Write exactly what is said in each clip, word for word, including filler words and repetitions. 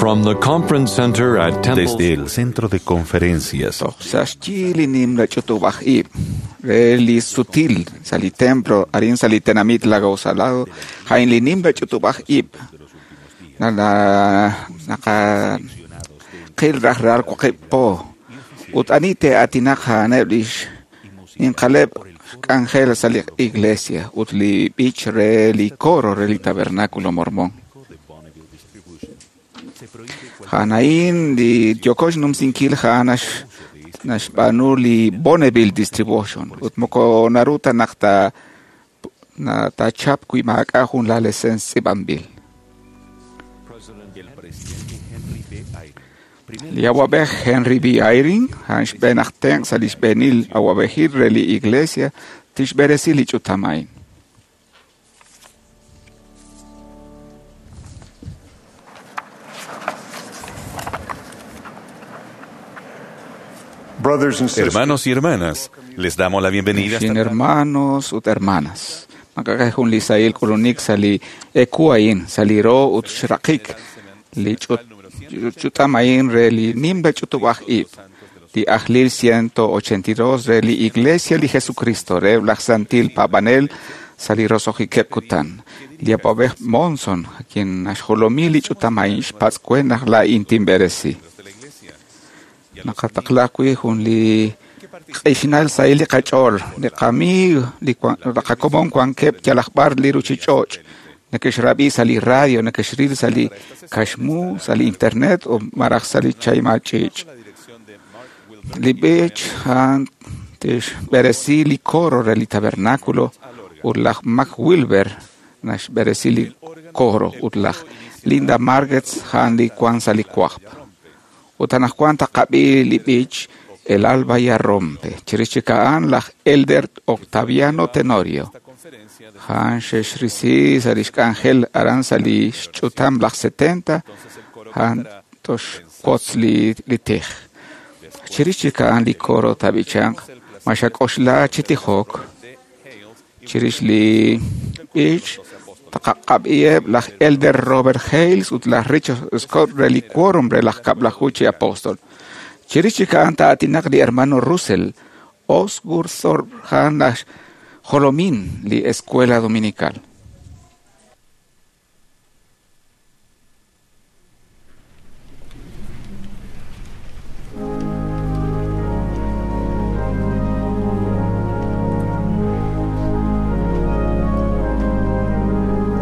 From the conference center at Temple Desde el centro de conferencias Toj sa xyi li nimla ch'utub'aj ib' re li sutil sa' li templo arin sa' li tenamit Lago Salado ja'in li nimla ch'utub'aj ib' nala naqa qil raj ral waqib' po ut ani te'aatinaq ja'aneb' lix ninqaleb' k'anjel sa' li iglesia ut li b'ich re li coro re li tabernáculo mormón. Ja'anain li yokox numsinkil ja'an nax naxb'aanu li Bonneville Distribution ut moko naru ta naq ta na tachap wi maak'a' jun la lesen tz'ib'anb'il. Li awab'ej Henry B. Eyring ja'an xb'een aj tenq' sa' li xb'eenil awab'ejil re li iglesia tixb'eresi li ch'utam a'in. Brothers and sisters, Hermanos y hermanas, les damos la bienvenida. Xin hermanos ut hermanas. Makakaj jun li sahil k'ulunik sa' li eku a'in, sa' li ro ut xraqik li ch'ut- ch'utam a'in re li nimla ch'utub'aj ib', li ajlil ciento ochenta y dos re li Iglesia li Jesucristo re laj Santil Paab'anel sa' li roso'jikeb' kutan. Li awab'ej Monson, quien naxjolomi li ch'utam a'in xpatz' we naq laa'in tinb'eresi. Naqataqla wi jun li q'ixnal sahil li qach'ool, li qamiig, li wan- li qakomon wankeb' yalaq b'ar li ruchich'och', neke'xrab'i sa' li radio, neke'xril sa' li kaxmu, sa' li internet o maraj sa' li chayma ch'iich'. Li b'ich a'an tixb'eresi li coro re li tabernáculo ut laj Mac Wilber naxb'eresi li coro ut laj Linda Margetts a'an li wan sa' li wajb'. Ut anaqwan taqab'i li b'ich El alba ya rompe. Chirix chik a'an laj Elder Octaviano Tenorio. A'an xexrisi sa' lix k'anjel aran sa' li xch'utam laj setenta, a'an toxwotz li, li tij. Chirix chik a'an li coro tab'ichanq ma xak'oxla chi tijok. Chirix li b'ich taqaqab'iheb' laj Elder Robert Hales ut laj Richard Scott re li quórum re laj kab'laju chi apóstol. Chirix chik a'an ta'aatinaq li hermano Russell Osgur Thorpe a'an laj jolomin li Escuela Dominical.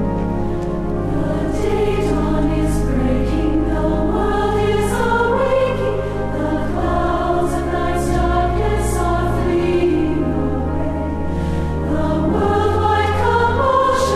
The day dawn is breaking, the world is awaking, the clouds of night's darkness are fleeing away. The worldwide commotion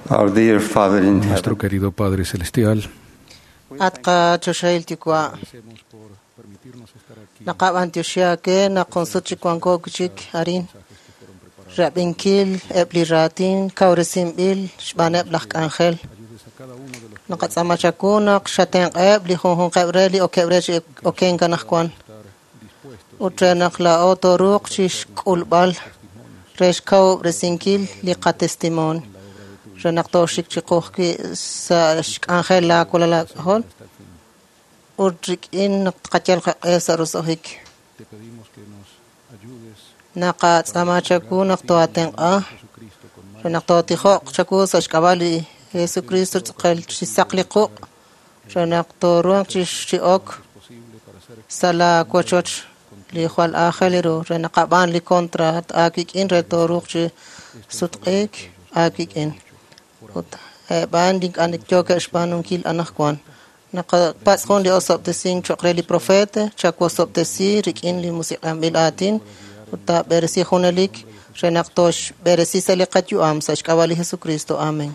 Our dear Father in Nuestro heaven, querido Padre Celestial, At qachoxahil yuwa' naqab'antioxi aake naq junsut chi wanko chik arin rab'inkil eb' li raatin kawresinb'il xb'aaneb' laj k'anjel naqatz'aama chawu naq xatenq'eb' li junjunqeb' re li okeb' re chi okenk anaqwan ut re naq laa'o tooruuq chixk'ulb'al re xkawub'resinkil li qatestimoon re naq tooxik chiqu ajwi' sa' xk'anjel laawalal aak'ajol ut rik'in naq tqayal qaq'e sa' roso'jik naqatz'aama chawu naq tooatenq'a re naq tootijoq chawu sa' xk'ab'a' li Jesucristo tz'aqal chi saq li quq' re naq tooruhanq chi chi ok sa' laawochoch li jwal aajel ru re naqab'aan li contrat aawik'in re tooruuq chi sutq'iik aawik'in ut eb'an li ink'a' yookeb' xb'aanunkil anaqwan naqapatz' jun li osob'tesink cho'q re li profeta chawosob'tesi rik'in li musiq'anb'il aatin ut taab'eresi junelik re naq tooxb'eresi sa' li qayu'am sa' xk'ab'a' li Jesucristo. Amén.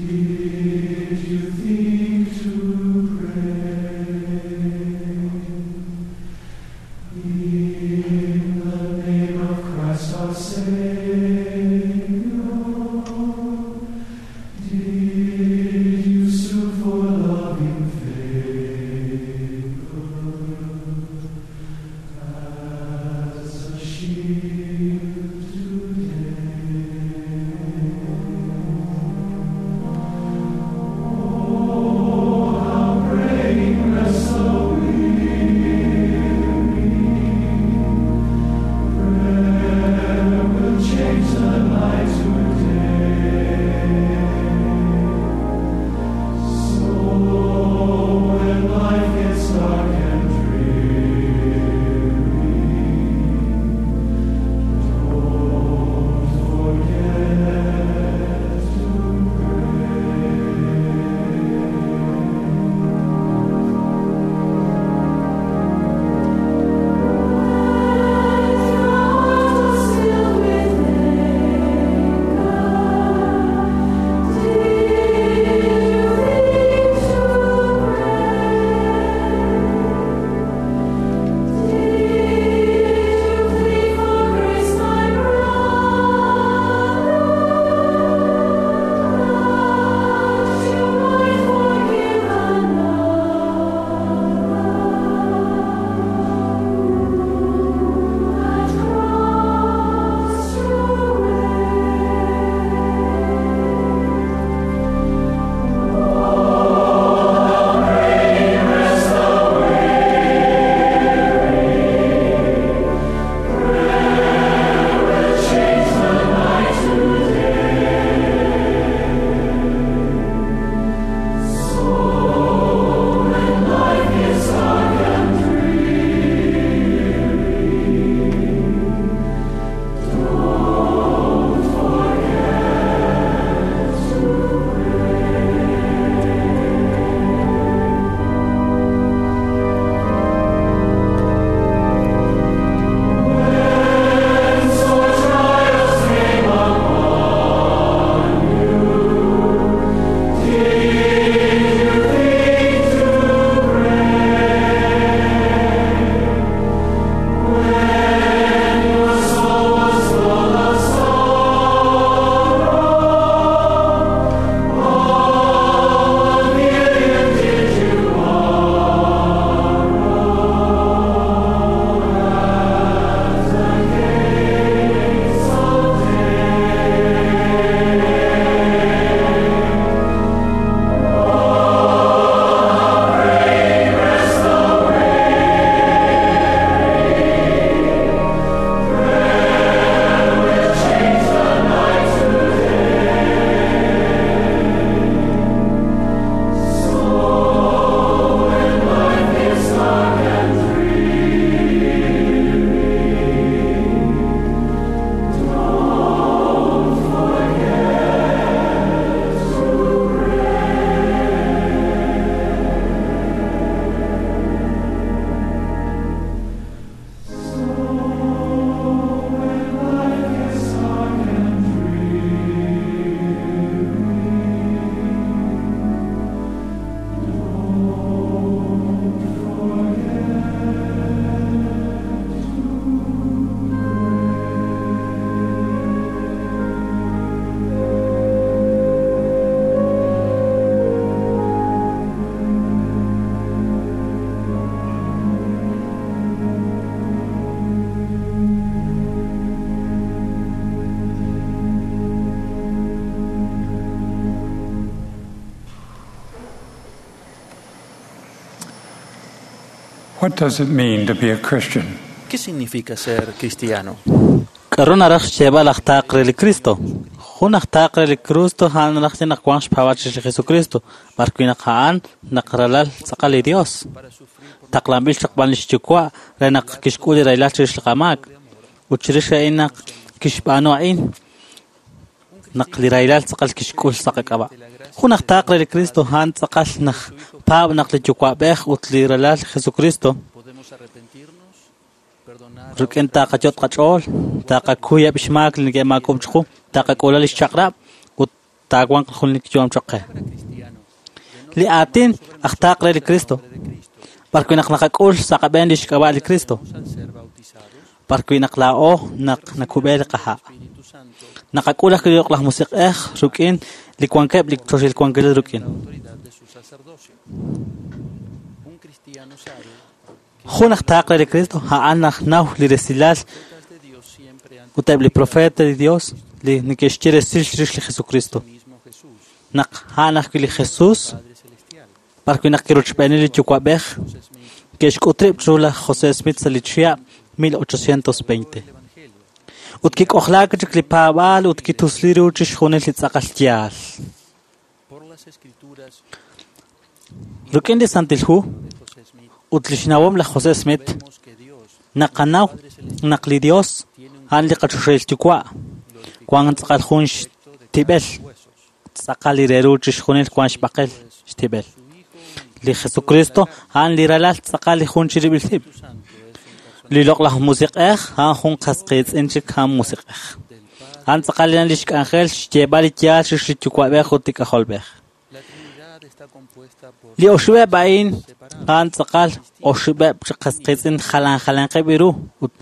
Did you think to pray? What does it mean to be a Christian? ¿Qué significa ser cristiano? K'aru naraj xyeeb'al aj taaq re li Cristo? Jun aj taaq re li Cristo a'an naraj xye naq wank xpaab'al chirix li Jesucristo, b'arwi' naq a'an naq ralal tz'aqal li Dios. Taqlanb'il chaq b'an li xyuwa' re naq kixk'ul li rahilal chirix li qamaak. Ut chirix a'in naq kixb'aanu a'in, naq li rahilal tz'aqal kixk'ul sa' qak'ab'a'. Jun aj taaq re li Cristo a'an tz'aqal naj paab' naq li yuwa'b'ej ut li ralal Jesucristo Podemos arrepentirnos, perdonar a rik'in taqayot qach'ool, taqakuyeb' xmaak li neke'maakom chiqu, taqak'ula li xchaq'rab' ut taawanq jun li yu'am choq' qe. cristiano Li aatin aj taaq re li Cristo, b'arwi' naq naqak'ul sa' qab'een li xk'ab'a' li Cristo, al ser bautizados, b'arwi' naq laa'o naq nakub'e li qaha'. Espíritu Santo, Naqak'ul ajwi' li Loq'laj Musiq'ej rik'in li wankeb' li choxil wankilal rik'in. la autoridad de su sacerdocio. Un cristiano sabe Jun aj taaq re li Cristo a'an aj naw li resilal que de Dios siempre han ut eb' li profeet li Dios li neke'xye resil chirix li Jesucristo. mismo Jesús, Naq a'an ajwi' li Jesus, Padre Celestial, b'arwi' naq kirochb'eeni li yuwa'b'ej, José Smith, ke'xk'ut rib' chiru laj José Smith sa' li chihab' mil ochocientos veinte. el Evangelio, Ut kik'ojlaak chik li paab'aal ut kitusli ru chixjunil li tz'aqal yaal. por las Escrituras Rik'in li Santil Hu de José Smith, ut li xnawom laj José Smith, vemos que Dios naqanaw naq li Dios a'an li qachoxahil yuwa' wank tz'aqal jun xtib'el, huesos, tz'aqal li re ru chixjunil wank xb'aqel xtib'el. su Hijo Li Jesucristo a'an li ralal tz'aqal li jun chirib'il rib'. Santo es un persona Li loq'laj musiq'ej a'an jun qasqiitz'in chik a'an musiq'ej. del Padre. A'an tz'aqal li xk'anjel xyeeb'al li yaal chirix li yuwa'b'ej ut li k'ajolb'ej. La Trinidad está compuesta por Li oxib'eb' a'in a'an tz'aqal oxib'eb' chi qasqiitz'in jalan jalanqeb' ru ut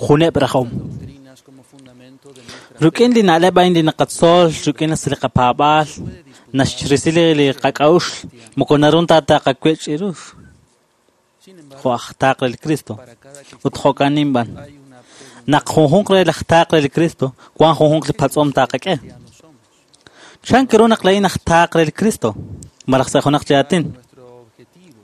juneb' rajom. doctrinas como fundamento de nuestra Rik'in li na'leb' a'in li naqatzol rik'in li qapaab'aal naxrisi li qak'a'uxl moko narun ta taqakwech' ru Sin embargo, jo' aj taaq re li Cristo para cada ut jo'kan b'an. hay una pregunta Naq junjunq re laj taaq re li Cristo wank junjunq li patz'om taqak'e. cristianos somos. Chan kiru naq la'in aj taaq re li Cristo malaj sa' junaq chi aatin. Nuestro objetivo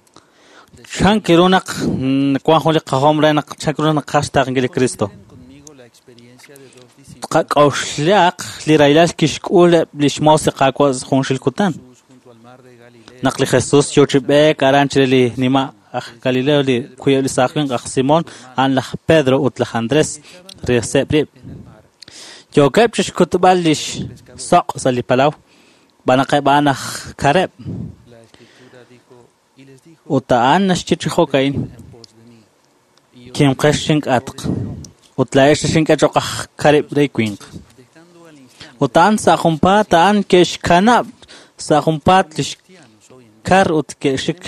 Chan kiru naq mm, wank jun li qajom re naq chan kiru naq qaj xtaaqenkil li Cristo. Consideren conmigo la experiencia de dos discípulos Qak'oxlaq li rahilal kixk'ul eb' li xmoos li Qaawa' junxil kutan. Jesús junto al mar de Galilea. Naq li Jesus yo chi b'eek aran chire li nima' aj Galileo li kuyeb' li saaj winq aj Simón a'an laj Pedro ut laj Andrés riseb' rib'. En el mar, Yookeb' chixkutb'al li xsoq' sa' li palaw b'anaqeb' a'an aj kareb'. la escritura dijo y les dijo Ut a'an naxye chi jo'ka'in en pos de mí. Y os kimqex xink'atq ut la'ex xink'e choq aj karib' re winq. dejando al instante Ut a'an sa' junpaat a'an ke'xkanab' sa' junpaat li cristianos hoy en día xkar ut ke'xik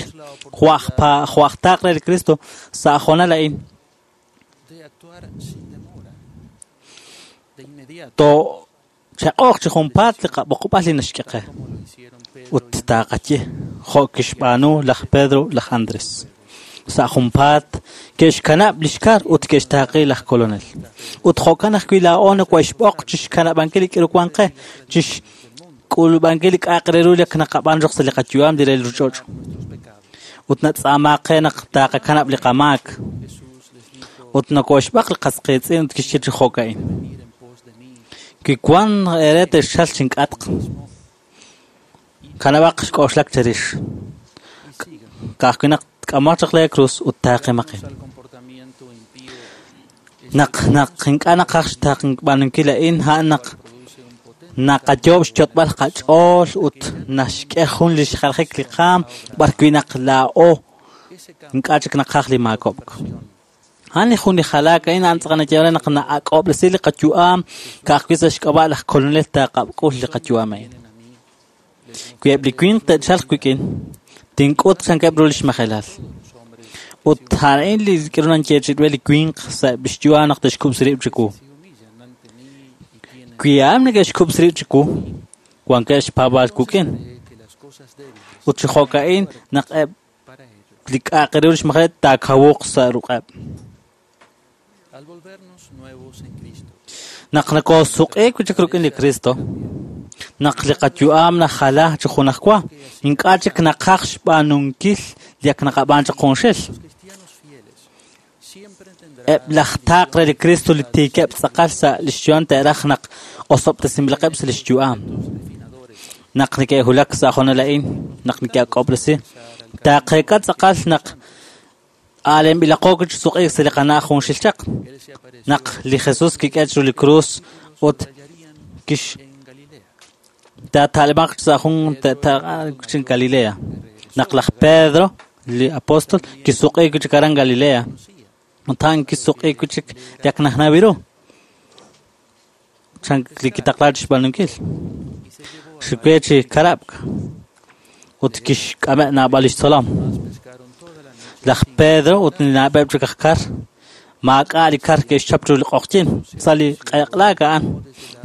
jo' aj pa- jo' aj taaq re li Cristo sa' jonal a'in. de actuar sin demora, de inmediato, To chaq'oq chi junpaat li qab'oqb'al li naxk'e qe. como lo hicieron Pedro Ut taqaye jo' kixb'aanu laj Pedro laj Andrés. Sa' junpaat ke'xkanab' li xkar ut ke'xtaaqi laj kolonel. Ut jo'kan ajwi' laa'o nakohexb'oq chixkanab'ankil li k'iru wank qe, chixk'ulub'ankil li k'a'aq re ru li naqab'aan roq sa' li qayu'am li re li ruuchich'och'. nuestros pecados. Ut natz'aamaq qe naq taqakanab' li qamaak. Jesús les dijo Ut nakohexb'aq li qasqiitz'in ut kixye chi jo'ka'in. venir en pos de mí Kiwan ere texchal chink'atq. Kanab'aq xk'oxlak chirix. y sigan Ka'ajwi' naq tk'amoq chaq le cruz ut taaqimaqin. al comportamiento impío Naq naq ink'a' naqaj xtaaqb'aanunkil a'in a'an naq produce un potente naqayoob' xyot'b'al qach'ool ut naxk'e jun li xjalajik li qaam b'arwi' naq laa'o ese cambio ink'a' chik naqaj li maakob'k. A'an li jun li jalaak a'in a'an tz'aqal nayeeman naq na'ak'ob'resi li qayu'am ka'ajwi' sa' xk'ab'a' laj kolonel taqab'k'ul li qayu'am a'in. vienen a mí les Wi eb' li winq te'chalq wik'in, tink'ut chankeb' ru li xmajelal. los hombres Ut a'in li k'iru nanyeechi'b'e li winq sa' eb' li xyu'am naq te'xkub'si rib' chiwu. se humillan ante mí y tienen Wi a'an neke'xkub'si rib' chiwu, wankeb' xpaab'aal wik'in. fe que las cosas débiles Ut chi jo'ka'in naq eb' para ellos. li k'a'aq re ru li xmajelal taakawuq sa' ruq'eb'. Al volvernos nuevos en Cristo, Naq nakosuq'iik wi' chik rik'in li Cristo, naq li qayu'am najala chi junajwa, ink'a' chik naqaj xb'aanunkil li ak naqab'aan chaq junxil. los cristianos Eb' laj taaq re li Kristo li tiikeb' tz'aqal sa' lix yu'am te'raj naq osob'tesinb'ilaqeb' sa' lix yu'am. Naq neke'wulak sa' hoonal a'in, naq neke'ak'ob'resi, taaqeeka tz'aqal naq aalenb'ilaqo chi suq'iik sa' li qana'aj junxil chaq. Naq li Jesus kik'e chiru li krus ut kix taata'leb'aq sa' jun ta'ta'q Galilea. Naq laj Pedro, li apóstol, kisuq'iik chik aran Galilea. Ut a'an kisuq'iik chik li ak najnaw ru. Chan li kitaqla chixb'aanunkil. Xikwe chi karab'k ut kixk'ame' naab'al lix tzolom. Laj Pedro ut li naab'eb' chik aj kar maak'a' li kar ke'xchap chiru li q'oqyin sa' li q'eq'laak a'an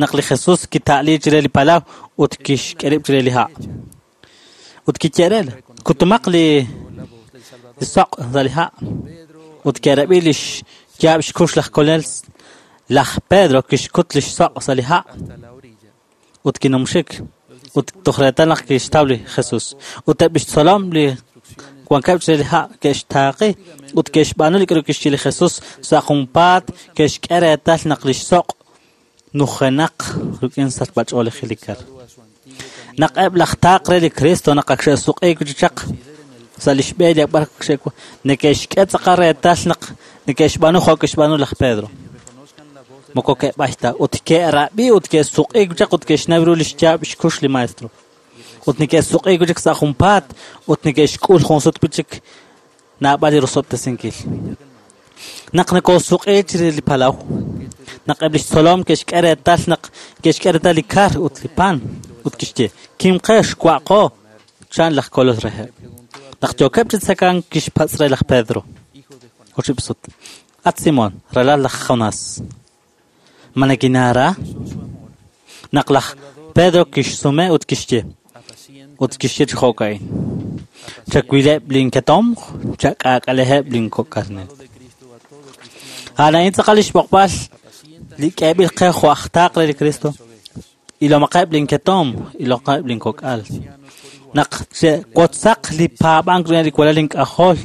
naq li Jesus kita'li chire li palaw ut kixk'e rib' chire li ha'. Ut kiye'rel kutumaq li li soq' sa' li ha' ut ke'rab'i lix yaab' xkux laj Kolonel. Laj Pedro kixkut lix soq' sa' li ha' ut kinumxik ut toj reetal naq kixtaw li Jesus. Ut eb' lix tzolom li wankeb' chire li ha' ke'xtaaqi ut ke'xb'aanu li k'aru kixye li Jesus sa' junpaat ke'xk'e reetal naq lix soq' nujenaq rik'in sachb'ach'oolejil li kar. Naq eb' laj taaq re li Kristo naq ak xe'suq'iik chi chaq sa' lix b'e li b'ar xe'wa neke'xk'e tz'aqal reetal naq neke'xb'aanu jo' ke'xb'aanu laj Pedro. Moko ke'b'ay ta ut ke'rab'i ut ke'suq'iik chaq ut ke'xnaw ru lix yaab' xkux li maestro. Ut neke'suq'iik chik sa' junpaat ut neke'xk'ul jun sut chik naab'al li rosob'tesinkil. Naq nekosuq'iik chire li palaw, naq eb' lix tzolom ke'xk'e reetal naq ke'xk'e reetal li kar ut li pan ut kixye kimqex wa'qo chan laj Kolol reheb'. Naq yookeb' chi tzekank kixpatz' re laj Pedro oxib' sut: At Simón, ralal laj Jonás, ma nakinaara? Naq laj Pedro kixsume ut kixye ut kixye chi jo'ka'in: Chawileb' linketomq, chak'aak'aleheb' linkok'arnel. A'an a'in tz'aqal lix b'oqb'al li k'eeb'il qe jo' aj taaq re li Kristo. Ilomaqeb' linketomq, ilomaqeb' linkok'al. Naq che'wotzaq li paab'ank rik'in li walal ink'ajol,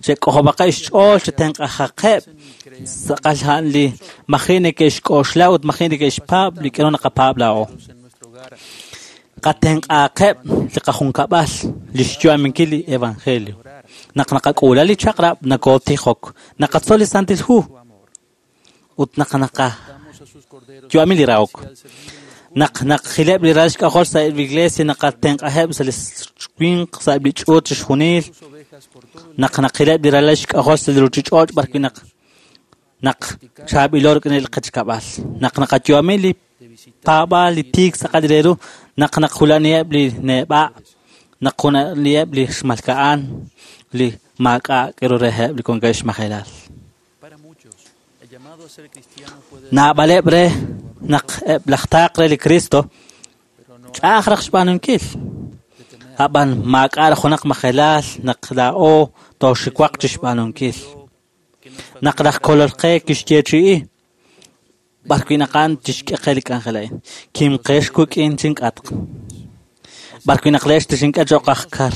che'k'ojob'aqeb' xch'ool, che'tenq'ajaqeb' tz'aqal a'an li maji' neke'xk'oxla ut maji' neke'xpaab' li k'aru naqapaab' laa'o. Qatenq'aqeb' li qajunkab'al li xyu'aminkil li evangelio. Naq naqak'uula li chaq'rab' nakootijok, naqatzol li Santil Hu ut naq naqayu'ami li rahok. Naq naqjileb' li ralal xk'ajol sa' li iglesia naqatenq'aheb' sa' li winq sa' li ch'uut chixjunil. Naq naqileb' li ralal xk'ajol sa' li ruchich'och' b'ar wi' naq naq chaab'ilo rik'in li qechkab'al. Naq naqayu'ami li paab'aal li tiik tz'aqal re ru, naq naqjulaniheb' li neb'a', naq junaliheb' li xmalka'an, li maak'a' k'aru reheb' li wankeb' xmajelal. Naab'aleb' re naq eb' laj taaq re li Kristo ch'a'aj raj xb'aanunkil. Ab'an maak'a' junaq majelal naq laa'o tooxiwaq chi xb'aanunkil. Naq laj Kolol qe kixyeechi'i b'ar wi' naq a'an tixk'e qe li k'anjel a'in. Kimqex wik'in chink'atq. B'ar wi' naq leex tixink'e cho'q aj kar.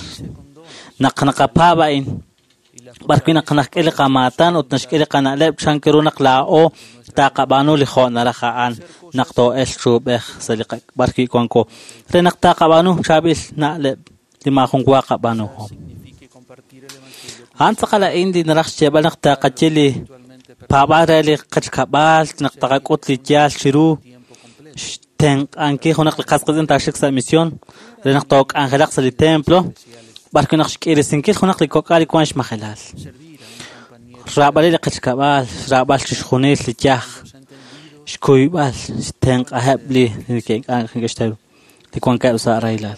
Naq naqapaab' a'in, b'ar wi' naq naxk'e li qamaatan ut naxk'e li qana'leb' chan ru naq laa'o taqab'aanu li jo' naraj a'an naq too'elq chuub'ej sa' li b'ar wi' wanko. Re naq taqab'aanu chaab'il na'leb' li maajun wa qab'aanuhom. A'an tz'aqal a'in li naraj xyeeb'al naq taqaye li paab'aal re li qechkab'al, naq taqak'ut li yaal chiru xtenq'ankil junaq li qas qiitz'in taaxik sa' misión re naq took'anjelaq sa' li templo b'ar wi' naq xk'irisinkil junaq li kok'al li wank xmajelal. Xraab'al li qechkab'al, xraab'al chixjunil li yaj, xkuyb'al, xtenq'aheb' li neke'xtaw li wankeb' sa' rahilal.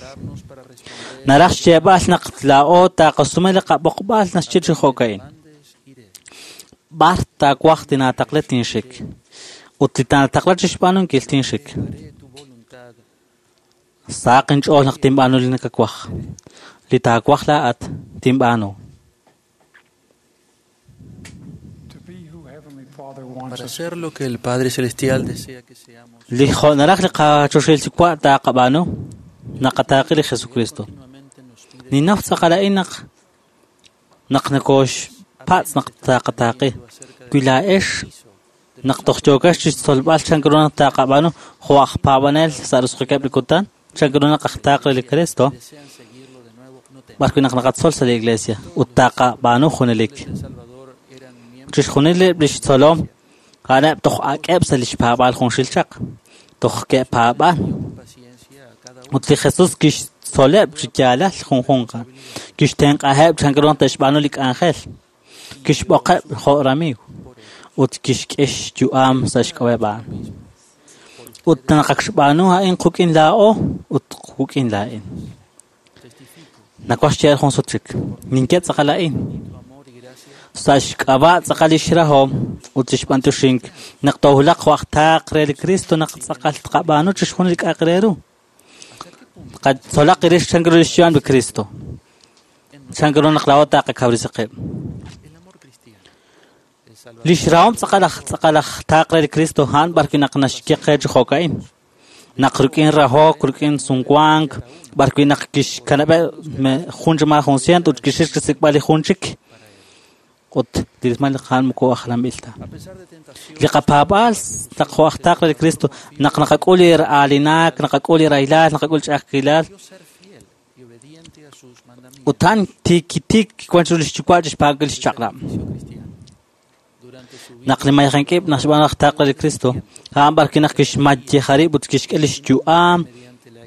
Naraj xyeeb'al naq laa'o taqasume li qab'oqb'al naxye chi jo'ka'in: B'ar taawaj tinaataqla tinxik ut li taataqla chixb'aanunkil tinxik. Saq inch'ool naq tinb'aanu li nakawaj, li taawaj laa'at tinb'aanu. To be who Heavenly Father wants Para us ser lo que el Padre Celestial desea que seamos, Li jo' naraj li qachoxil yuwa' taqab'aanu naqataaqi li Jesucristo. continuamente nos pide Ninnaw tz'aqal a'in naq naq nakox naxpatz' naq taqataaqi. Wi laa'ex naq toj yookex chixtzolb'al chan ru naq taqab'aanu jo' aj paab'anel sa' roso'jikeb' li kutan, chan ru naq aj taaq re li Cristo, b'ar wi' naq naqatzol sa' li iglesia ut taqab'aanu junelik. Chixjunileb' lix tzolom a'aneb' toj ak'eb' sa' lix paab'aal junxil chaq, toj ke'paab'an. Ut li Jesus kixtzoleb' chi yaalal junjunq, kixtenq'aheb' chan ru naq te'xb'aanu li k'anjel, kixb'oqeb' jo' ramiiw ut kixk'e xyu'am sa' xk'ab'a'eb' a'an. Ut naq ak xb'aanu a'in quk'in laa'o ut quk'in laa'in. Nawaj xyeeb'al jun sut chik, ninye tz'aqal a'in. Sa' xk'ab'a' tz'aqal lix rahom ut lix b'antioxink naq toohulaq jo' aj taaq re li Cristo naq tz'aqal tqab'aanu chixjunil li k'a'aq re ru. Qatzolaq rix chan ru lix yu'am li Cristo. Chan ru naq laa'o taqakawresi qib'. Lix rahom tz'aqal aj tz'aqal aj taaq re li Cristo a'an b'ar wi' naq naxye qe chi jo'ka'in. Naq rik'in rahok, rik'in sumwank, b'ar wi' naq kixkanab'eb' jun chi maa jun cient ut kixik xsik'b'al li jun chik. Ut li rismal li a'an moko ajlanb'il ta. Li qapaab'aal naq jo' aj taaq re li Cristo, naq naqak'ul li aalinaak, naqak'ul li rahilal, naqak'ul li ch'a'ajkilal. Ut a'an tiik kiwan chiru lix yuwa' chixpaab'ankil lix chaq'rab'. Naq li mayajank'ib' naq xb'aan aj taaq re li Cristo, a'an b'ar wi' naq kixmayej rib' ut kixk'e lix yu'am,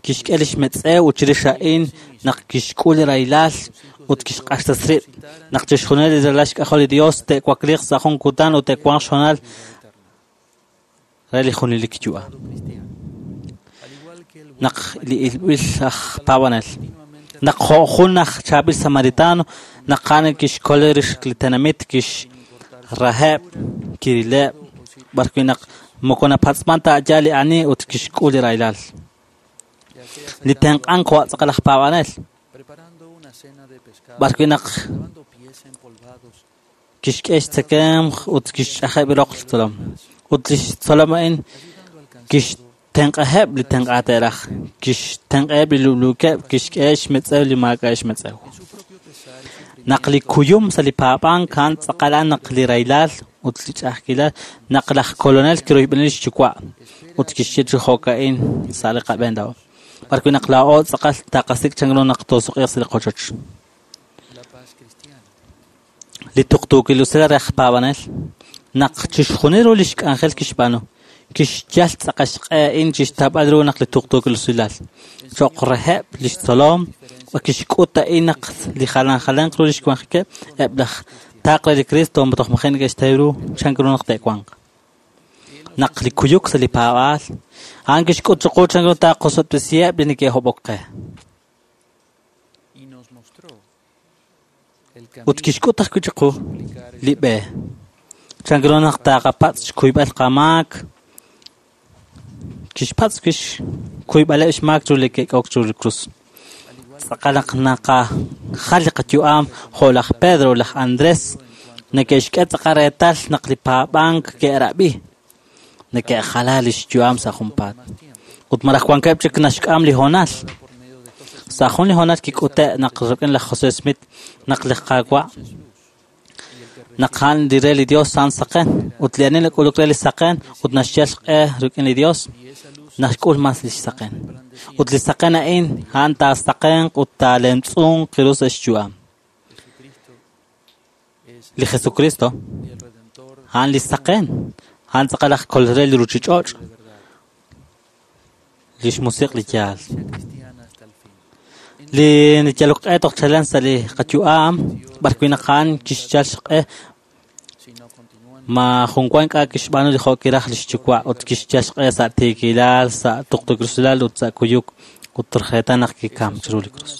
kixk'e lix metz'ew ut chirix a'in naq kixk'ul li rahilal ut kixq'axtas rib'. Naq chixjunil li ralal xk'ajol li Dios te'wakliiq sa' jun kutan ut te'wanq xhoonal re li junelik yu'am. Naq li ilb'il aj paab'anel, naq jo' jun aj chaab'il samaritano, naq a'an kixkol rix li tenamit, kixraheb', kirileb', b'ar wi' naq moko napatz'man ta yaal li ani ut kixk'ul li rahilal. Li tenq'ank jo' tz'aqal aj paab'anel, b'ar wi' naq kixk'e xtzekemq ut kixch'ajeb' roq li tzolom. Ut lix tzolom a'in kixtenq'aheb' li tenq'a te'raj, kixtenq'aheb' li lub'luukeb', kixk'e xmetz'ew li maak'a' xmetz'ew. Naq li kuyum sa' li paab'ank a'an tz'aqal a'an naq li rahilal ut li ch'a'ajkilal, naq laj kolonel kiroyb'eni lix yuwa' ut kixye chi jo'ka'in sa' li qab'een laa'o. B'ar wi' naq laa'o tz'aqal taqasik' chan ru naq toosuq'iiq sa' li qochoch. Li tuqtuukil usilal re aj paab'anel, naq chixjunil ru lix k'anjel kixb'aanu, kixyal tz'aqal xq'e a'in chixtab'al ru naq li tuqtuukil usilal. Cho'q reheb' lix tzolom, kixk'ut a'in naq li jalan jalanq ru lix wanjikeb' eb' laj taaq re li Cristo toj maji' neke'xtaw ru chan ru naq te'wanq. Naq li kuyuk sa' li paab'aal, a'an kixk'ut chiqu chan ru taqosob'tesiheb' li neke'hob'ok qe. Ut kixk'ut ajwi' chiqu li b'e. Chan ru naq taqapatz' xkuyb'al qamaak, kixpatz' xkuyb'aleb' xmaak chiru li ke'k'ok chiru li krus. Tz'aqal naq naqajal li qayu'am jo' laj Pedro, laj Andrés, neke'xk'e tz'aqal reetal naq li paab'ank ke'rab'i, neke'jala lix yu'am sa' junpaat. Ut malaj wankeb' chik naxk'am li hoonal. Sa' jun li hoonal kik'ute' naq rik'in laj José Smith, naq li Qaawa', naq a'an li re li Dios a'an saqen, ut li ani nak'uluk re li saqen ut naxyal xq'e rik'in li Dios, naxk'ul mas lix saqen. Ut li saqen a'in a'an taasaqenq ut taalemtz'unq ru sa' xyu'am. Li Jesucristo a'an li saqen, a'an tz'aqal aj kol re li ruchich'och', lix musiq' li yaal. Li yalok q'e toj chalen sa' li qayu'am, b'ar wi' naq a'an kixyal xq'e ma jun wan k'a' kixb'aanu li jo' kiraj lix yuwa' ut kixyal xq'e sa' tiikilal, sa' tuqtuukilal ut sa' kuyuk ut rjeetan naq kikam chiru li krus.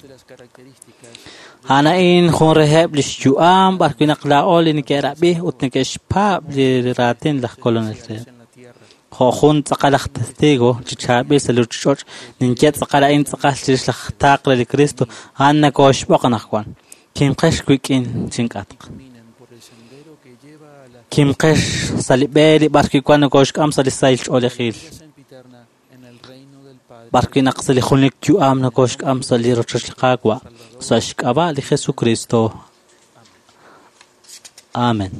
A'an a'in jun reheb' lix yu'am b'ar wi' naq laa'o li neke'rab'i ut neke'xpaab' li raatin laj kolonel reheb'. Jo' jun tz'aqal aj testigo chi chaab'il sa' li ruchich'och', ninye tz'aqal a'in tz'aqal chirix laj taaq re li Cristo, a'an nakooxb'oq anaqwan. Kimqex wik'in chink'atq. Kimqex sa' li b'e li b'ar wi' wan nakooxk'am sa' li sahil ch'oolejil. B'ar wi' naq sa' li junelik yu'am nakooxk'am sa' li rochoch li Qaawa', sa' xk'ab'a' li Jesucristo. Amen.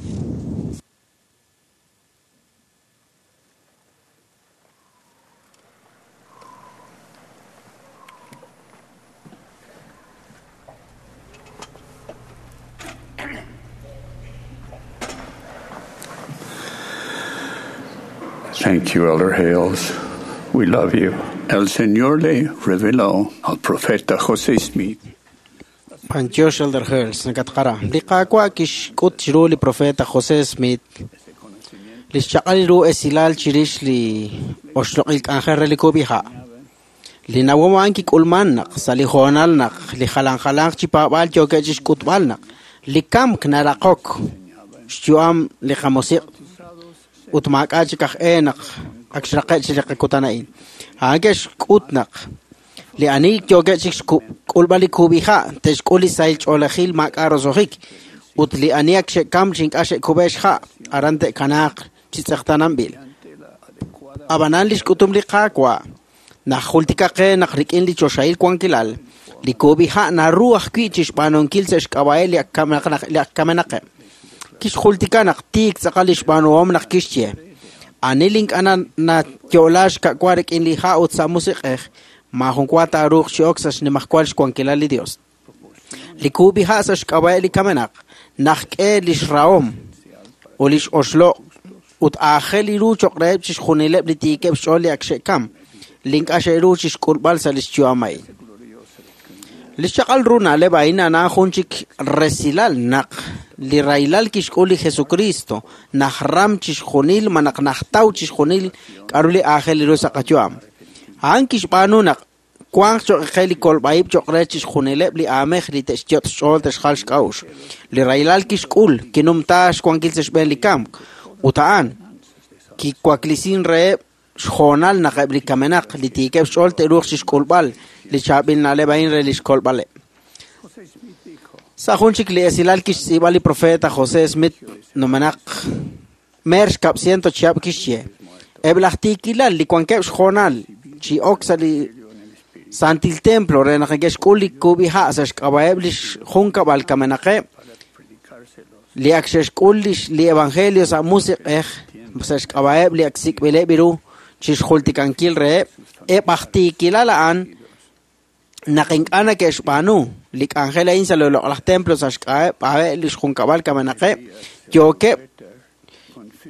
Thank you, Elder Hales. We love you. El Señor le reveló al profeta José Smith. Panchosh Elder Hales, nakatqara. Li qaawa' kixk'ut chiru li profeta José Smith. Li xchaq'al ru esilal chirix li oxloq'il k'anjel re li kub'iha'. Li nawom a'an kik'ulman naq sa' li hoonal naq li jalan jalanq chi paab'aal yookeb' chixk'utb'al naq li kamk naraqok xyu'am li qamusiq' ut maak'a' chik aj e naq ak xraqe' chi li qakutan a'in. A'an ke'xk'ut naq li ani yookeb' chik xk'ulb'al li kub'iha' te'xk'ul li sahil ch'oolejil maak'a' roso'jik ut li ani ak xe'kam chi ink'a' xe'kub'e xha' aran te'kanaaq chi tz'eqtaananb'il. Ab'anan li xk'utum li Qaawa' naq jultika qe naq rik'in li choxahil wankilal li kub'iha' naru ajwi' chixb'aanunkil sa' xk'ab'a'eb' li ak kamenaqeb'. Kixjultika naq tiik tz'aqal li xb'aanuhom naq kixye ani li ink'a' nayo'la xka'wa rik'in li ha' ut sa' musiq'ej maajun wa taaruuq chi ok sa' xnimajwal xwankilal li Dios. Li kub'iha' sa' xk'ab'a'eb' li kamenaq naq k'e li xrahom ut li x'oxloq' ut aajel ru cho'q reheb' chixjunileb' li tiikeb' xch'ool li ak xe'kam li ink'a' xe'ru chixk'ulb'al sa' li xyu'am a'in. Li xchaq'al ru na'leb' a'in a'an jun chik resilal naq li rahilal kixk'ul li Jesucristo naj ram chixjunil ma naq najtaw chixjunil k'a'ru li aajel ru sa' qayu'am. A'an kixb'aanu naq wanq cho'q qe li kolb'a'ib' cho'q re chixjunileb' li aamej li te'xyot' xch'ool te'xjal xk'a'uxl. Li rahilal kixk'ul kinumta xwankil sa' xb'een li kamk ut a'an kiwaklisin reheb' xhoonal naq eb' li kamenaq li tiikeb' xch'ool te'ruuq chixk'ulb'al li chaab'il na'leb' a'in re li xkolb'aleb'. Sa' jun chik li esilal kixtz'iib'a li profeta José Smith numenaq mer xkab' ciento chihab' kixye eb' laj tiikilal li wankeb' xhoonal chi ok sa' li santil templo re naq neke'xk'ul li kub'iha' sa' xk'ab'a'eb' li xjunkab'al kamenaqeb' li ak xe'xk'ul li evangelio sa' musiq'ej sa' xk'ab'a'eb' li ak sik'b'ileb' ru chixjultikankil reheb' eb' aj tiikilal a'an naq ink'a' neke'xb'aanu li k'anjel a'in sa' li loq'laj templo sa' xk'ab'a'eb' li xjunkab'al kamenaqeb' yookeb'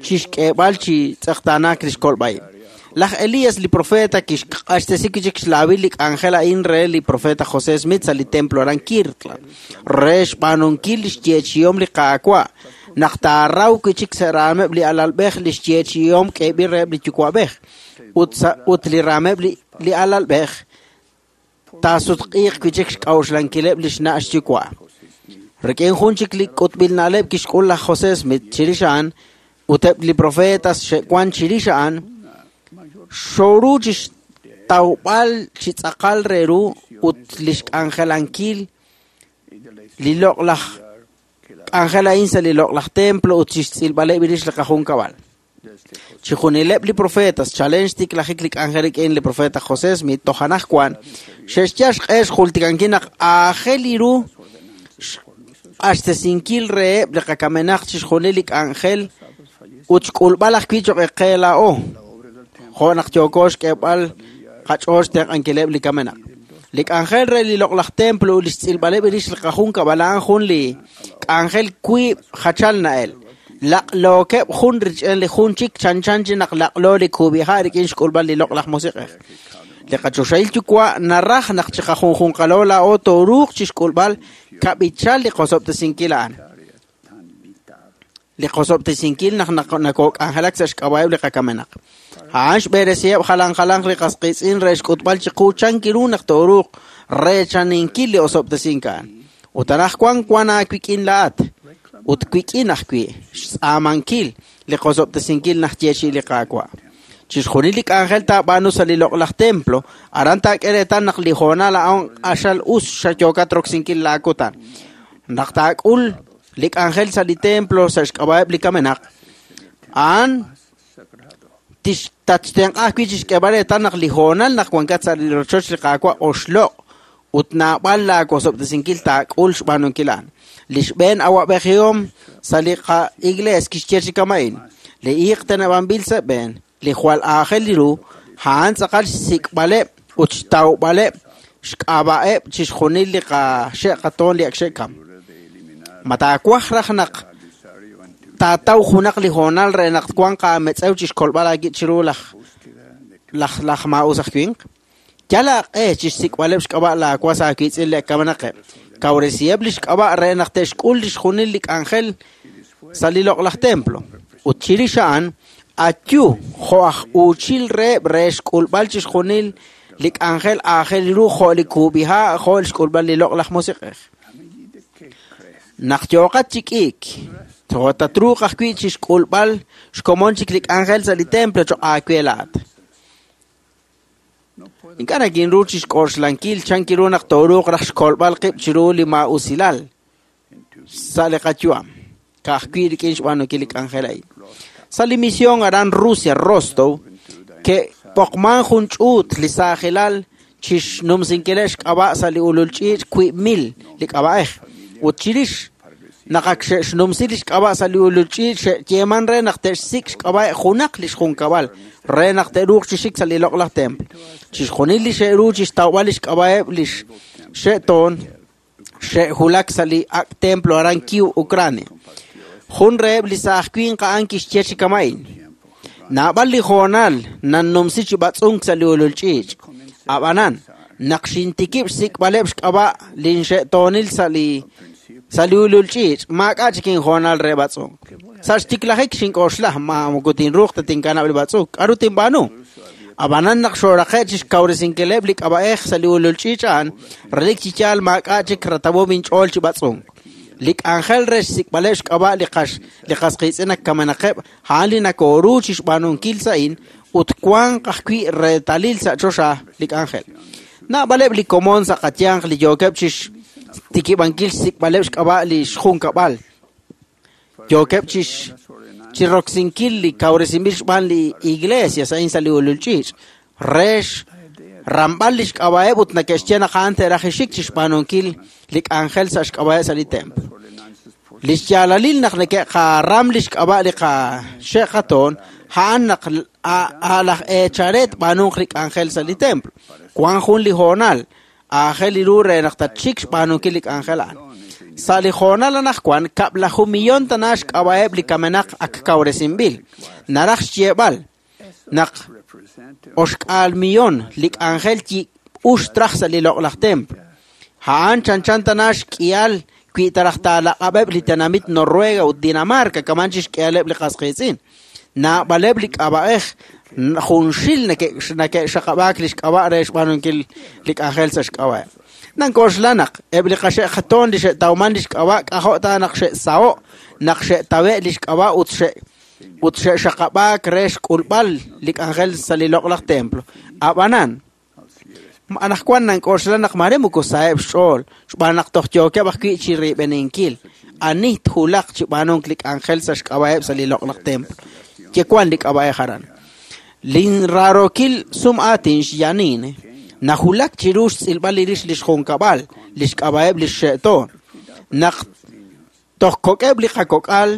chixk'eeb'al chi tz'eqtaanaak li xkolb'a'ib'. Laj Elías li profeta kixq'axtesi chik xlaawil li k'anjel a'in re li profeta José Smith sa' li templo aran Kirtland re xb'aanunkil li xyeechihom li Qaawa' naq taaraw wi' chik sa' raameb' li alalb'ej li xyeechihom k'eeb'il reheb' li yuwa'b'ej ut sa' ut li raameb' li li alalb'ej taasutq'iiq wi' chik xk'a'uxlankileb' li xna' xyuwa'. Rik'in jun chik li k'utb'il na'leb' kixk'ul laj José Smith chirix a'an ut eb' li profetas xe'wan chirix a'an xoru chixtawb'al chi tz'aqal re ru ut li xk'anjelankil li loq'laj k'anjel a'in sa' li loq'laj templo ut chixtz'ilb'aleb' rix li qajunkab'al. Chixjunileb' li profetas chalen xtiklajik li k'anjel rik'in li profeta José Smith toj anajwan xe'xyal xq'e xjultikankil naq aajel ru xq'axtesinkil reheb' li qakamenaq chixjunil li k'anjel ut xk'ulb'al ajwi' cho'q qe laa'o jo' naq yooko xk'eeb'al qach'ool xtenq'ankileb' li kamenaq. Li k'anjel re li loq'laj templo ut li xtz'ilb'aleb' rix li qajunkab'al a'an jun li k'anjel wiib' jachal na'el. Laq'lookeb' jun rich'en li jun chik chanchan chi naq laq'lo li kub'iha' rik'in xk'ulb'al li loq'laj musiq'ej. Li qachoxahil yuwa' naraj naq chiqajunjunqalo laa'o tooruuq chixk'ulb'al kab'ichal li qosob'tesinkil a'an. Li qosob'tesinkil naq nakok'anjelak sa' xk'ab'a'eb' li qakamenaq. A'an xb'eresiheb' jalan jalanq li qasqiitz'in re xk'utb'al chiqu chankiru naq tooruuq reechaninkil li osob'tesink a'an. Ut anajwan wan aawik'in laa'at ut wik'in ajwi' xtz'aamankil li qosob'tesinkil naq yeechi' li Qaawa'. Chixjunil li k'anjel taab'aanu sa' li loq'laj templo aran taak'e reetal naq li hoonal a'an q'axal us xayookat roksinkil laakutan. Naq taak'ul li k'anjel sa' li templo sa' xk'ab'a'eb' li kamenaq a'an tatxtenq'a ajwi' chixk'eeb'al reetal naq li hoonal naq wankat sa' li rochoch li Qaawa' oxloq' ut naab'al laawosob'tesinkil taak'ul xb'aanunkil a'an. Li xb'een awa'b'ejihom sa' li qa-iglees kixye chi kama'in. Li iiq teneb'anb'il sa' b'een, li jwal aajel li ru, a'an tz'aqal xsik'b'aleb' ut xtawb'aleb' xk'ab'a'eb' chixjunil li qaxe'qatoon li ak xe'kam. Ma taawaj raj naq taataw junaq li hoonal re naq wanq aametz'ew chixkolb'al aawib' chiru laj laj laj maa'us aj winq? Yal aaq'e chixsik'b'aleb' xk'ab'a' laawas aawiitz'in li kamenaqeb'. Kawresiheb' li xk'ab'a' re naq te'xk'ul lixjunil li k'anjel sa' li loq'laj templo. Ut chirix a'an, ayu jo' aj uuchil reheb' re xk'ulb'al chixjunil li k'anjel aajel ru jo' li kub'iha' jo' xk'ulb'al li loq'laj musiq'ej. Naq yooqat chi k'iik, tatruuq ajwi' chixk'ulb'al xkomon chik li k'anjel sa' li templo cho'q aawe laa'at. Ink'a' nakinru chixk'oxlankil chan kiru naq tooruuq raj xkolb'al qib' chiru li maa'usilal sa' li qayu'am, ka'ajwi' rik'in xb'aanunkil li k'anjel a'in. Sa' li misión aran Rusia, Rostov, ke'poqman jun ch'uut li saajilal chixnumsinkileb' xk'ab'a' sa' li ulul ch'iich' wiib' mil li k'ab'a'ej. Ut chirix naq ak xe'xnumsi li xk'ab'a' sa' li ulul ch'iich' xe'yeeman re naq te'xsik' xk'ab'a' junaq li xjunkab'al re naq te'ruuq chi xik sa' li loq'laj templo. Chixjunil li xe'ru chixtawb'al li xk'ab'a'eb' li xe'toon xe'julak sa' li ak' templo aran Kiev, Ucrania. Jun reheb' li saaj winq a'an kixye chi kama'in. Naab'al li hoonal nannumsi chi b'atz'unk sa' li ulul ch'iich'. Ab'anan, naq xintikib' xsik'b'aleb' xk'ab'a' linxe'toonil sa' li sa' li ulul ch'iich', maak'a' chik inhoonal re b'atz'unk. Sa' xtiklajik xink'oxla, ma moko tinruuq ta tinkanab' li b'atz'unk, k'aru tinb'aanu? Ab'anan naq xooraqe' chixkawresinkileb' li k'ab'a'ej sa' li ulul ch'iich' a'an, relik chi yaal maak'a' chik ratawom inch'ool chi b'atz'unk. Li k'anjel re xsik'b'aleb' xk'ab'a' li qax li qasqiitz'in ak kamenaqeb' a'an li nakooru chixb'aanunkil sa'in ut wanq ajwi' reetalil sa' choxa li k'anjel. Naab'aleb' li komon sa' qayanq li yookeb' chixtikib'ankil xsik'b'aleb' xk'ab'a' li xjunkab'al. Yookeb' chix chiroksinkil li kawresinb'il xb'aan li iglesia sa'in sa' li ulul ch'iich' re ramb'al li xk'ab'a'eb' ut nake'xye naq a'an te'raj xik chixb'aanunkil li k'anjel sa' xk'ab'a'eb' sa' li templo. Li xyaalalil naq neke'qaram li xk'ab'a' li qaxe'qatoon a'an naq laj eecharet b'aanunq li k'anjel sa' li templo. Wank jun li hoonal aajel li ru re naq tatxik xb'aanunkil li k'anjel a'an. Sa' li hoonal anaqwan kab'laju millón tana xk'ab'a'eb' li kamenaq ak kawresinb'il. Naraj xyeeb'al naq oxk'aal millón li k'anjel ux traj sa' li loq'laj templo. A'an chanchan tana xk'ihal wi taraj taalaq'ab'eb' li tenamit Noruega ut Dinamarca kaman chixk'ihaleb' li qasqiitz'in. Naab'aleb' li k'ab'a'ej junxil nake'xaqab'aak li xk'ab'a' re xb'aanunkil li k'anjel sa' xk'ab'a'eb'. Nank'oxla naq eb' li qaxe'qatoon li xe'tawman li xk'ab'a' k'ajo' ta naq xe'saho' naq xe'tawe' li xk'ab'a' ut xe' ut xe'xaqab'aak re xk'ulb'al li k'anjel sa' li loq'laj templo. Ab'anan, anaqwan nank'oxla naq mare moko saheb' xch'ool xb'aan naq toj yookeb' ajwi' chi riib'eninkil. Ani tjulaq chi b'aanunk li k'anjel sa' xk'ab'a'eb' sa' li loq'laj templo. Yewan li k'ab'a'ej aran. Linraarokil sum aatin xyanine najulak chiru xtz'ilb'al li rix li xjunkab'al, li xk'ab'a'eb' li xxe'toon. Naq toj kok'eb' li qakok'al,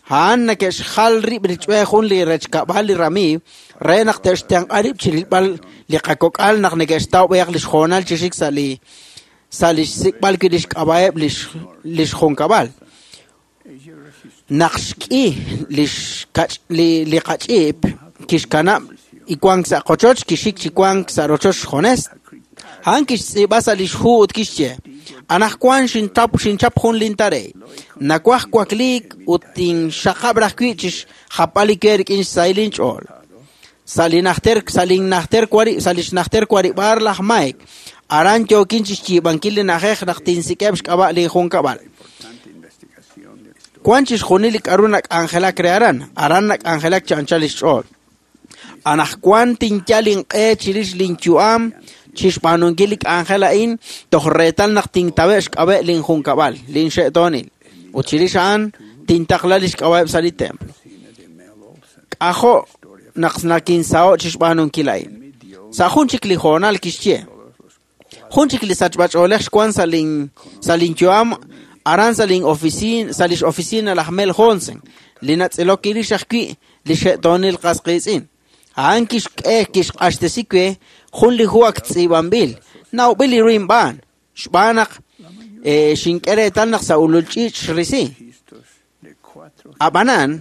a'an nake'xjal rib' rich'we jun li rechkab'al li ramiiw re naq te'xtenq'a rib' chirilb'al li qakok'al naq neke'xtaw b'ayaq li xhoonal chi xik sa' li sa' li xsik'b'al wi' li xk'ab'a'eb' li li xjunkab'al. Naq xk'i li xkach li li qach'iip kixkanab' iwank sa' qochoch kixik chi wank sa' rochoch xjones. A'an kixtz'iib'a sa' li xhu ut kixye: Anaqwan xintap xinchap jun lintarey. Nawaj wakliik ut tinxaqab' raj wi' chixjapb'al li we rik'in xsahil inch'ool. Sa' li najter sa' linnajter wari sa' li xnajter warib'aar laj Mike, aran yookin chixyiib'ankil li na'ajej naq tinsik'eb' xk'ab'a' li junkab'al. Wank chixjunil li k'aru nak'anjelak re aran, aran nak'anjelak chi anchal li xch'ool. Anaqwan tinyal inq'e chirix linyu'am chixb'aanunkil li k'anjel a'in toj reetal naq tintawe' xk'ab'e' linjunkab'al, linxe'toonil. Ut chirix a'an tintaqla li xk'ab'a'eb' sa' li templo. K'ajo' naq nakinsaho' chixb'aanunkil a'in. Sa' jun chik li hoonal kixye: Jun chik li sachb'ach'oolej xwan sa' lin sa' linyu'am Aran sa' lin oficina, sa' lix oficina laj Mel Johnson, li natz'ilok irix ajwi' li xe'toonil qas qiitz'in. A'an kixk'e kixq'axtesi we jun li hu ak tz'iib'anb'il, nawb'il li ru inb'aan, xb'aan naq eh, xink'e reetal naq sa' ulul ch'iich' xrisi. Ab'anan,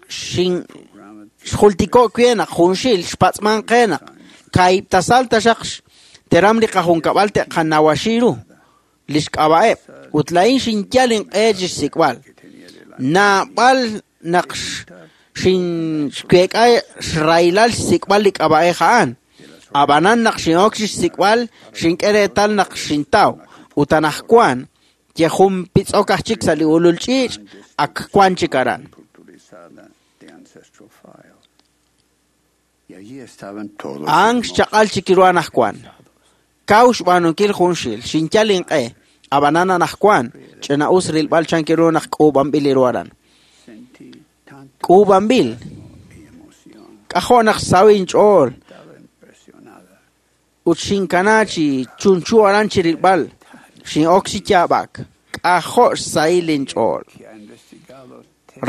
xin xjultiko' we naq junxil xpatz'man qe naq kaib' tasal taxaq teram li qajunkab'al te'qanawaxi ru li xk'ab'a'eb' ut laa'in xinyal inq'e chixsik'b'al. Naab'al naq xin xweek'a xraylal xsik'b'al li k'ab'a'ej a'an. Ab'anan naq xin'ok chixsik'b'al xink'e reetal naq xintaw ut anajwan ye jun pitz'ok aj chik sa' li ulul ch'iich' ak wan chik aran. De ancestral file. Y allí estaban todos. A'an xchaq'al chik ru anajwan. Kaw xb'aanunkil junxil, xinyal inq'e, ab'anan anajwan, ch'ina'us rilb'al chanki ru naq k'uub'anb'il li ru aran. K'uub'anb'il. K'ajo' naq saw inch'ool ut xinkana chi chunchu aran chi rilb'al, xin'ok chi yaab'ak, k'ajo' xsahil inch'ool.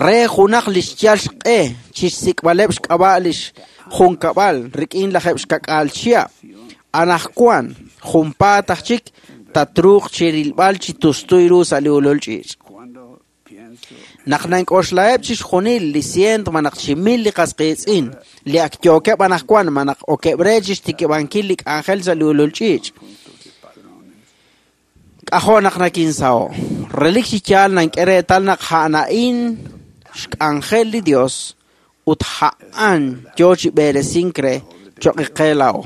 Re junaq li xyal xq'e chixsik'b'aleb' xk'ab'a' lix junkab'al rik'in lajeb' xkak'al chihab'. Anajwan junpaat aj chik tatruuq chi rilb'al chi tustuy ru sa' li ulul ch'iich'. Naq nank'oxlaheb' chixjunil li cient ma naq chi mil li qas qiitz'in li ak yookeb' anajwan ma naq okeb' re chixtikib'ankil li k'anjel sa' li ulul ch'iich'. K'ajo' naq nakinsaho'. Relik chi yaal nank'e reetal naq a'an xk'anjel li Dios ut a'an yo chi b'eresink re choq' qe laa'o.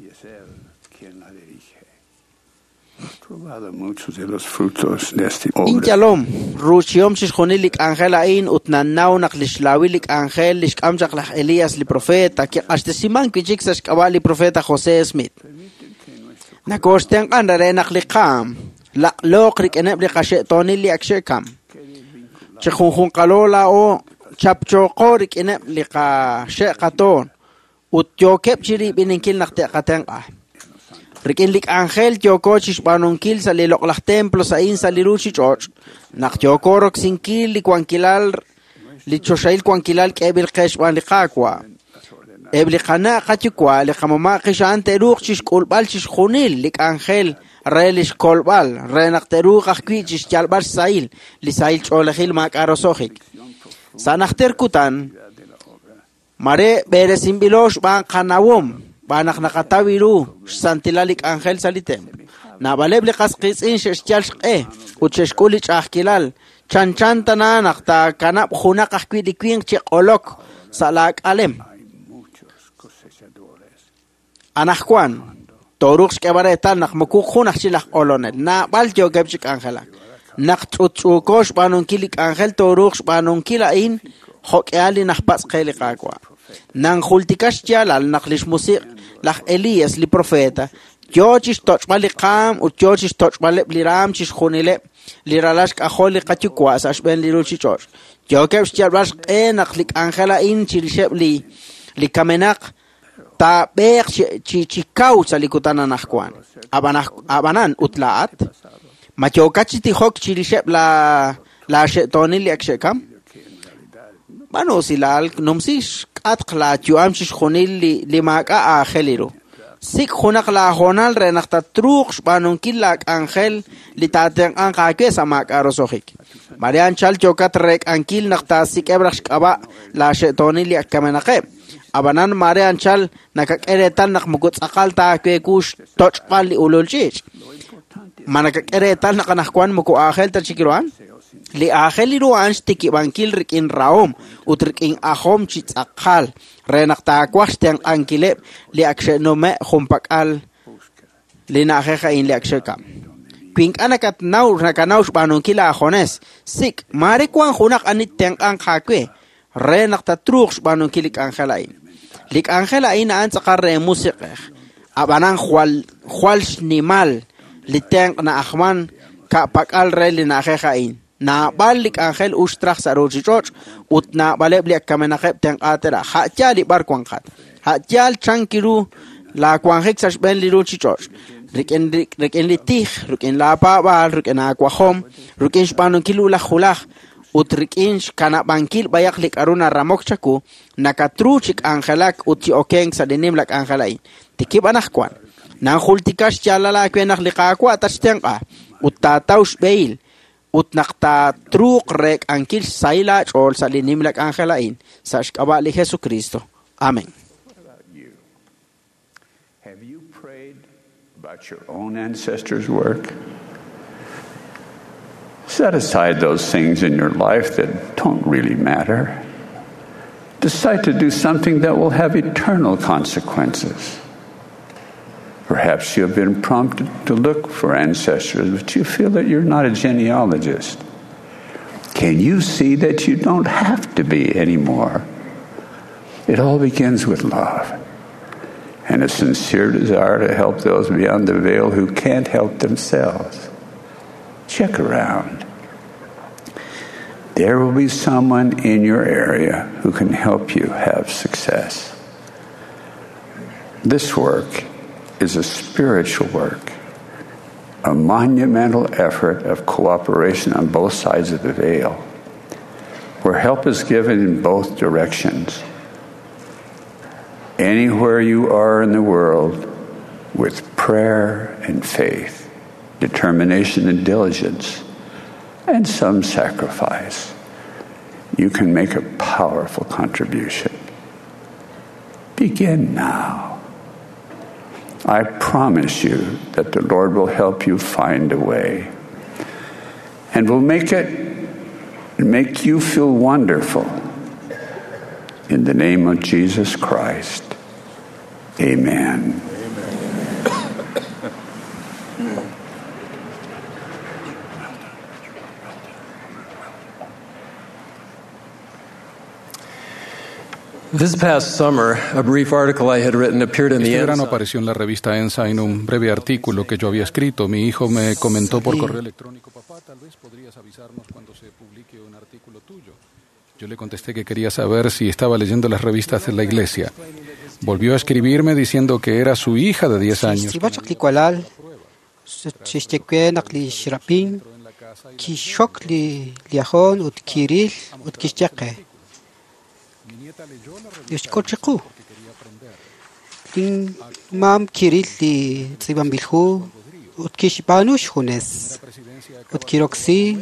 Y es Él quien la dirige. He probado muchos de los frutos de esta obra. Inyalom, ruuchihom chixjunil li k'anjel a'in ut nannaw naq lix lawil li k'anjel li xk'am chaq laj Elías li profeta kiq'axtesiman wi' chik sa' xk'ab'a' li profeta José Smith. Nakooxtenq'an re naq li qaam laq'looq rik'ineb' li qaxe'toonil li ak xe'kam. Chi junjunqalo laa'o chapchooqo rik'ineb' li qaxe'qatoon ut yookeb' chi rib'ininkil naq te'qatenq'a. Rik'in li k'anjel yooko chixb'aanunkil sa' li loq'laj templo sa'in sa' li ruuchich'och', naq yooko roksinkil li wankilal li choxahil wankilal k'eeb'il qe xb'aan li Qaawa'. Eb' li qana' qayuwa' li qamama' qixa'an te'ruuq chixk'ulb'al chixjunil li k'anjel re li xkolb'al re naq te'ruuq ajwi' chixyalb'al xsahil li sahil ch'oolejil maak'a' roso'jik. Sa' najter kutan, mare b'eresinb'ilo xb'aan qanawom b'aan naq naqataw ru xsantilal li k'anjel sa' li templo. Naab'aleb' li qas qiitz'in xe'xyal xq'e ut xe'xk'ul li ch'a'ajkilal chanchan tana naq taakanab' junaq ajwi' li winq chi q'olok sa' laak'alem. Anajwan, tooruuq xk'eb'al reetal naq moko jun aj chi laj q'olonel, naab'al yookeb' chi k'anjelak. Naq ch'utch'uuko xb'aanunkil li k'anjel tooruuq xb'aanunkil a'in jo'k'ehal li najpatz' qe li Qaawa'. Nanjultika xyaalal naq lix musiq' laj Elías li profeta yo chixtoch'b'al li qaam ut yo chixtoch'b'aleb' li raam chixjunileb' li ralal xk'ajol li qayuwa' sa' xb'een li ruuchich'och'. Yookeb' xyalb'al xq'e naq li k'anjel a'in chirixeb' li li kamenaq taab'eeq chi chi chi kaw sa' li kutan anajwan. Ab'anan ut laa'at ma yookat chi tijok chirixeb' la laaxe'toonil li ak xe'kam? B'aanu usilal numsi xk'atq laayu'am chixjunil li li maak'a' aajel ru. Sik' junaq laahoonal re naq tatruuq xb'aanunkil laak'anjel li taatenq'anq aawe sa' maak'a' roso'jik. Mare anchal yookat reek'ankil naq taasik'eb' raj xk'ab'a' laaxe'toonil li ak kamenaqeb'. Ab'anan mare anchal nakak'e reetal naq moko tz'aqal ta aawe ku xtoch'b'al li ulul ch'iich'. Ma nakak'e reetal naq anajwan moko aajel ta chik ru a'an? Li aajel li ru a'an xtikib'ankil rik'in rahom ut rik'in ajom chi tz'aqal re naq taawaj xtenq'ankileb' li ak xe'nume' junpak'al li na'ajej a'in li ak xe'kam. Wi ink'a' nakatnaw nakanaw xb'aanunkil aajones, sik' mare wan junaq ani tenq'anq aawe re naq tatruuq xb'aanunkil li k'anjel a'in. Li k'anjel a'in a'an tz'aqal re musiq'ej. Ab'anan jwal jwal xnimal li tenq' na'ajman ka'pak'al re li na'ajej a'in. Naab'al li k'anjel uxtraj sa' ruuchich'och' ut naab'aleb' li ak kamenaqeb' tenq'aatera. Ja'yaal li b'ar wanqat. Ja'yaal chanki ru laawanjik sa' xb'een li ruuchich'och'. Rik'in rik'in li tij, rik'in laapaab'aal, rik'in aawajom, rik'in xb'aanunkil ulaj julaj, ut rik'in xkanab'ankil b'ayaq li k'aru naramok chaku, nakatru chi k'anjelak ut chi okenk sa' li nimla k'anjel a'in. Tikib' anaqwan. Nanjultika xyaalal aawe naq li Qaawa' tatxtenq'a ut taataw xb'ehil ut naq taatruuq reek'ankil xsahil aach'ool sa' li nimla k'anjel a'in sa' xk'ab'a' li Jesucristo. Amén. Have you prayed about your own ancestors' work? Set aside those things in your life that don't really matter. Decide to do something that will have eternal consequences. Perhaps you have been prompted to look for ancestors, but you feel that you're not a genealogist. Can you see that you don't have to be anymore? It all begins with love and a sincere desire to help those beyond the veil who can't help themselves. Check around. There will be someone in your area who can help you have success. This work is a spiritual work, a monumental effort of cooperation on both sides of the veil, where help is given in both directions. Anywhere you are in the world, with prayer and faith, determination and diligence, and some sacrifice, you can make a powerful contribution. Begin now. I promise you that the Lord will help you find a way and will make it make you feel wonderful. In the name of Jesus Christ, amen. This past summer, a brief article I had written appeared in the Este verano Ensign. apareció en la revista Ensign un breve artículo que yo había escrito. Mi hijo me comentó por correo electrónico, papá, tal vez podrías avisarnos cuando se publique un artículo tuyo. Yo le contesté que quería saber si estaba leyendo las revistas de la iglesia. Volvió a escribirme diciendo que era su hija de diez años. Xtz'ib'al chaq li walal, xixye we naq li xrab'in, kixxok li liajon ut kiril ut kixye qe. Lix k'ut chiqu. Lin mam kiril li tz'ib'anb'il hu ut kixb'aanu xjunes ut kiroksi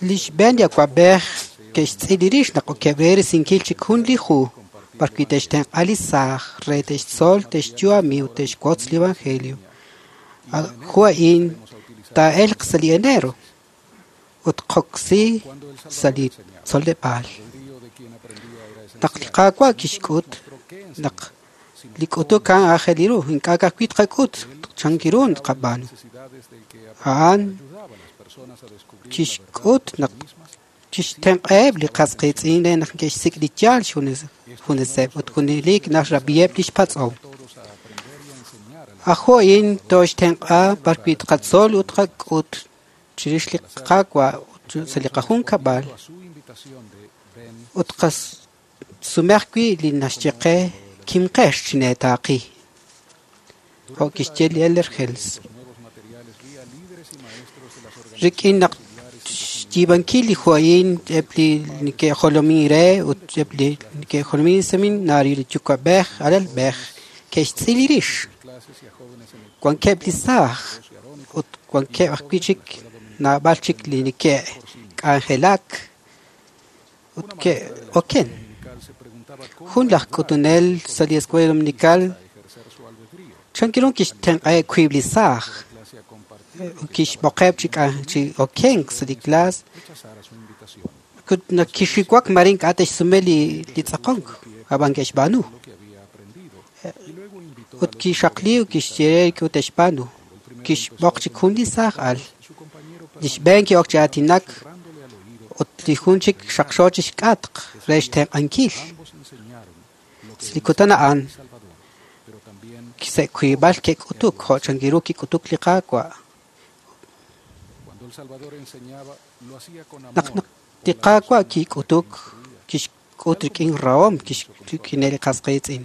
li xb'een li awa'b'ej ke'xtz'il li rix naq okeb' re risinkil chik jun li hu b'arwi' te'xtenq'a li saaj re te'xtzol te'xyu'ami ut te'xwotz li evangelio. Hu a'in taa'elq sa' li enero ut qoksi sa' li tzoleb'aal. Naq li Qaawa' kixk'ut naq li k'utuk a'an aajel ru ink'a' ka'ajwi' tqak'ut chankiru tqab'aanu. A'an kixk'ut naq kixtenq'aheb' li qas qiitz'in re naq ke'xsik' li yaal xjuneseb' ut junelik naxrab'iheb' li xpatz'om. Ajo a'in tooxtenq'a b'arwi' tqatzol ut tqak'ut chirix li Qaawa' sa' li qajunkab'al ut qasumej ajwi' li naxye qe kimqex chineetaaqi. Jo' kixye li Elder Hales. Rik'in naq xyiib'ankil li hu a'in eb' li neke'jolomin re ut eb' li neke'jolomin seminario li yuwa'b'ej alalb'ej ke'xtz'il li rix. Wankeb' li saaj ut wankeb' ajwi' chik naab'al chik li neke'k'anjelak ut ke'oken. Jun laj k'utunel sa' li Escuela Dominical chankiru kixtenq'aheb' wiib' li saaj kixb'oqeb' chi chi okenk sa' li clase ut naq kixiwak mare ink'a' te'xsume li li tz'aqonk ab'an ke'xb'aanu. Ut kixaqli ut kixye re ut te'xb'aanu. Kixb'oq chik jun li saaj al. Li xb'een ki'ok chi aatinak ut li jun chik xaqxo chi xk'atq re xtenq'ankil. Sa' li kutan a'an sa' wiib'al ke'k'utuk jo' chankiru kik'utuk li Qaawa'. Naq naq li Qaawa' kik'utuk kixk'ut rik'in rahom kixk'ine li qas qiitz'in.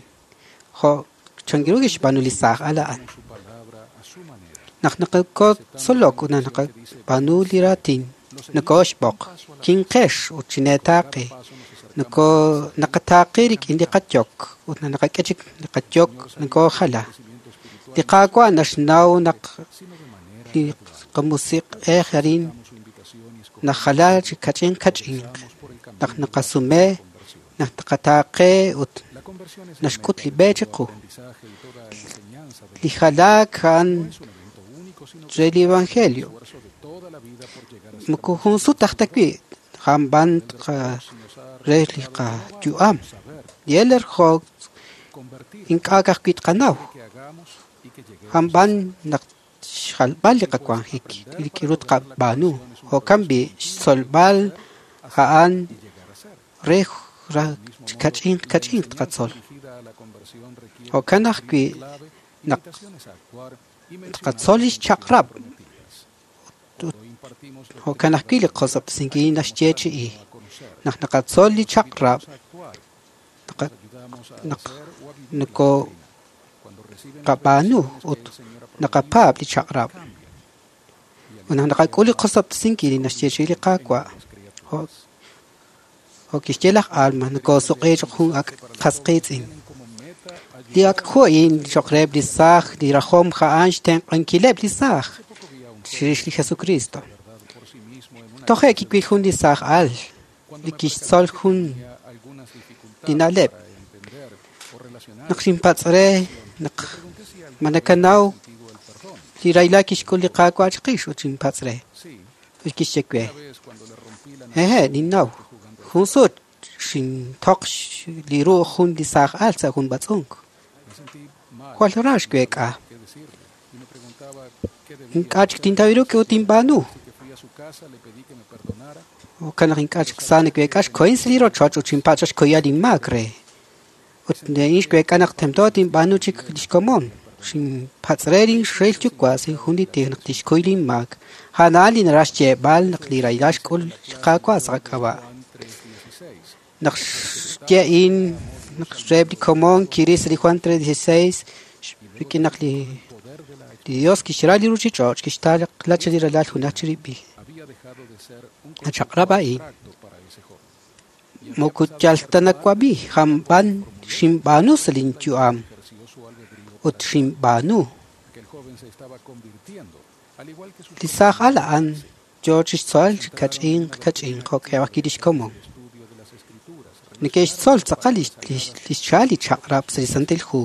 Jo' chankiru kixb'aanu li saaj al a'an. Naq naqakotzolok ut naq naqab'aanu li raatin, nokooxb'oq, kinqex ut chineetaaqi, noko naqataaqi rik'in li qayok ut naq naqak'e chik li qayok nokoojala. Li Qaawa' naxnaw naq li qamusiq'ej arin najala chi kach'in kach'inq, naq naqasume, naq taqataaqe ut naxk'ut li b'e chiqu. Li jalaak a'an re li evangelio. Moko jun sut aj ta wi' jamb'an re li qayu'am. Li Elder Hogg ink'a' ka'ajwi' tqanaw. Jamb'an naq xjalb'al li qawanjik li k'iru tqab'aanu. Jo'kan b'i' xtzolb'al a'an re kach'inq kach'inq tqatzol. Jo'kan ajwi' naq tqatzol li xchaq'rab' jo'kan ajwi' li qosob'tesinkil naxyeechi'i. Naq naqatzol li chaq'rab' naq noko qab'aanu ut naqapaab' li chaq'rab'. Ut naq naqak'ul li qosob'tesinkil li naxyeechi'i li Qaawa' jo' kixye laj Alma nokoosuq'i cho'q jun ak' qas qiitz'in. Li ak' hu a'in cho'q reheb' li saaj li rajom a'an xtenq'ankileb' li saaj chirix li Jesucristo. Toje' kiwil jun li saaj al li kixtzol jun li na'leb'. Naq xinpatz' re naq ma nakanaw li rahilal kixk'ul li Qaawa' chiqix ut xinpatz' re. Ut kixye we: Hehe', ninnaw. Jun sut xintoq li ru jun li saaj al sa' jun b'atz'unk. Jwal ra xweek'a. Ink'a' chik tintaw ru k'e ut tinb'aanu. Jo'kan naq ink'a' chik sa naweek'a xkohin sa' li rochoch ut xinpatz' xkoyal inmaak re. Ut a'in xweek'a naq tento tinb'aanu chik lix komon. Xinpatz' re linxrel yuwa' sa' jun li tij naq tixkuy linmaak. A'an li naraj xyeeb'al naq li rahilal xk'ul li Qaawa' sa' qak'ab'a'. Naq xye a'in naq reheb' li komon kiril sa' li Juan tres dieciséis rik'in naq li Dios kixra li ruchich'och' kixtaqla li ralal junaj chirib'il. Nachaq'rab' a'in moko yal ta nawab'i jamb'an xinb'aanu sa' linyu'am ut xinb'aanu. Li saaj al a'an yo chixtzol chi kach'inq kach'inq jo'keb' ajwi' lix komon. Neke'xtzol tz'aqal li xcha'al li chaq'rab' sa' li Santil Hu.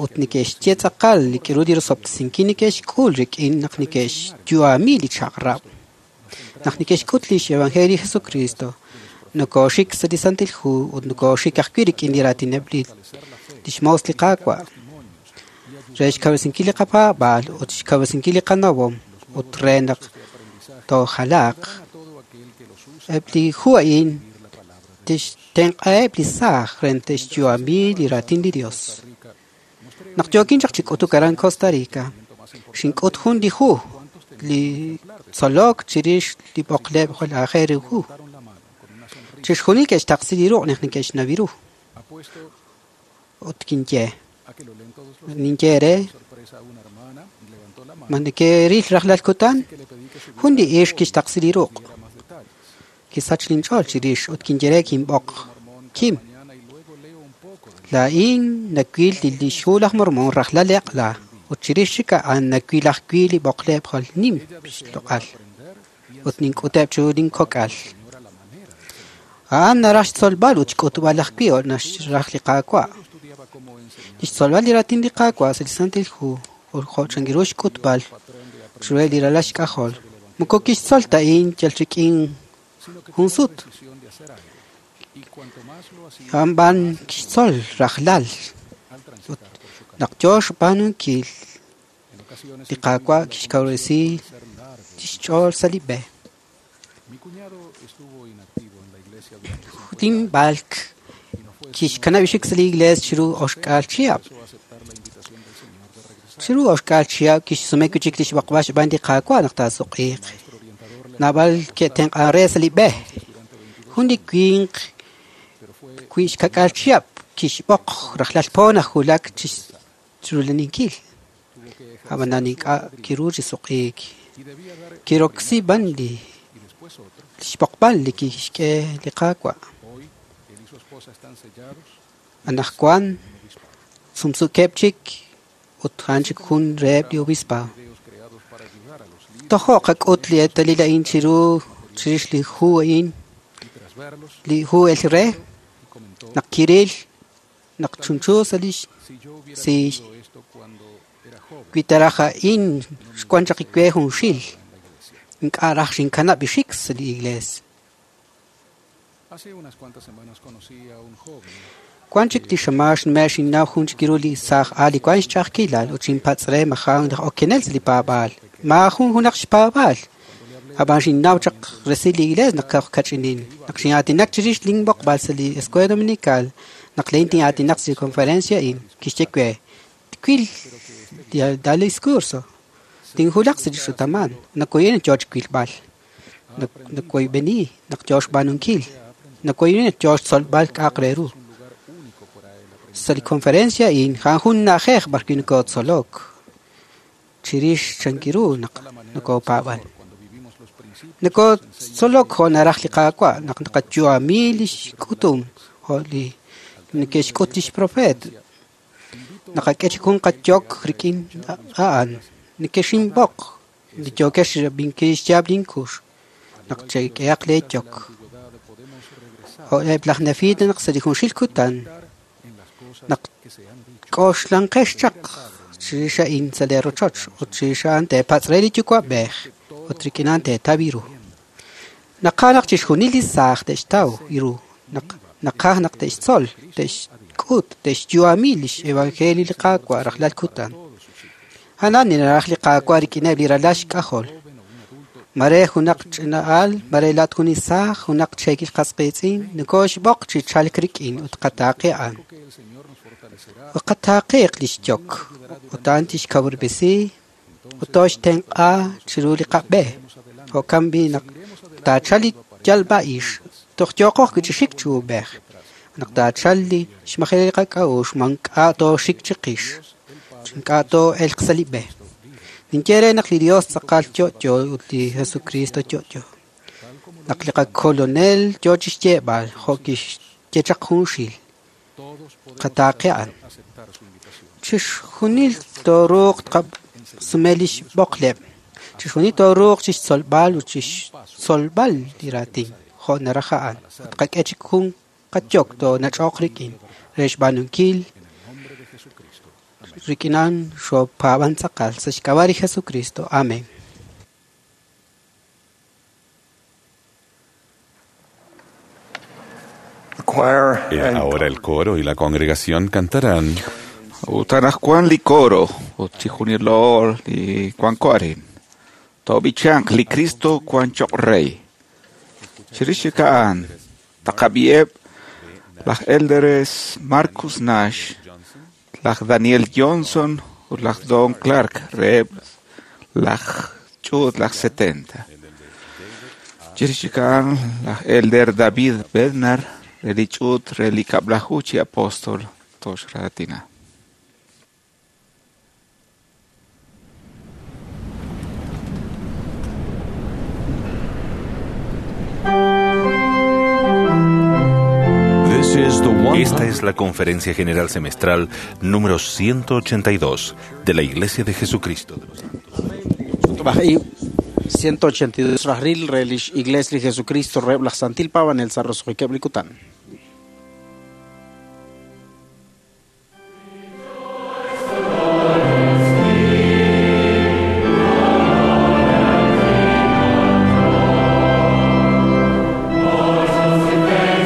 Ut neke'xye tz'aqal li k'iru li rosob'tesinkil neke'xk'ul rik'in naq neke'xyu'ami li chaq'rab'. Naq neke'xk'ut lix Evangelio li Jesucristo, nokooxik sa' li Santil Hu ut nokooxik ajwi' rik'in li raatineb' li lix moos li Qaawa'. Re xkawresinkil li qapaab'aal ut xkawresinkil li qanawom ut re naq toojalaaq. Eb' li hu a'in tixtenq'aheb' li saaj re te'xyu'ami li raatin li Dios. Naq yookin chaq chi k'utuk aran Costa Rica, xink'ut jun li hu li tzolok chirix li b'oqleb' jwal aajel ru hu. Chixjunil ke'xtaqsi li ruq' naq neke'xnaw ru. Ut kinye ninye re ma neke'ril rajlal kutan jun li ixq kixtaqsi li ruq'. Kisach linch'ool chirix ut kinye re kinb'oq Kim. Laa'in nawil li lix hu laj Mormon rajlal eq'la ut chirix chik a'an nawil ajwi' li b'oqleb' jwal nim xloq'al ut nink'uteb' chiru linkok'al. A'an naraj xtzolb'al ut xk'utb'al ajwi' naxraj li Qaawa'. Lix tzolb'al li raatin li Qaawa' sa' li Santil Hu ut jo' chankiru xk'utb'al chiru li ralal xk'ajol. Moko kixtzol ta a'in yal rik'in jun sut. A'an b'an kixtzol rajlal. Ut naq yo xb'aanunkil li Qaawa' kixkawresi lix ch'ool sa' li b'e. Linb'alk kixkanab' xik sa' li iglees chiru oxk'aal chihab'. Chiru oxk'aal chihab' kixsume wi' chik lix b'oqb'al xb'aan li Qaawa' naq taasuq'iiq. Naab'al ke'tenq'an re sa' li b'e. Jun li winq wi' xkak'aal chihab' Kixb'oq rajlal po najulak chi rulaninkil. Ab'anan ink'a' kiru chi suq'iik. Kiroksi b'an li xb'oqb'al li kixk'e li Qaawa'. Anaqwan sumsukeb' chik ut a'an chik jun reheb' li obispado. Tojo' qak'ut li eetalil a'in chiru chirix li hu a'in, li hu el re, naq kiril, naq chunchu sa' li si wi taraj a'in xwan chaq iwe junxil, ink'a' raj xinkanab' ixik sa' li iglees. Wan chik li xamax nme' xinnaw jun chik iru li saaj aal li wan xch'a'ajkilal ut xinpatz' re majan laj okenel sa' li paab'aal. Maajun junaq xpaab'aal. Ab'an xinnaw chaq resil li iglees naq kach'inin. Naq xin'aatinak chirix linb'oqb'al sa' li Escuela Dominical, naq lein tin'aatinak sa' li conferencia a'in, kixye we, twil dal discurso. Tinjulaq sa' li xutaman. Nakoyen yo chwilb'al. Nakoyb'eni naq yo xb'aanunkil. Nakoyen yo xtzolb'al k'a'aq re ru. Sa' li conferencia a'in a'an jun na'ajej b'arwi' nokotzolok. Chirix chankiru naq nokopaab'an. Nokotzolok jo' naraj li Qaawa' naq naqayu'ami li xk'utum jo' li neke'xk'ut li xprofeet. Naqak'e chik jun qayok rik'in a'an. Neke'xinb'oq li yookex rab'inkil xyaab' linkux naq chek'ehaq leeyok. Jo' eb' laj Nefita naq sa' li junxil kutan naq k'oxlanqex chaq chirix a'in sa' leerochoch ut chirix a'an teepatz' re li yuwa'b'ej ut rik'in a'an teetaw iru. Naqaj naq chixjunil li saaj te'xtaw iru, naq naqaj naq te'xtzol, te'xk'ut, te'xyu'ami li xevangelio li Qaawa' rajlal kutan. A'an naraj li Qaawa' rik'ineb' li ralal xk'ajol. Mare junaq ch'ina'al, mare laat jun li saaj, junaq cheekil qas qiitz'in, nokoxb'oq chi chalk rik'in ut qataaqi a'an. Ut qataaqiq li xyok, ut a'an tixkawub'resi, ut toxtenq'a chiru li qab'e. Jo'kan b'i' naq taachal li yalb'a'ix, toj yooqoj chi xik chi ub'ej. Naq taachal li xmajel li qak'a'uxl, mank'a' tooxik chiqix, ink'a' too'elq sa' li b'e. Ninye re naq li Dios tz'aqal yo'yo ut li Jesucristo yo'yo. Naq li qakolonel yo chi xyeeb'al jo' kixye chaq junxil, qataaqi a'an. Chixjunil tooruuq tqasume li xb'oqleb'. Chixjunil tooruuq chixtzolb'al ut chixtzolb'al li raatin jo' naraj a'an. Ut qak'e chik jun qayok toonach'oq rik'in re xb'aanunkil rik'in a'an xopaab'an tz'aqal sa' xk'ab'a' li Jesucristo. Amén. Eh, ahora el coro y la congregación cantarán. Ut anaqwan li coro ut chijunilo li wanko arin. Tob'ichanq li Cristo wan choq' rey. Chirix chik a'an taqab'i'eb' laj Elders Marcus Nash, laj Daniel Johnson ut laj Don Clark reheb' laj ch'uut laj setenta. Chirix chik a'an laj Elder David Bednar re li ch'uut re li kab'laju chi apóstol toxraatina. Esta es la Conferencia General Semestral número ciento ochenta y dos de la Iglesia de Jesucristo de los Santos. ciento ochenta y dos Rajril, Relish, Iglesia de Jesucristo, Reblach Santil Pavan, el Sarros Huikeblicután. Rejoice again,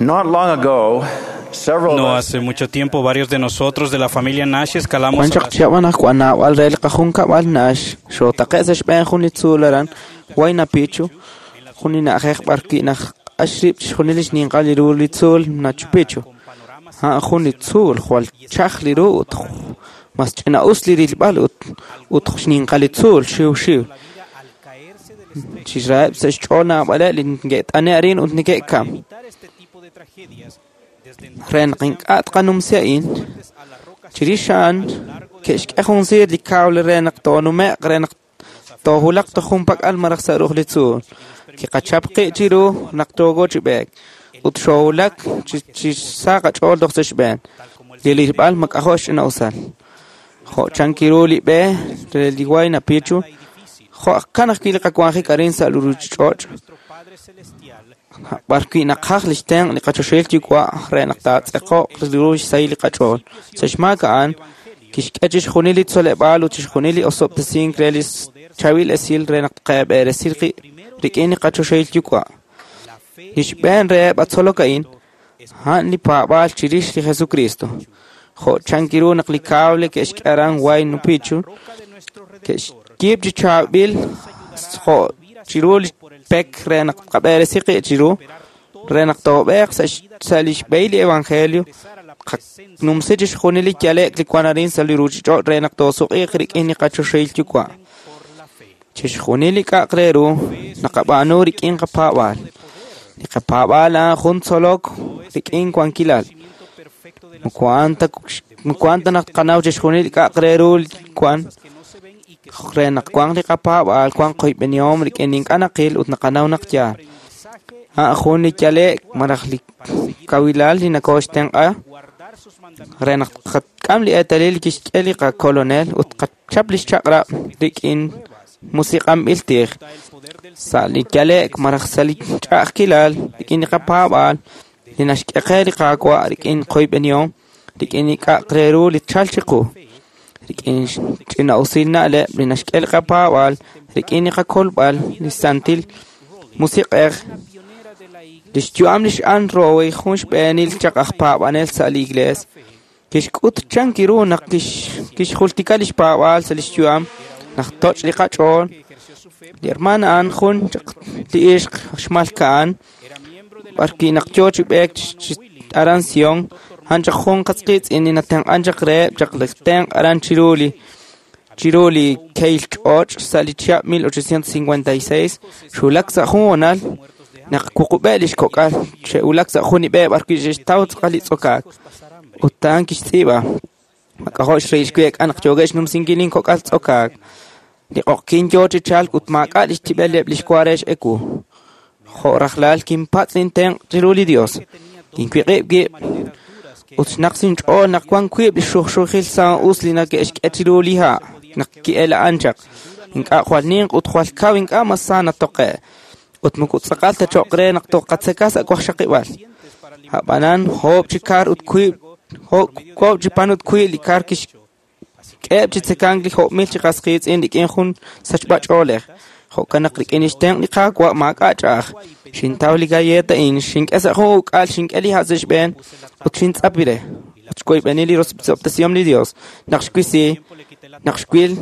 Not long ago, several No hace mucho tiempo, varios de nosotros de la familia Nash escalamos Wan a chaq la chihab' anaqwan naab'al re li qajunkab'al Nash xootaqe' sa' xb'een jun li tzuul aran Huayna Picchu, jun li na'ajej b'ar wi' naq q'ax rib' chixjunil li xninqal li ru li tzuul Machu Picchu. A'an jun li tzuul jwal chaj li ru ut mas ch'ina'us li rilb'al ut ut xninqal li tzuul xiw xiw. Chixraheb' sa' xch'ool naab'aleb' li neke't'ane' arin ut neke'kam. Re naq ink'a' tqanumsi a'in, chirix a'an ke'xk'e jun siir li cable re naq toonume'q re naq toojulaq toj junpak'al malaj sa' ru'uj li tzuul. Kiqachap qib' chiru naq toogo chi b'eek ut xoowulak chi chi sa qach'ool toj sa' xb'een. Li rilb'al mak'ajo' xch'ina'usal. Jo' chankiru li b'e re li Huayna Picchu, jo'kan ajwi' li qawanjik arin sa' li ruuchich'och', b'ar wi' naqaj li xtenq' li qachoxahil yuwa' re naq taatz'eqo'q ru xsahil li qach'ool. Sa' xmaak a'an, kixk'e chixjunil li tzoleb'aal ut chixjunil li osob'tesink re li chaab'il esil re naq tqab'eresi qib' rik'in li qachoxahil yuwa'. Li xb'een reheb' atzolok a'in, a'an li paab'aal chirix li Jesucristo. Jo' chankiru naq li cable ke'xk'e aran Huayna Picchu, ke'xyiib' chi chaab'il jo' chiru li pek re naq tqab'eresi qib' chiru, re naq toob'eeq sa' sa' li xb'ehil li evangelio, qanumsi chixjunil li yale'k li wan arin sa' li ruuchich'och' re naq toosuq'iiq rik'in li qachoxahil yuwa'. Chixjunil li k'a'aq re ru naqab'aanu rik'in qapaab'aal. Li qapaab'aal a'an jun tzolok rik'in wankilal. Moko a'an ta moko a'an ta naq tqanaw chixjunil li k'a'aq re ru li wan re naq wanq li qapaab'aal, wanq qoyb'enihom rik'in li ink'a' naqil ut naqanaw naq yaal. A'an jun li yale'k malaj li kawilal li nakooxtenq'a re naq tqak'am li eetalil li kixk'e li qakolonel ut tqachap li xchaq'rab' rik'in musiq'anb'il tij. Sa' li yale'k malaj sa' li ch'a'ajkilal rik'in li qapaab'aal li naxk'e qe li Qaawa' rik'in qoyb'enihom, rik'in li k'a'aq re ru li tchalq chiqu, rik'in ch'ina'usil na'leb' li naxk'e li qapaab'aal, rik'in li qakolb'al, li santil musiq'ej. Li xyu'am li x'Ann Rowe jun xb'eenil chaq aj paab'anel sa' li iglees, kixk'ut chankiru naq kixjultika li xpaab'aal sa' li xyu'am naq toch' li qach'ool. Li hermana a'an jun chaq li ixq xmalka'an, b'ar wi' naq yoo chi b'eek chi aran Sion, a'an chaq jun qatz qiitz'in li natenq'an chaq reheb' chaq li tenq' aran chiru li chiru li kehil ch'och' sa' li chihab' mil ochocientos cincuenta y seis, xwulak sa' jun honal naq wuqub'eb' li xkok'al xe'wulak sa' jun li b'e b'ar wi' xe'xtaw tz'aqal li tz'okaak. Ut a'an kixtz'iib'a, mak'ajo' xrahil xweek'a naq yookeb' xnumsinkil inkok'al tz'okaak. Li q'oqyink yoo chi chalk ut maak'a' li xtib'eleb' li xwa re x'ewu. Jo' rajlal kinpatz' intenq' chiru li Dios. Kinwiq'ib' wib' ut xnaq sinch'ool naq wan wiib' li xujxujil sa'us li nake'xk'e chiru li ha' naq ki'ela'an chaq. Ink'a' jwal ninq ut jwal kaw ink'a' mas sa natoqe'. Ut moko tz'aqal ta cho'q re naq toqatzeka sa' waqxaqib'al. A'b'anan oob' chi kar ut wiib' oob' chi pan ut wiib' li kar kixk'eheb' chi tzekank li jo'mil chi qas qiitz'in rik'in jun sachb'ach'oolej. Jo'kan naq rik'in li xtenq' li Qaawa' maak'a' ch'a'aj. Xintaw li galleta a'in, xink'e sa' jun uk'al, xink'e li ha' sa' xb'een ut xintz'api re. Ut xwoyb'eni li rosob'tesihom li Dios. Naq xwisi, naq xwil,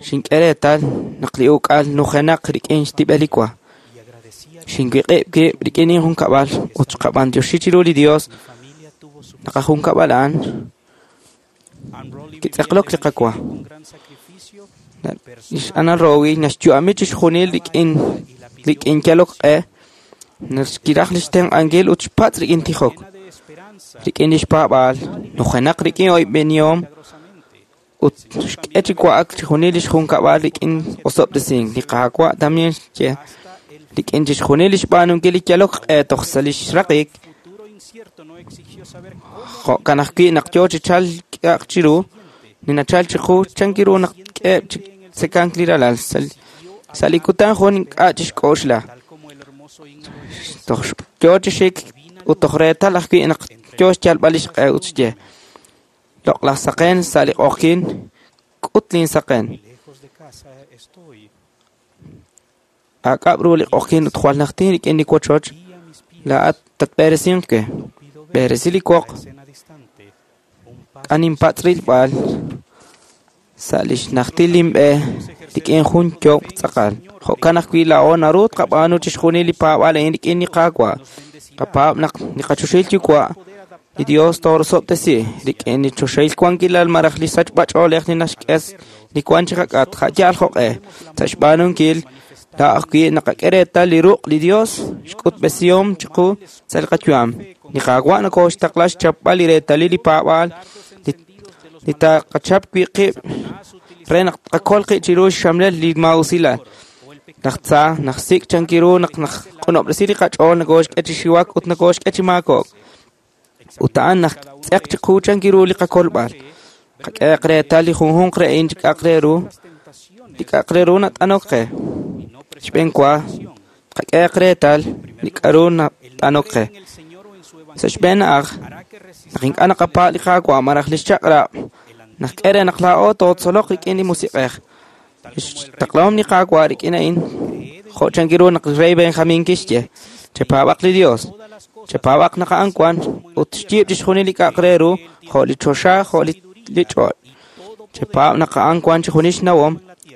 xink'e reetal naq li uk'al nujenaq rik'in xtib'el li wa. Xinwiq'ib' wib' rik'in injunkab'al ut xqab'antioxi chiru li Dios naq ajunkab'al a'an kitz'eqlok li qawa. Li x'Anna Rowe naxyu'ami chixjunil rik'in rik'in yalok q'e, naxkiraj li xtenq'ankil ut xpatz' rik'in tijok, rik'in li xpaab'aal, nujenaq rik'in oyb'enihom ut xk'e chi wa'ak chixjunil li xjunkab'al rik'in osob'tesink. Li Qaawa' también xye rik'in chixjunil li xb'aanunkil li yalok q'e toj sa' li xraqik, jo'kan ajwi' naq yoo chi chalk k'a'aq chiru, li nachalk chiqu chankiru naq k'eheb' chi tzekank li ralal sa' li kutan jun ink'a' chixk'oxla. Toj yoo chi xik ut toj reetal ajwi' naq yoo xyalb'al li xq'e ut xye, loq'laj saqen sa' li q'oqyink, k'ut linsaqen. Aak'ab' ru li q'oqyink ut jwal najtin rik'in li wochoch, laa'at tatb'eresinq we. B'eresi li woq, k'aninpatz' rilb'al sa' li xnajtil linb'e rik'in jun yokb' tz'aqal. Jo'kan ajwi' laa'o naru tqab'aanu chixjunil li paab'aal a'in rik'in li Qaawa'. Qapaab' naq li qachoxahil Yuwa', li Dios toorosob'tesi rik'in li choxahil wankilal malaj li sachb'ach'oolej li naxk'e li wank chi qak'atq a' yaal jo'q'e. Sa' xb'aanunkil, laa ajwi' naqak'e reetal li ruq' li Dios xk'utb'esihom chiqu sa' li qayu'am. Li Qaawa' nokooxtaqla xchapb'al li reetalil li paab'aal li li taqachap wi' qib' re naq tqakol qib' chiru xxamlel li maa'usilal. Laj tza naxsik' chankiru naq naq'unob'resi li qach'ool nokooxk'e chi xiwak ut nokooxk'e chi maako'k. Ut a'an naxtz'eq chiqu chankiru li qakolb'al. Qak'ehaq reetal li junjunq re a'in chi k'a'aq re ru, li k'a'aq re ru nat'anok qe. Xb'een wa, qak'ehaq reetal li k'a'ru nat'anok qe. Sa' xb'een na'aj, naq ink'a' naqapaab' li Qaawa' malaj li xchaq'rab', naxk'e re naq laa'o tootzoloq rik'in li Musiq'ej. Xtaqlahom li Qaawa' rik'in a'in, jo' chankiru naq li rey Benjamín kixye, chepaab'aq li Dios, chepaab'aq naq a'an wan ut xyiib' chixjunil li k'a'aq re ru, jo' li choxa, jo' li li ch'och'. Chepaab' naq a'an wan chixjunil xnawom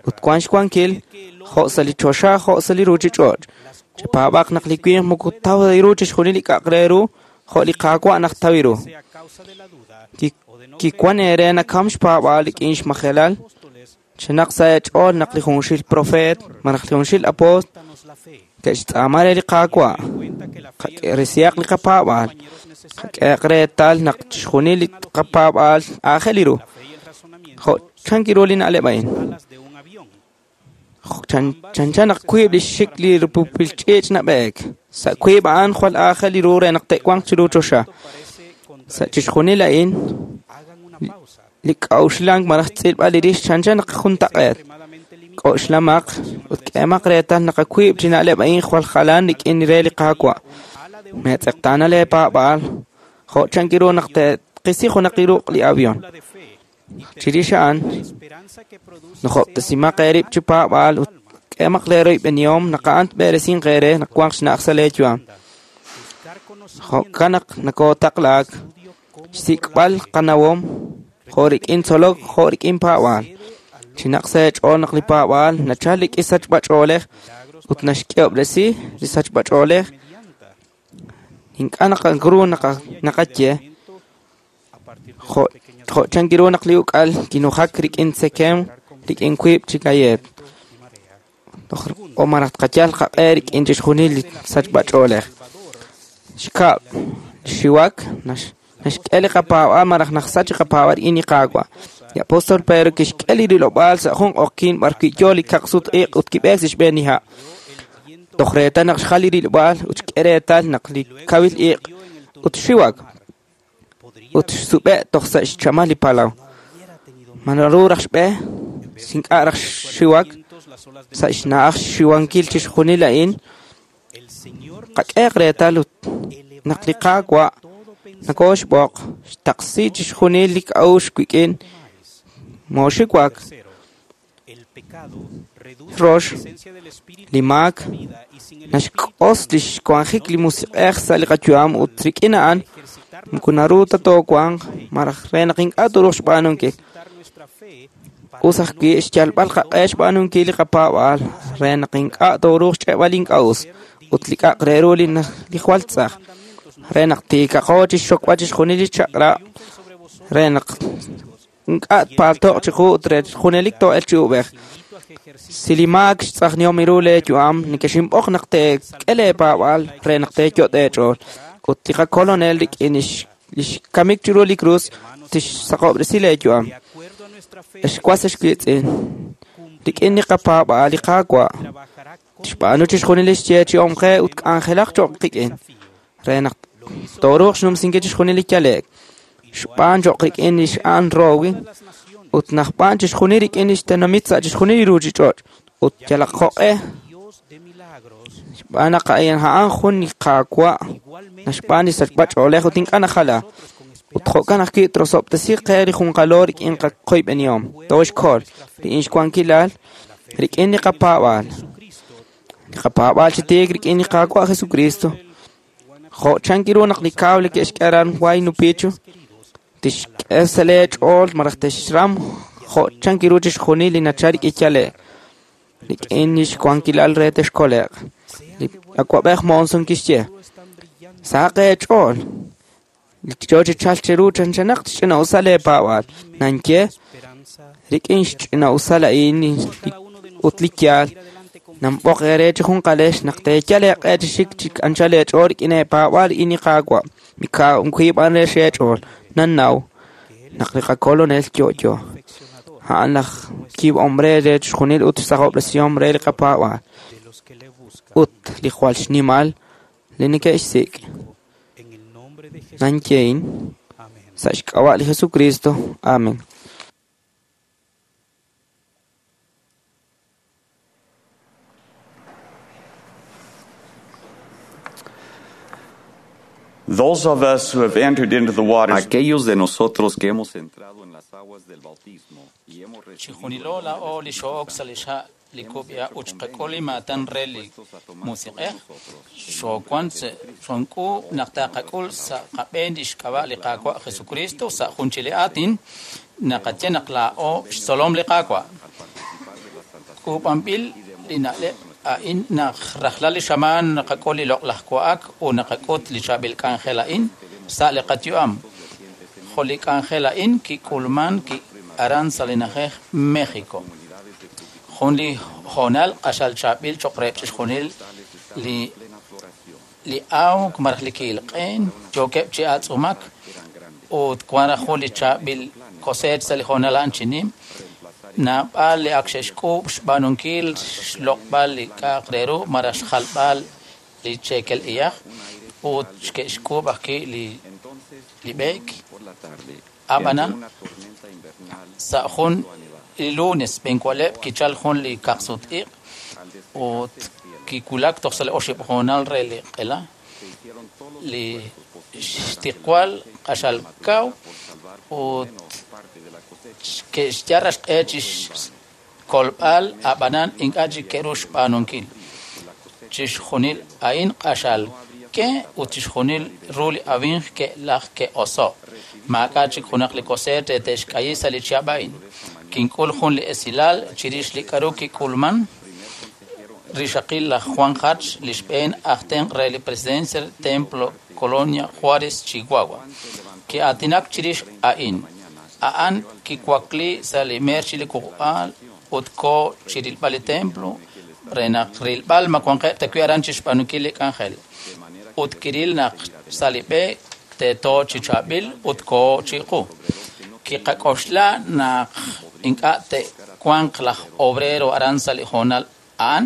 ut wan xwankil, jo' sa' li choxa, jo' sa' li ruuchich'och'. Chepaab'aq naq li winq moko taw ta ru chixjunil li k'a'aq re ru, jo' li Qaawa' naq taw ru. Kiwan eere nakam xpaab'aal rik'in xmajelal, chenaq sa' eech'ool naq li junxil profeet malaj li junxil apoost ke'xtz'aama re li Qaawa'. Qak'eresihaq li qapaab'aal, qak'ehaq reetal naq chixjunil li qapaab'aal aajel ru. Jo' chankiru li na'leb' a'in. Chanchan naq wiib' li xxik li rupupil ch'iich' nab'eek. Sa' wiib' a'an jwal aajel ru re naq te'wanq chiru choxa. Sa' chixjunil a'in, li k'a'uxlank malaj xtz'ilb'al li rix chanchan naq juntaq'eet. K'oxlamaq ut k'ehemaq reetal naq wiib' chi na'leb' a'in jwal jalan rik'in re li Qaawa'. Meetz'eqtaana leepaab'aal jo' chankiru naq te'qisi junaq li ruq' li avión. Chirix a'an, nojob'tesimaq eerib' chi paab'aal ut k'ehemaq leeroyb'enihom naq a'an tb'eresinq eere naq wanq xna'aj sa' leeyu'am. Jo'kan naq nokootaqlaak xsik'b'al qanawom jo' rik'in tzolok jo' rik'in paab'aal. Chinaq sa' eech'ool naq li paab'aal nachal rik'in sachb'ach'oolej ut naxk'ehob'resi li sachb'ach'oolej. Ink'a' naqakru naqaye jo' jo' chankiru naq li uk'al kinujak rik'in tzekem rik'in wiib' chi galleet. O malaj tqayal qaq'e rik'in chixjunil li sachb'ach'oolej. Xkab', xiwak naxk'e li qapaab'aal malaj naxsach li qapaab'aal rik'in li Qaawa'. Li apóstol Pedro kixk'e li rilob'aal sa' jun q'oqyink b'arwi' yo li kaqsut-iq' ut kib'eek sa' xb'een li ha'. Toj reetal naq xjal li rilob'aal ut xk'e reetal naq li kawil iq' ut xiwak ut xsub'e' toj sa' xchamal li palaw. Ma naru raj xb'e, ink'a' raj xiwak sa' xna'aj xxiwankil chixjunil a'in, qak'ehaq reetal ut naq li Qaawa' nokooxb'oq xtaqsi chixjunil li k'a'uxl wik'in, mooxiwak. Rox, li maak naxk'os li xwanjik li Musiq'ej sa' li qayu'am ut rik'in a'an moko naru ta toowanq malaj re naq ink'a' tooruuq xb'aanunkil. Us ajwi' xyalb'al qaq'e xb'aanunkil li qapaab'aal re naq ink'a' tooruuq xch'e'b'al li ink'a' us ut li k'a'aq re ru li jwal tz'aj, re naq tiikaqo chixxokb'al chixjunil li chaq'rab', re naq ink'a' tpaalto'q chiqu ut re junelik too'elq chi uub'ej. Si li maak xtz'ajnihom ru leeyu'am, nekexinb'oq naq teek'e leepaab'aal re naq teeyot' eech'ool. Ut li qakolonel rik'in li xkamik chiru li krus tixsaqob'resi leeyu'am. Ex was ex wiitz'in, rik'in li qapaab'aal li Qaawa' tixb'aanu chixjunil li xyeechi'om qe ut k'anjelaq cho'q qik'in re naq tooruuq xnumsinkil chixjunil li yale'k. Xb'aan cho'q rik'in li x'Ann Rowe ut najb'aan chixjunil rik'in li xtenamit sa' chixjunil li ruuchich'och' ut yalaq jo'q'e. Xb'aan naq a'an jun li Qaawa' naxb'aan li sachb'ach'oolej ut ink'a' najala. Ut jo'kan ajwi' trosob'tesi qe li junqalo rik'in qakoyb'enihom, tooxkol rik'in xwankilal, rik'in li qapaab'aal. Li qapaab'aal chi tiik rik'in li Qaawa' Jesucristo. Jo' chankiru naq li cable ke'xk'e aran Huayna Picchu, tixk'e sa' lee ch'ool malaj texram jo' chankiru chixjunil li nachal rik'in yale', rik'in lix wankilal re texkole'q. Li awa'b'ej Monson kixye, sahaq eech'ool, li yo chi chalk cheru chanchanaq xch'ina'usal leepaab'aal. Nanye, rik'in xch'ina'usal a'in ut li yaal, nanb'oq eere chi junqalex naq teeyal eeq'e chi xik chi anchal eech'ool rik'in eepaab'aal rik'in li Qaawa'. Mikaw b'an re xeech'ool. Nannaw naq li qakolonel yo'yo. A'an laj yiib'ahom re re chixjunil ut xsaqob'resihom re li qapaab'aal. Ut li jwal xnimal li neke'xsik'. Nanyehin sa' xk'ab'a' li Jesucristo. Amen. Those of us who have entered into the waters Aquellos de nosotros que hemos entrado en las aguas del bautismo y hemos Chijunilo laa'o li xo'ok sa' li xha' li kub'iha' ut xqak'ul li maatan re li musiq'ej, xoowan xonk'uub' naq taqak'ul sa' qab'een lix k'ab'a' li Qaawa' Jesucristo sa' jun chi li aatin, naqaye naq laa'o xtzolom li Qaawa'. K'uub'anb'il li na'leb' a'in naq rajlal li xamaan naqak'ul li loq'laj wa'ak ut naqak'ut li chaab'il k'anjel a'in sa' li qayu'am. Jo' li k'anjel a'in kik'ulman aran sa' li na'ajej México. Jun li hoonal q'axal chaab'il cho'q re chixjunil li li awk malaj li ki'ilq'een yookeb' chi atz'umak ut wan raj jun li chaab'il cosecha sa' li hoonal a'an chi nim. Naab'al li ak xe'xk'uub' xb'aanunkil xloq'b'al li k'a'aq re ru malaj xjalb'al li cheekel iyaj ut ke'xk'uub' ajwi' li li b'eek. Ab'anan sa' jun li lunes b'enwaleb' kichal jun li kaqsut-iq' ut kiwulak toj sa' li oxib' hoonal re li q'ela. Li xtiqwal q'axal kaw ut ke'xyal xq'e chi xkolb'al ab'anan ink'a' chik ke'ru xb'aanunkil. Chixjunil a'in q'axal ke ut chixjunil ru li awinj ke'laj ke'oso'. Maak'a' chik junaq li cosecha re te'xk'ayi sa' li chihab' a'in. Kink'ul jun li esilal chirix li k'a'ru kik'ulman. Rixaqil laj Juan Hatch, li xb'een aj tenq' re li presidencia Templo Colonia Juárez, Chihuahua. Ki'aatinak chirix a'in. A'an kiwakli sa' li meer chi li kuq'aal ut ko chirilb'al li templo re naq rilb'al ma wanqeb' ta wi' aran chi xb'aanunkil li k'anjel. Ut kiril naq sa' li b'e teeto chi chaab'il ut ko chiqu. Kiqak'oxla naq ink'a' te'wanq laj obrero aran sa' li hoonal a'an,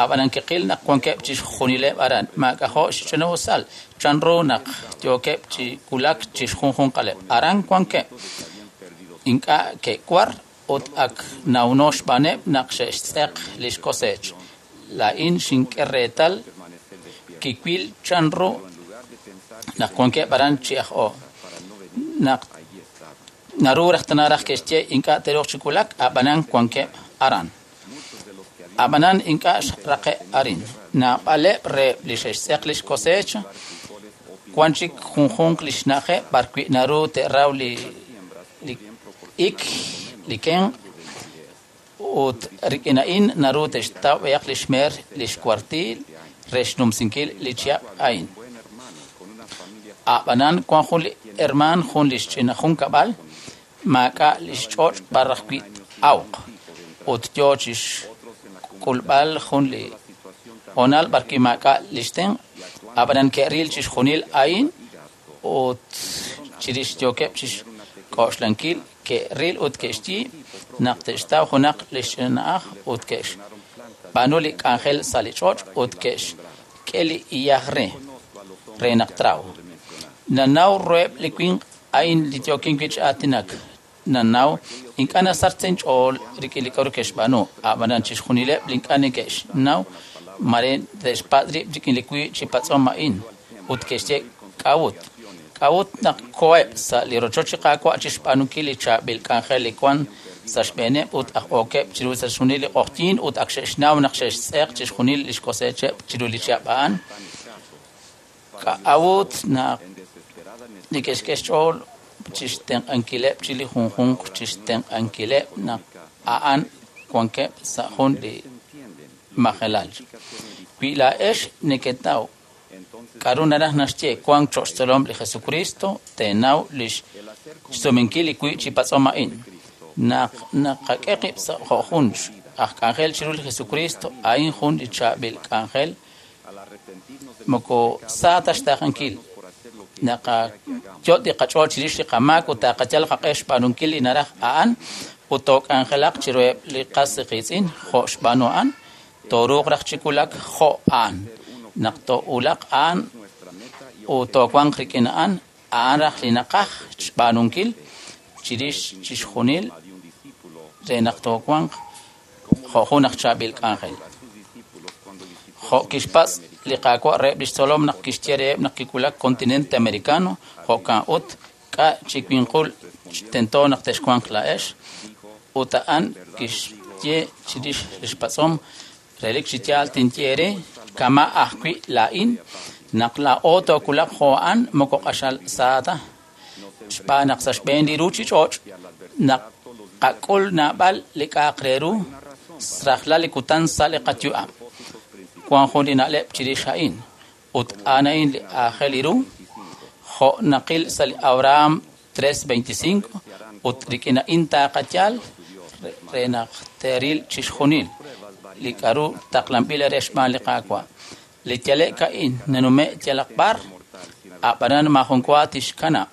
ab'anan kiqil naq wankeb' chixjunileb' aran. Maak'ajo' xch'ina'usal chanru naq yookeb' chi wulak chixjunjunqaleb'. Aran wankeb' ink'a' ke'war ut ak nawno xb'aaneb' naq xe'xtz'eq lix cosecha. Laa'in xink'e reetal kiwil chanru naq wankeb' aran chi aj'o. Naq naru raj tana raj ke'xye ink'a' te'ruuq chi wulak, ab'anan wankeb' aran. Ab'anan ink'a' xraqe' arin. Naab'aleb' re li xe'xtz'eq lix cosecha, wan chik junjunq li xna'ajeb' b'arwi' naru te'raw li li ik, li kenq' ut rik'in a'in naru te'xtaw b'ayaq li xmeer li xkuartiil re xnumsinkil li chihab' a'in. Ab'anan wan jun li hermaan jun li xch'ina junkab'al maak'a' li xch'och' b'ar ajwi' awq ut yo chi xk'ulb'al jun li hoonal b'arwi' maak'a' li xtenq'. Ab'anan ke'ril chixjunil a'in ut chirix yookeb' chi xk'oxlankil ke'ril ut ke'xye naq te'xtaw junaq li xna'aj ut ke'xb'aanu li k'anjel sa' li ch'och' ut ke'xk'e li iyaj re re naq traw. Nanaw ruheb' li winq a'in li yookin wi' chi aatinak. Nanaw ink'a' nasach sa' inch'ool rik'in li k'a'ru ke'xb'aanu. Ab'anan chixjunileb' li ink'a' neke'xnaw mare te'xpatz' rib' rik'in li wiib' chi patz'om a'in ut ke'xye k'a'ut. K'a'ut naq koheb' sa' li rochoch li Qaawa' chi xb'aanunkil li chaab'il k'anjel li wan sa' xb'eeneb' ut aj okeb' chiru sa' xjunil li q'oqyink ut ak xe'xnaw naq xe'xtz'eq chixjunil li xkosecheb' chiru li chihab' a'an? K'a'ut naq neke'xk'e xch'ool chixtenq'ankileb' chi li junjunq chixtenq'ankileb' naq a'an wankeb' sa' jun li majelal? Wi laa'ex neketaw k'a'ru naraj naxye wank cho'q xtzolom li Jesucristo, teenaw lix xsumenkil li wiib' chi patz'om a'in. Naq naqak'e qib' sa' jo' jun aj k'anjel chiru li Jesucristo, a'in jun li chaab'il k'anjel moko sa ta xtaaqenkil. Naqayot' li qach'ool chirix li qamaak ut taqayal qaq'e xb'aanunkil li naraj a'an ut took'anjelaq chiruheb' li qas qiitz'in jo' xb'aanu a'an, tooruuq raj chi wulak jo' a'an. Naq toowulaq a'an ut toowanq rik'in a'an, a'an raj li naqaj xb'aanunkil chirix chixjunil re naq toowanq jo' jun aj chaab'il k'anjel. Jo' kixpatz' li Qaawa' reheb' lix tzolom naq kixye reheb' naq kiwulak continente americano, jo'kan ut k'a' chi winqul tento naq texwanq laa'ex, ut a'an kixye chirix lix patz'om relik chi yaal tinye eere kama' ajwi' laa'in naq laa'o toowulaq jo' a'an moko q'axal sa ta xb'aan naq sa' xb'een li ruchich'och' naq qak'ul naab'al li k'a'aq re ru rajlal li kutan sa' li qayu'am. Wan jun li na'leb' chirix a'in ut a'an a'in li aajel ru jo' naqil sa' li Abraham tres veinticinco ut rik'in a'in taqayal re naq teeril chixjunil li k'a'ru taqlanb'il re xb'aan li Qaawa'. Li yale'k a'in nanume' yalaq b'ar, a'b'anan maajun wa tixkanab'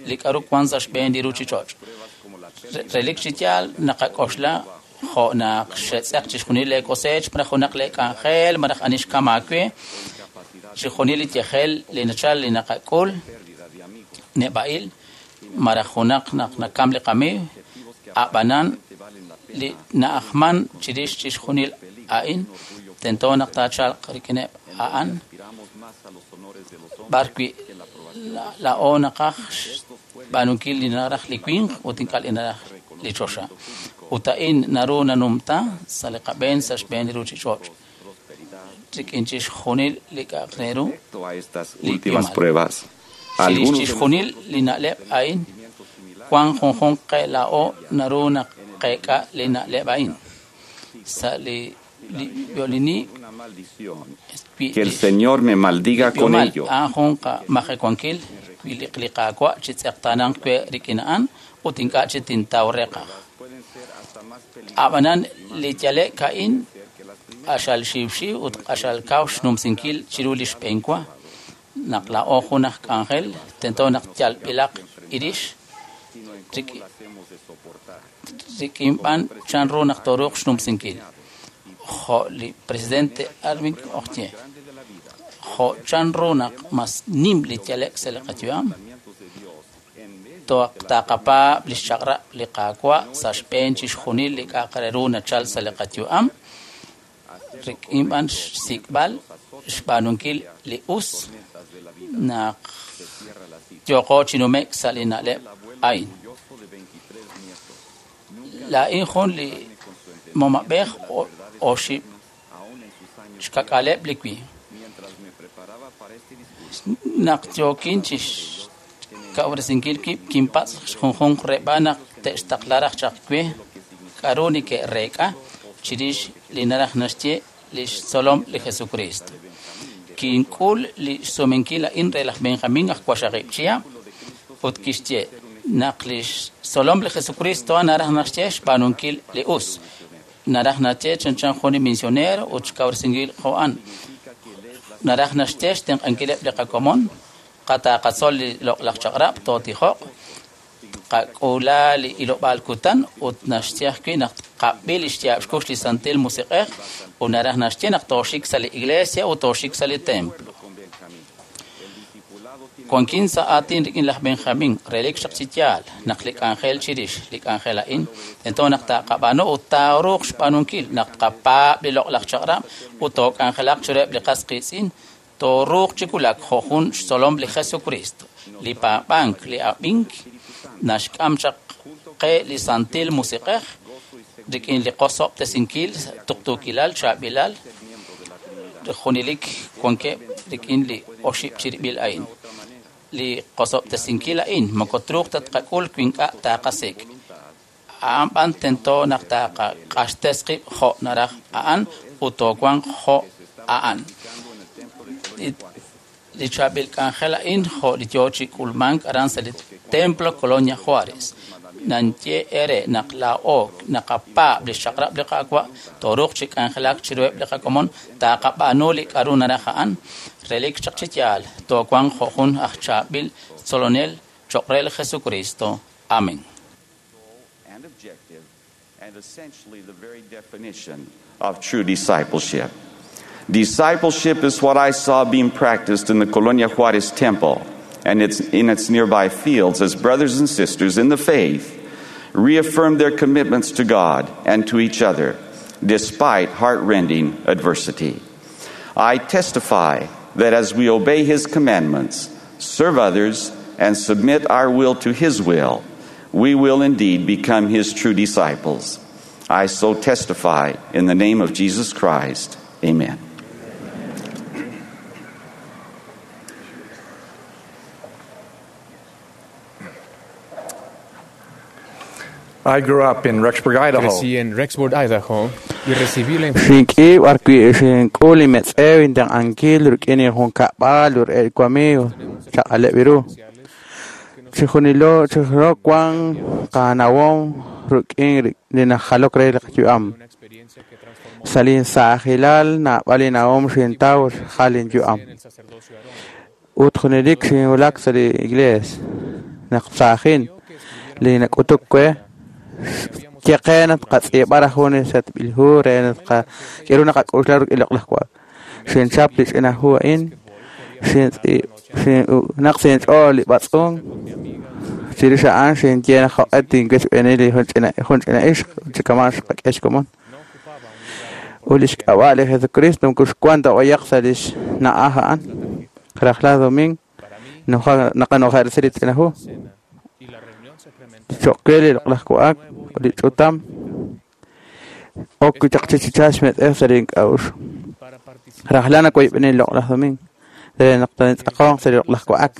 li k'a'ru wan sa' xb'een li ruchich'och'. Relik chi yaal naqak'oxla jo' naq xetz'eq chixjunil le cosecha malaj junaq le k'anjel malaj ani xkam aawe, chixjunil li yajel li nachal li naqak'ul neb'a'il malaj junaq naq nakam li qamiiw, a'b'anan li na'ajman chirix chixjunil a'in tento naq taachalq rik'ineb' a'an b'ar wi' laa'o naqaj xb'aanunkil li naraj li winq ut ink'a' li naraj li choxa. Ut a'in naru nanumta sa' li qab'een sa' xb'een li ruchich'och' rik'in chixjunil li k'a'aq re ru li Últimas pruebas. chirix Algunos de chixjunil li na'leb' a'in wan junjunq qe laa'o naru naq qeek'a li na'leb' a'in sa' li li violini que el Señor me maldiga con b'ihomal ello. a'an jun qamajewankil wi li li Qaawa' chi tz'eqtaananq we rik'in a'an ut ink'a' chi tintaw reqaj. A'b'anan li yale'k a'in q'axal xiwxiw ut q'axal kaw xnumsinkil chiru li xb'een wa. Naq laa'o jun aj k'anjel tento naq yalb'ilaq irix rik'in b'an chanru naq tooruuq xnumsinkil. Jo' li presidente Arvin oxye, jo' chanru naq mas nim li yale'k sa' li qayu'am, taqapaab' li xchaq'rab' li Qaawa' sa' xb'een chixjunil li k'a'aq re ru nachal sa' li qayu'am, rik'in b'an xsik'b'al xb'aanunkil li us naq yooqo chi nume'k sa' li na'leb' a'in. Laa'in jun li momab'ej oxib' xkak'aleb' li wi. Naq yookin chi xkawresinkil wib' kinpatz' junjunq reb'an naq te'xtaqla raj chaq we k'a'ru neke'reek'a chirix li naraj naxye li xtzolom li Jesucristo. Kink'ul li xsumenkil a'in re laj Benjamin aj waqxaqib' chihab' ut kixye naq li xtzolom li Jesucristo naraj naxye xb'aanunkil li us. Naraj naxye chanchan jun li misionero ut xkawresinkil jo' a'an. Naraj naxye xtenq'ankileb' li qakomon, qataqatzol li loq'laj chaq'rab' tootijoq, qak'ula li ilob'aal kutan ut naxye ajwi' naq qab'il li xyaab' xkux li Santil Musiq'ej ut naraj naxye naq tooxik sa' li iglesia ut tooxik sa' li templo. Wankin sa' aatin rik'in laj Benjamin relik xaq chi yaal naq li k'anjel chirix li k'anjel a'in tento naq taqab'aanu ut taaruuq xb'aanunkil naq tqapaab' li loq'laj chaq'rab' ut took'anjelaq chiruheb' li qas qiitz'in tooruuq chi wulak jo' jun xtzolom li Jesucristo. Li paab'ank li ab'ink naxk'am chaq qe li Santil Musiq'ej rik'in li qosob'tesinkil tuqtuukilal chaab'ilal junelik wankeb' rik'in li oxib' chirib'il a'in. Li qosob'tesinkil a'in moko truuq ta tqak'ul wi ink'a' taqasik'. A'an b'an tento naq taqaq'axtes qib' jo' naraj a'an ut toowanq jo' a'an. Li chaab'il k'anjel a'in jo' li yoo chi k'ulmank aran sa' li Templo Colonia Juárez. Nanye ere naq laa'o naqapaab' li xchaq'rab' li Qaawa' tooruuq chi k'anjelak chiruheb' li qakomon taqab'aanu li k'aru naraj a'an relik chaq chi yaal toowanq jo' jun aj chaab'il tzolonel cho'q re li Jesucristo. Amén. And objective, and essentially the very definition of true discipleship. Discipleship is what I saw being practiced in the Colonia Juarez Temple and its, in its nearby fields as brothers and sisters in the faith reaffirmed their commitments to God and to each other despite heartrending adversity. I testify that as we obey His commandments, serve others, and submit our will to His will, we will indeed become His true disciples. I so testify in the name of Jesus Christ. Amen. I grew up in Rexburg, Idaho. Crecí en Rexburg, Idaho, y recibí la Xink'i b'arwi' xink'ul inmetz'ew intenq'ankil rik'in injunkab'al rik'in wamigo chaq'aleb' ru. Chijunilo chijunilo wan qanawom rik'in li najalok re li qayu'am. Sa' linsaajilal naab'al inawom xintaw xjal inyu'am. Ut junelik xinwulak sa' li iglesia naq saajin li nak'utuk we yeqe naq qatz'iib'a raj jun li setb'il hu re naq k'eru naqak'uxla rik'in loq'laj wa'ak. Xinchap li ch'ina hu a'in xintz'iib naq sinch'ool li b'atz'unk chirix a'an xinye naq jo'q'e tinwechb'eeni li jun ch'ina jun ch'ina ixq chikama' xqak'e xkomon. Ut li xk'ab'a' li Jesucristo moko xwan ta b'ayaq sa' li xna'aj a'an. Rajlal domingo naqano'jersi li ch'ina hu. Cho'q re li loq'laj wa'ak ut li ch'utam ok chaq chichicha xmetz'ew sa' li ink'a'uxl. Rajlal nawoyb'eni li loq'laj domingo re naq tintz'aqonq sa' li loq'laj wa'ak.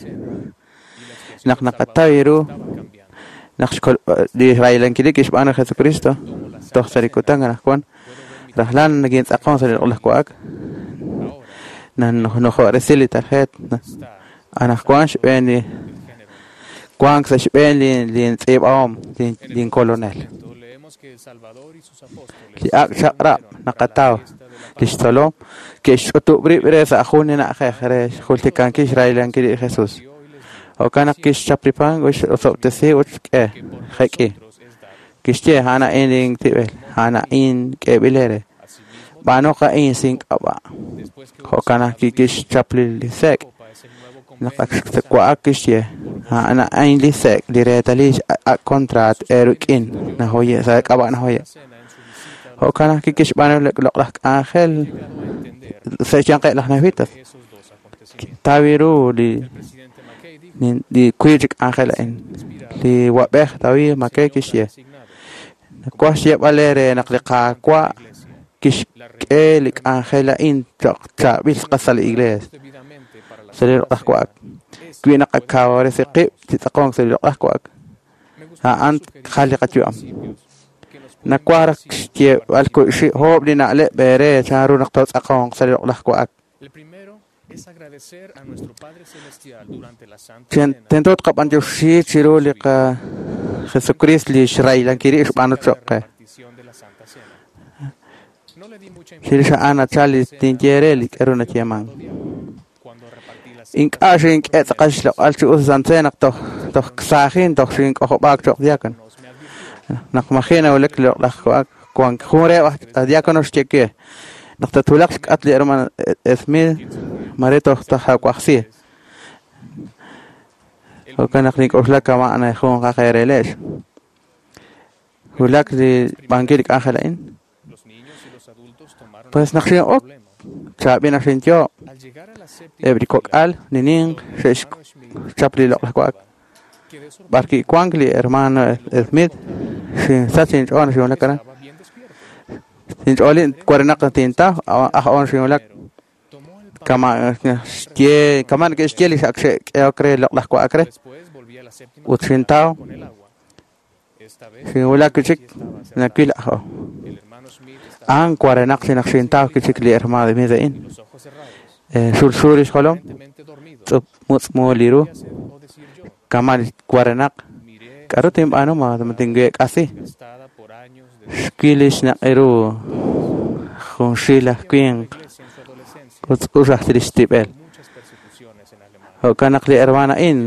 Naq naqataw ru naq li raylankil kixb'aanu li Jesucristo toj sa' li kutan anaqwan rajlal nakintz'aqonq sa' li loq'laj wa'ak nanojo'resi li tarjeet anaqwan xb'een li wank sa' xb'een li lintz'iib'ahom linkolonel. Li ak' chaq'rab' naqataw li xtzolom ke'xch'utub' rib' re sa' jun li na'ajej re xjultikankil xraylankil li Jesús. Jo'kan naq kixchap li pan ut x'osob'tesi ut xk'e jek'i. Kixye a'an a'in lintib'el, a'an a'in k'eeb'il eere. B'aanuq a'in sink'ab'a'. Jo'kan naq kixchap li sek' naq ak xwa'ak kixye a'an a'in li sek' li reetalil ak' kontraat eerik'in najoye' sa' k'ab'a' najoye'. Jo'kan naq kixb'aanu li loq'laj k'anjel sa' xyanqeb' laj nefitas. Tawi ru li li wiib' chi k'anjel a'in. Li wab'ej David McKay kixye nawaj xyeeb'al eere naq li Qaawa' kixk'e li k'anjel a'in cho'q chaab'il sa' li iglesia. Sa' li loq'laj wa'ak. Wi naqakawresi qib' chi tz'aqonk sa' li loq'laj wa'ak. A'an jal li qayu'am. Nawaj raj xyeeb'al oob' li na'leb' eere chanru naq tootz'aqonq sa' li loq'laj wa'ak. Tento tqab'antioxi chiru li Jesucristo li xraylankil xb'aanu cho'q qe. Chirix a'an nachal li tinye re li k'aru nayeeman. Ink'a' xink'e tz'aqal xloq'al chi us santze naq toj toj saajin toj xink'ojob'aak cho'q diácono. Naq maji' nawulak li loq'laj wa'ak wank jun reheb' aj diácono xye we naq tatwulaq xk'at li hermano Smith mare toj tajawajsi. Jo'kan naq nink'oxla kama' jun qajeerelex. Wulak li b'ankil li k'anjel a'in. Pues naq xin'ok chaab'il naq xinyo' eb' li kok'al li ninq xe'xchap li loq'laj wa'ak. B'ar kiwank li hermano Smith xinsach inch'ool xinwulak aran. Inch'oolin warenaq tintaw aj on xinwulak kama xye kama neke'xye li ak xe'k'ehok re loq'laj wa'ak re ut xintaw xinwulak kichik nawil aj o a'an warenaq xinaq xintaw kichik li hermano Smith a'in xulxul li xjolom tz'up mutz'mu li ru kama warenaq k'aru tinb'aanu ma tinweek'asi xwil li xnaq'i ru junxil aj winq ut tz'ux aj li xtib'el jo'kan naq li hermano a'in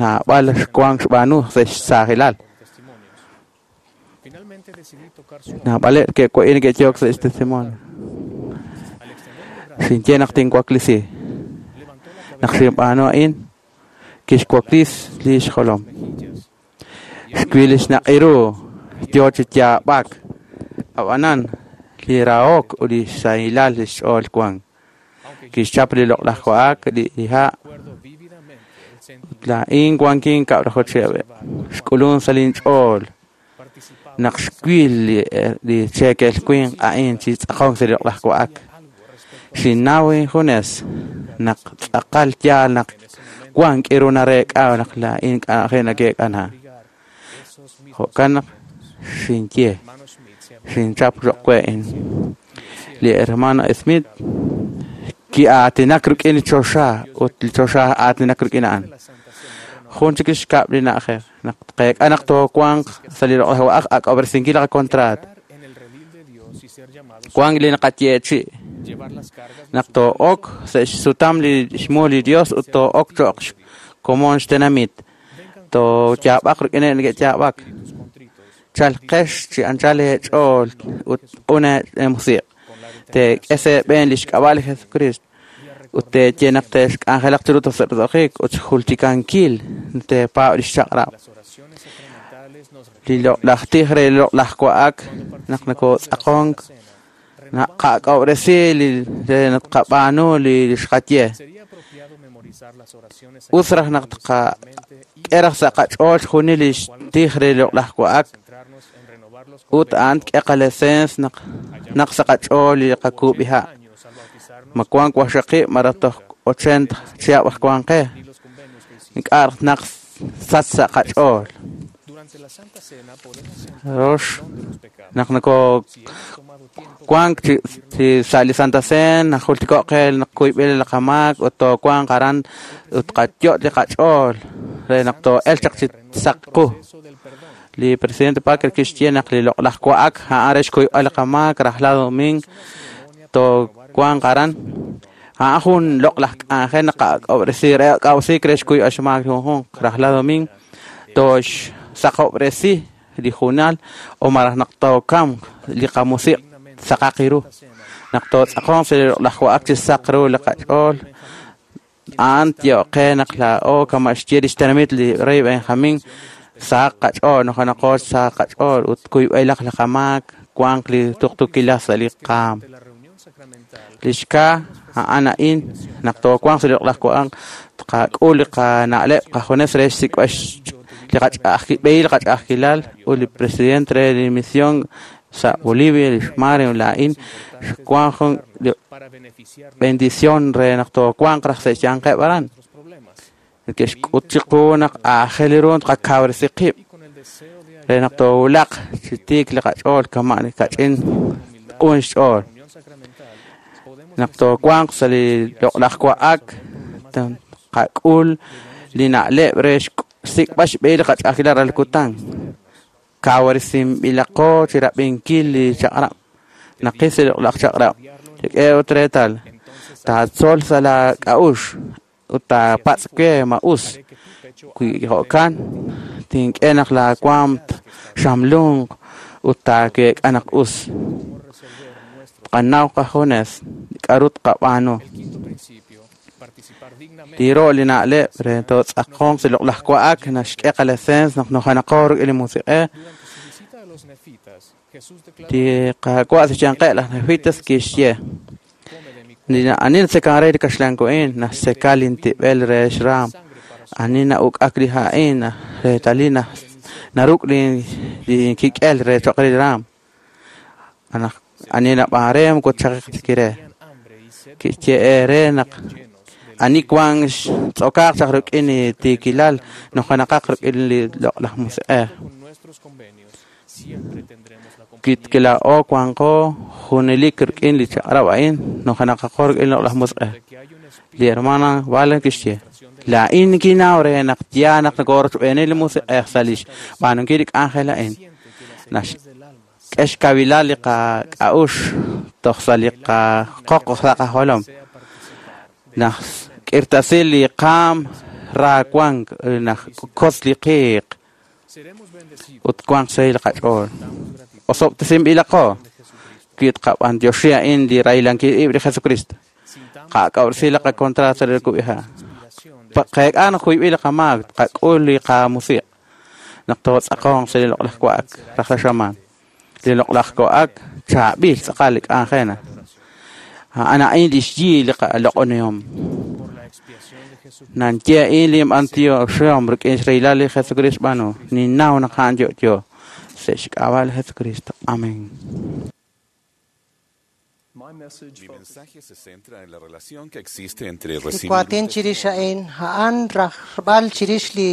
naab'al xwank xb'aanu sa' xsaajilal naab'aleb' ke'wa'in neke'yook sa' xtestimonio xinye naq tinwaklisi naq xinb'aanu a'in kixwaklis li xjolom xwil li xnaq'i ru yoo chi yaab'ak ab'anan li rahok ut li xsahilal li xch'ool wank kixchap li loq'laj wa'ak li ha' ut laa'in wankin kab'laju chihab' xk'ulun sa' linch'ool naq xwil li cheekel winq a'in chi tz'aqonk sa' li loq'laj wa'ak xinnaw injunes naq tz'aqal yaal naq wank k'iru nareek'a naq laa'in k'anjel nake'k'ana jo'kan naq xinye xinchap roqwe'in li hermano Smith ki'aatinak rik'in li choxa ut li choxa aatinak rik'in a'an jun chik xkab' li na'ajej naq tqeek'a naq toowanq sa' li loq'laj wa'ak ak'ob'resinkil li qakontraat wank li naqayeechi' naq too'ok sa' xsutam li xmu li Dios ut too'ok cho'q xkomon xtenamit tooyaab'aq rik'ineb' neke'yaab'ak chalqex chi anchal eech'ool ut q'un eemusiq' teek'e sa' eeb'een li xk'ab'a' li Jesucristo ut teeye naq te'xk'anjelaq chiru toj sa' roso'jik ut xjultikankil teepaab' li xchaq'rab' li loq'laj tij re li loq'laj wa'ak naq nokootz'aqonk naqak'ob'resi li re naq tqab'aanu li xqaye us raj naq tqak'e raj sa' qach'ool xjunil li xtij re li loq'laj wa'ak ut a'an tk'e qalesens naq naq sa' qach'ool li qakuub'iha' ma wank waqxaqib' malaj toj ochenta chihab' aj wank qe ink'a' naq sach sa' qach'ool rox naq nokoo wank chi sa' li Santa Cena naq jultiko' qe naq kuyb'il li qamaak ut toowanq aran ut qayot' li qach'ool re naq too'elq chaq chi saq qu li presidente Parker kixye naq li loq'laj wa'ak a'an re xkuyb'al li qamaak rajlal domingo toowanq aran a'an jun loq'laj k'anjel naq ak'ob'resi re ak'awsik re xkuyb'al xmaak li junjunq rajlal domingo tooxsaqob'resi li junal o malaj naq tookamq li qamusiq' saqaq ru naq tootz'aqonq sa' li loq'laj wa'ak chi saq ru li qach'ool a'an tye'oq qe naq laa'o kama' xye li xtenamit li rey Benjamín saq qach'ool nojonaqo saq qach'ool ut kuyb'aylaq li qamaak wanq li tuqtuukilal sa' li qaam li xka a'an a'in naq toowanq sa' li loq'laj wa'ak tqak'ul li qana'leb' qajunes re xsik'b'al li qach'a'ajkil li qach'a'ajkilal ut li presidente re li misión sa' Bolivia li xmare laa'in xwank jun li bendición re naq toowanq raj sa' xyanqeb' aran neke'xk'ut chiqu naq aajel ru tqakawresi qib' re naq toowulaq chi tiik li qach'ool kama' li kach'in q'un xch'ool naq toowanq sa' li loq'laj wa'ak tqak'ul li na'leb' re xsik'b'al xb'ehil li qach'a'ajkilal rajlal kutan kawresinb'ilaqo chi rab'inkil li chaq'rab' naqil sa' li loq'laj chaq'rab' rik'e ut reetal taatzol sa' la k'a'uxl ut taapatz' we ma us wi jo'kan tink'e naq laawaam xamlunq ut taaweek'a naq us tqanaw qajunes k'aru tqab'aanu li ro' li na'leb' re tootz'aqonq sa' loq'laj wa'ak naxk'e qalesens naq nojanaqo rik'in li musiq'ej li Qaawa' sa' xyanqeb' laj Nefitas kixye ani natzekan re li kaxlan wa'in naxtzeka lintib'el re xraam Ani na'uk'ak li ha'in reetalil naruk' li kik'el re choq' re li raam. Ani nab'aan re moko tchaqiq ta re. Kixye re naq ani wank xtz'okaaq chaq rik'in li tiikilal nujenaqaq rik'in li loq'laj musiq'ej. Kilaa'o wanqo junelik rik'in li chaq'rab' a'in nujenaqaqo rik'in li loq'laj musiq'ej. Li hermana Valen kixye laa'in kinaw re naq yaal naq nokorochb'eeni li musiq'ej sa' li xb'aanunkil li k'anjel a'in. Naxk'e xkawilal li qak'a'uxl toj sa' li qaqoq sa' qajolom. Naxk'irtasi li qaam ra wank naxkotz li qiiq ut wank xsahil li qach'ool. Osob'tesinb'ilaqo wi tqab'antioxi a'in li rahilankil ib' li Jesucristo. Qak'a'uxl li qakontrato sa' li kub'iha'. Qeek'a naq juyb'il li qamaak tqak'ul li qamusiq' naq tootz'aqonq sa' li loq'laj wa'ak rajlal xamaan. Li loq'laj wa'ak chaab'il tz'aqal li k'anjena. A'an a'in li xyi li qaloq'onihom. Nanye a'in li b'antioxihom rik'in xrahilal li Jesucristo xb'aanu. Ninnaw naq a'an yo'yo sa' xk'ab'a' li Jesucristo. Amén. Mi mensaje se centra en la relación que existe entre Li recibir waatin chirix a'in a'an rajb'al chirix li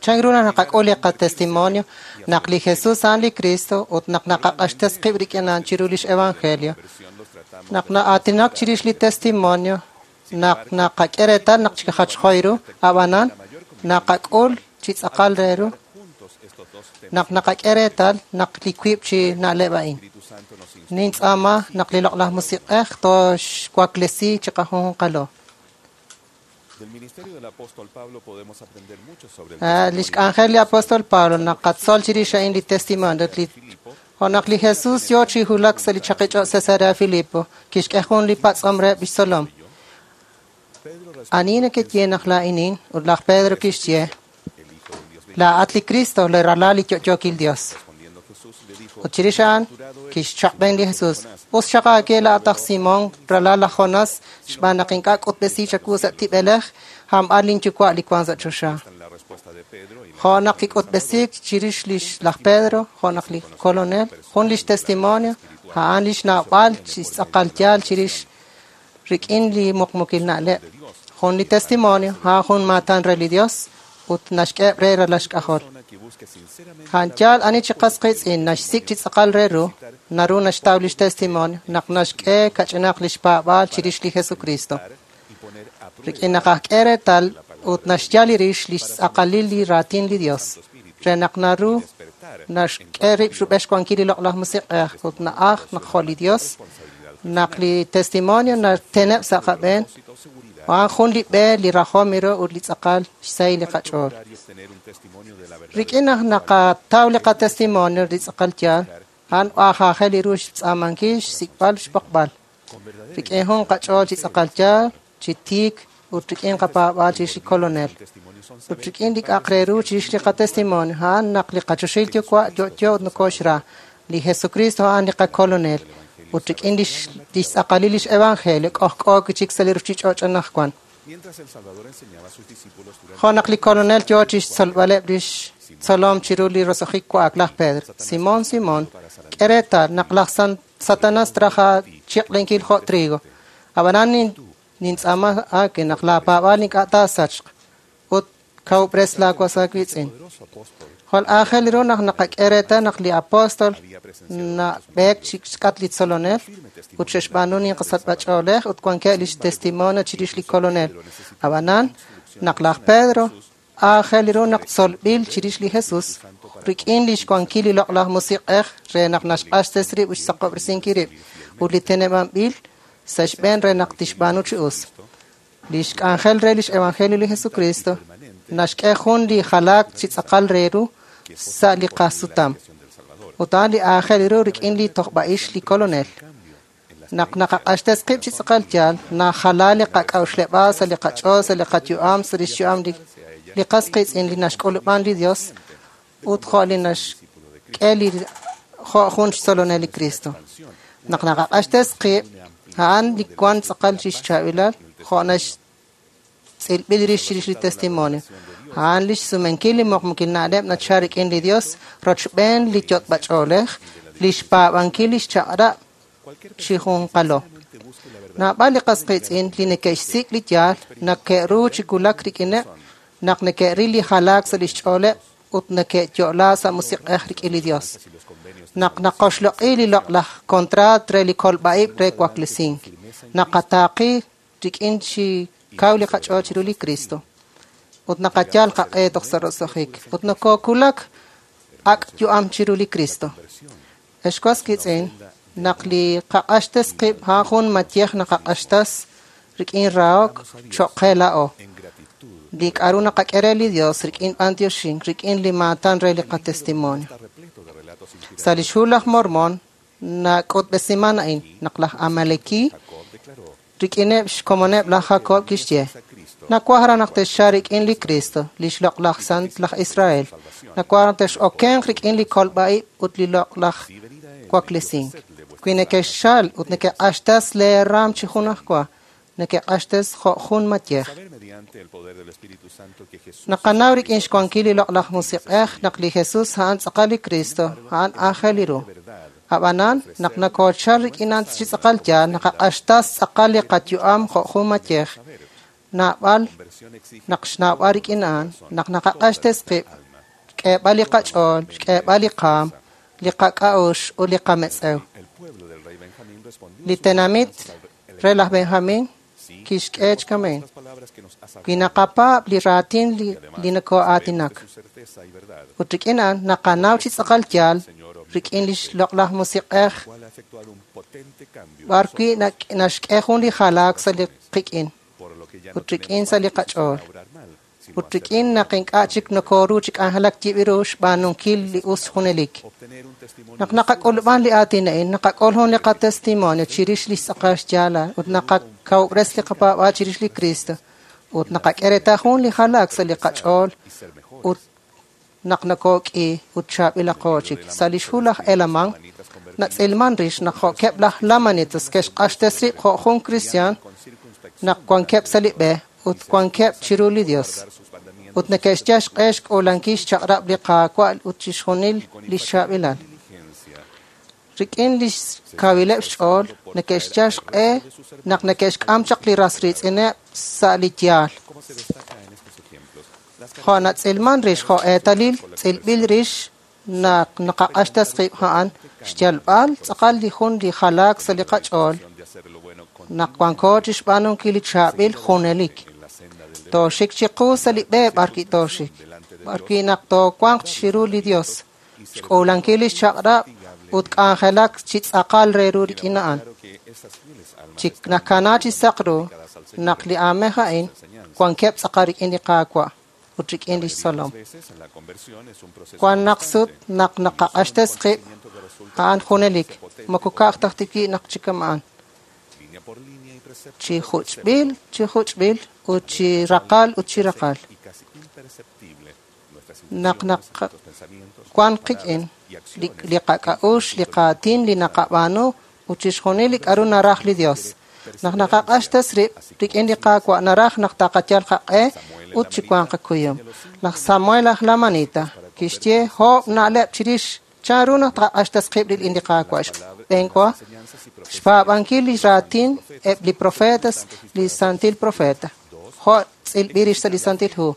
chan ru naq naqak'ul li qatestimonio naq li Jesús a'an li Cristo ut naq naqaq'axtes qib' rik'in a'an chiru lix evangelio. Naq na'aatinak chirix li testimonio naq naqak'e reetal naq chikajachjoy ru ab'anan naqak'ul chi tz'aqal re ru naq naqak'e reetal naq li wiib' chi na'leb' a'in. Nintz'aama naq li loq'laj musiq'ej tooxwaklesi chiqajunjunqalo. Del ministerio del apóstol Pablo podemos aprender mucho sobre el Ah, lix k'anjel li apóstol Pablo naqatzol chirix a'in li testimonio li jo' naq li Jesús yoo chi wulak sa' li chaqich'och' Cesarea Filipo kixk'e jun li patz'om reheb' lix tzolom. Ani nekeye naq laa'inin ut laj Pedro kixye laa'at li Cristo li ralal li yo'yookil Dios. Ut chirix a'an kixchaq'b'en li Jesús. Us xaq aake laa'at aj Simón ralal laj Jonás xb'aan naq ink'a' k'utb'esi chawu sa' tib'elej hamb'al linyuwa' li wank sa' choxa. Jo' naq kik'utb'esiik chirix lix laj Pedro, jo' naq li kolonel, jun lix testimonio, a'an lix na'b'al chi tz'aqal yaal chirix rik'in li muqmukil na'leb'. Jun li testimonio, a'an jun maatan re li Dios ut naxk'eb' re ralal xk'ajol. A'an yaal ani chi qas qiitz'in naxsik' chi tz'aqal re ru, naru naxtaw lix testimonio naq naxk'e kach'inaq lix paab'aal chirix li Jesucristo. Rik'in naq ajk'e reetal ut naxyal li rix lix tz'aqalil li raatin li Dios. Re naq naru naxk'e rib' rub'el xwankil li loq'laj musiq'ej ut na'aj naq jo' li Dios, naq li testimonio nateneb' sa' qab'een, a'an jun li b'e li rajom ru ut li tz'aqal xsahil li qach'ool. Rik'in naq naqataw li qatestimonio li tz'aqal yaal, a'an aajajel li ru xtz'aamankil xsik'b'al xb'oqb'al. Rik'in jun qach'ool chi tz'aqal yaal, chi tiik ut rik'in qapaab'aal chirix li kolonel. Ut rik'in li k'a'aq re ru chirix li qatestimonio, a'an naq li qachoxil yuwa' yo'yo ut nokoxra. Li Jesucristo a'an li qakolonel. Ut rik'in lix lix tz'aqalil lix evangelio k'ojk'o chik sa' li ruchich'och' anaqwan. Mientras el Salvador enseñaba a sus discípulos durante Jo' naq li kolonel yoo chixtzolb'aleb' lix tzolom chiru li roso'jik wa'ak laj Pedro. Simón, Simón, k'e reetal naq laj Satanás traja chiq'lenkil jo' trigo. Ab'anan nintz'aama aake naq laapaab'aal ink'a' taasachq ut kawub'res laawas aawiitz'in. Jwal aajel ru naq naqak'e reetal naq li apóstol nab'eek chi xk'at li tzolonel ut xe'xb'aanu ninqasachb'ach'oolej ut wankeb' lix testimonio chirix li kolonel. Ab'anan naq laj Pedro aajel ru naq tzolb'il chirix li Jesús rik'in lix wankil li loq'laj musiq'ej re naq naxq'axtes rib' ut xsaqob'resinkil rib' ut li teneb'anb'il sa' xb'een re naq tixb'aanu chi us. Lix k'anjel re lix evangelio li Jesucristo naxk'e jun li jalaak chi tz'aqal re ru sa' li qasutam. Ut a'an li aajel ru rik'in li tojb'a'ix li kolonel. Naq naqaq'axtes qib' chi tz'aqal yaal, najala li qak'a'uxleb'aal sa' li qach'ool, sa' li qayu'am, sa' lix yu'am li li qas qiitz'in li naxk'ulub'an li Dios ut jo' li naxk'e li jo' jun xtzolonel li Cristo. Naq naqaq'axtes qib', a'an li wan tz'aqal chixchaab'ilal, jo' tz'ilb'il rix chirix li testimonio. A'an lix sumenkil li muqmukil na'leb' nachal rik'in li Dios rochb'een li yot'b'ach'oolej, lix paab'ankil lix chaq'rab' chi junqalo. Naab'al li qas qiitz'in li neke'xsik' li yaal nake'ru chi wulak rik'ineb' naq neke'ril li jalaak sa' lix ch'ooleb' ut neke'yo'la sa' musiq'ej rik'in li Dios. Naq naqoxloq'i li loq'laj kontraat re li kolb'a'ib' re waklesink. Naqataaqi rik'in chi kaw li qach'ool chiru li Cristo. Ut naqayal qaq'e toj sa' roso'jik. Ut nokokulak ak' yu'am chiru li Cristo. Ex was qiitz'in, naq li qaq'axtes qib' a'an jun mayej naqaq'axtas rik'in rahok cho'q qe laa'o. Li k'a'ru naqak'e re li Dios rik'in b'antioxink, rik'in li maatan re li qatestimonio. Sa' lix hu laj Mormon nak'utb'esiman a'in naq laj Amaleki rik'ineb' xkomoneb' laj Jacob kixye: Nawaj raj naq texxal rik'in li Cristo, lix loq'laj sant laj Israel. Nawaj naq tex'okenq rik'in li kolb'a'ib' ut li loq'laj waklesink. Wi neke'xxal ut neke'q'axtas lee raam chi junajwa, neke'q'axtes jo' jun mayej. Naqanaw rik'in xwankil li loq'laj musiq'ej naq li Jesus a'an tz'aqal li Cristo, a'an aajel ru. Ab'anan, naq nakochal rik'in a'an chi tz'aqal yaal, naqaq'axtas tz'aqal li qayu'am jo' jun mayej. Naab'al naq xnaab'al rik'in a'an, naq naqaq'axtes qib', xk'eeb'al li qach'ool, xk'eeb'al li qaam, li qak'a'ux ut li qametz'ew. Li tenamit re laj Benjamin kixk'e chkamen. Wi naqapaab' li raatin li, li nako'aatinak. Ut rik'in a'an naqanaw chi tz'aqal yaal rik'in lix loq'laj musiq'ej b'ar wi' naxk'e jun li jalaak sa' li qik'in ut rik'in sa' li qach'ool. Ut rik'in naq ink'a' chik nokoru chi k'anjelak yib'iru xb'aanunkil li us junelik. Naq naqak'ulub'an li aatin a'in, naqak'ul jun li qatestimonio chirix li xtz'aqal xyaalal ut naqakawub'res li qapaab'aal chirix li Cristo ut naqak'e reetal jun li jalaak sa' li qach'ool ut naq nokok'i ut chaab'ilaqo chik. Sa' lix hu laj Helaman natz'ilman rix naq jo'keb' laj Lamanitas ke'xq'axtes rib' jo' jun kristiaan naq wankeb' sa' li b'e ut wankeb' chiru li Dios. Ut neke'xyal xq'e xk'uulankil xchaq'rab' li Qaawa' ut chixjunil li xchaab'ilal. Rik'in lix kawileb' xch'ool neke'xyal xq'e naq neke'xk'am chaq li ras riitz'ineb' sa' li yaal. Jo' natz'ilman rix jo' eetalil tz'ilb'il rix naq naqaq'axtas qib' a'an xyalb'al tz'aqal li jun li jalaak sa' li qach'ool naq wanko chixb'aanunkil li chaab'il junelik. Tooxik chiqu sa' li b'e b'ar wi' tooxik, b'ar wi' naq toowanq chiru li Dios, xk'uulankil lix chaq'rab' ut k'anjelak chi tz'aqal re ru rik'in a'an. Chi nakana chi saq ru naq li aamej a'in wankeb' tz'aqal rik'in li Qaawa' ut rik'in lix tzolom. Wan naq sut naq naqaq'axtes qib' a'an junelik, moko ka'aj taj tiwi' naq chikama'an. Chi juch'b'il, chi juch'b'il, ut chi raqal ut chi raqal. Naq naq wan qik'in li, li qak'a'ux, li qaatin, li naqab'aanu ut chixjunil li k'a'ru naraj li Dios. Naq naqaq'axtes rib' rik'in li Qaawa' naraj naq taqayal qaq'e ut chi wanq qakuyum. Laj Samuel aj Lamanita kixye oob' na'leb' chirix chanru naq taqaq'axtes qib' rik'in li Qaawa'. Xb'eenwa, xpaab'ankil li raatin eb' li profetas, li santil profeta. Jo' tz'ilb'il rix sa' li Santil Hu.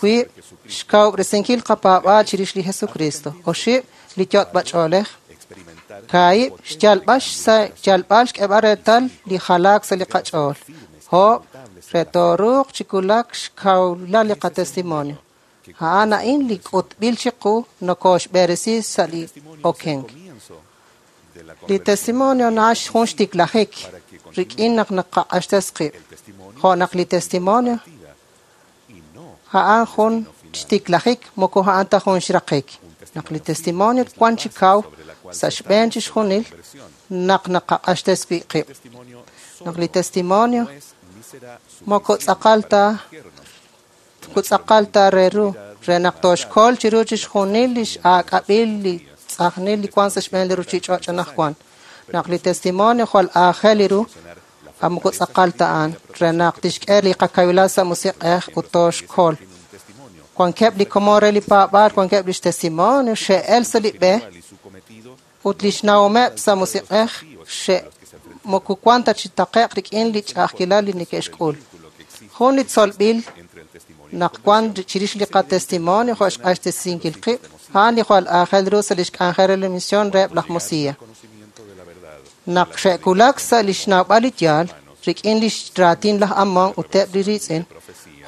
Wiib', xkawub'resinkil qapaab'aal chirix li Jesucristo. Oxib', li yot'b'ach'oolej. Kaahib', xyalb'al xsa' xyalb'al xk'eeb'al reetal li jalaak sa' li qach'ool. Oob', re tooruuq chi wulak xkawlal li qatestimonio. A'an a'in li k'utb'il chiqu nokoxb'eresi sa' li okenk. Li testimonio na'ax jun xtiklajik rik'in naq naqaq'axtes qib'. Jo' naq li testimonio a'an jun xtiklajik moko a'an ta jun xraqik. Naq li testimonio wan chi kaw sa' xb'een chixjunil naq naqaq'axtes wi' qib'. Naq li testimonio moko tz'aqal ta tz'aqal ta re ru re naq toxkol chiru chixjunil lix aak'ab'il li tz'ajnil li wan sa' xb'een li ruchich'och' anaqwan. Naq li testimonio jwal aajel ru Moko tz'aqal ta a'an re naq tixk'e li qakawilal sa' musiq'ej ut tooxkol. Wankeb' li komon re li paab'aal, wankeb' lix testimonio xe'el sa' li b'e ut lix nawomeb' sa' musiq'ej xe' moko wan ta chi taqe'q rik'in li ch'a'ajkilal li neke'xk'ul. Jun li tzolb'il naq wan chirix li qatestimonio jo' xq'axtesinkil qib', a'an li jwal aajel ru sa' lix k'anjel re li misión reheb' laj Mosiah. Naq xe'kulak sa' lix nawb'al li yaal rik'in lix raatin laj Ammon ut eb' li riitz'in,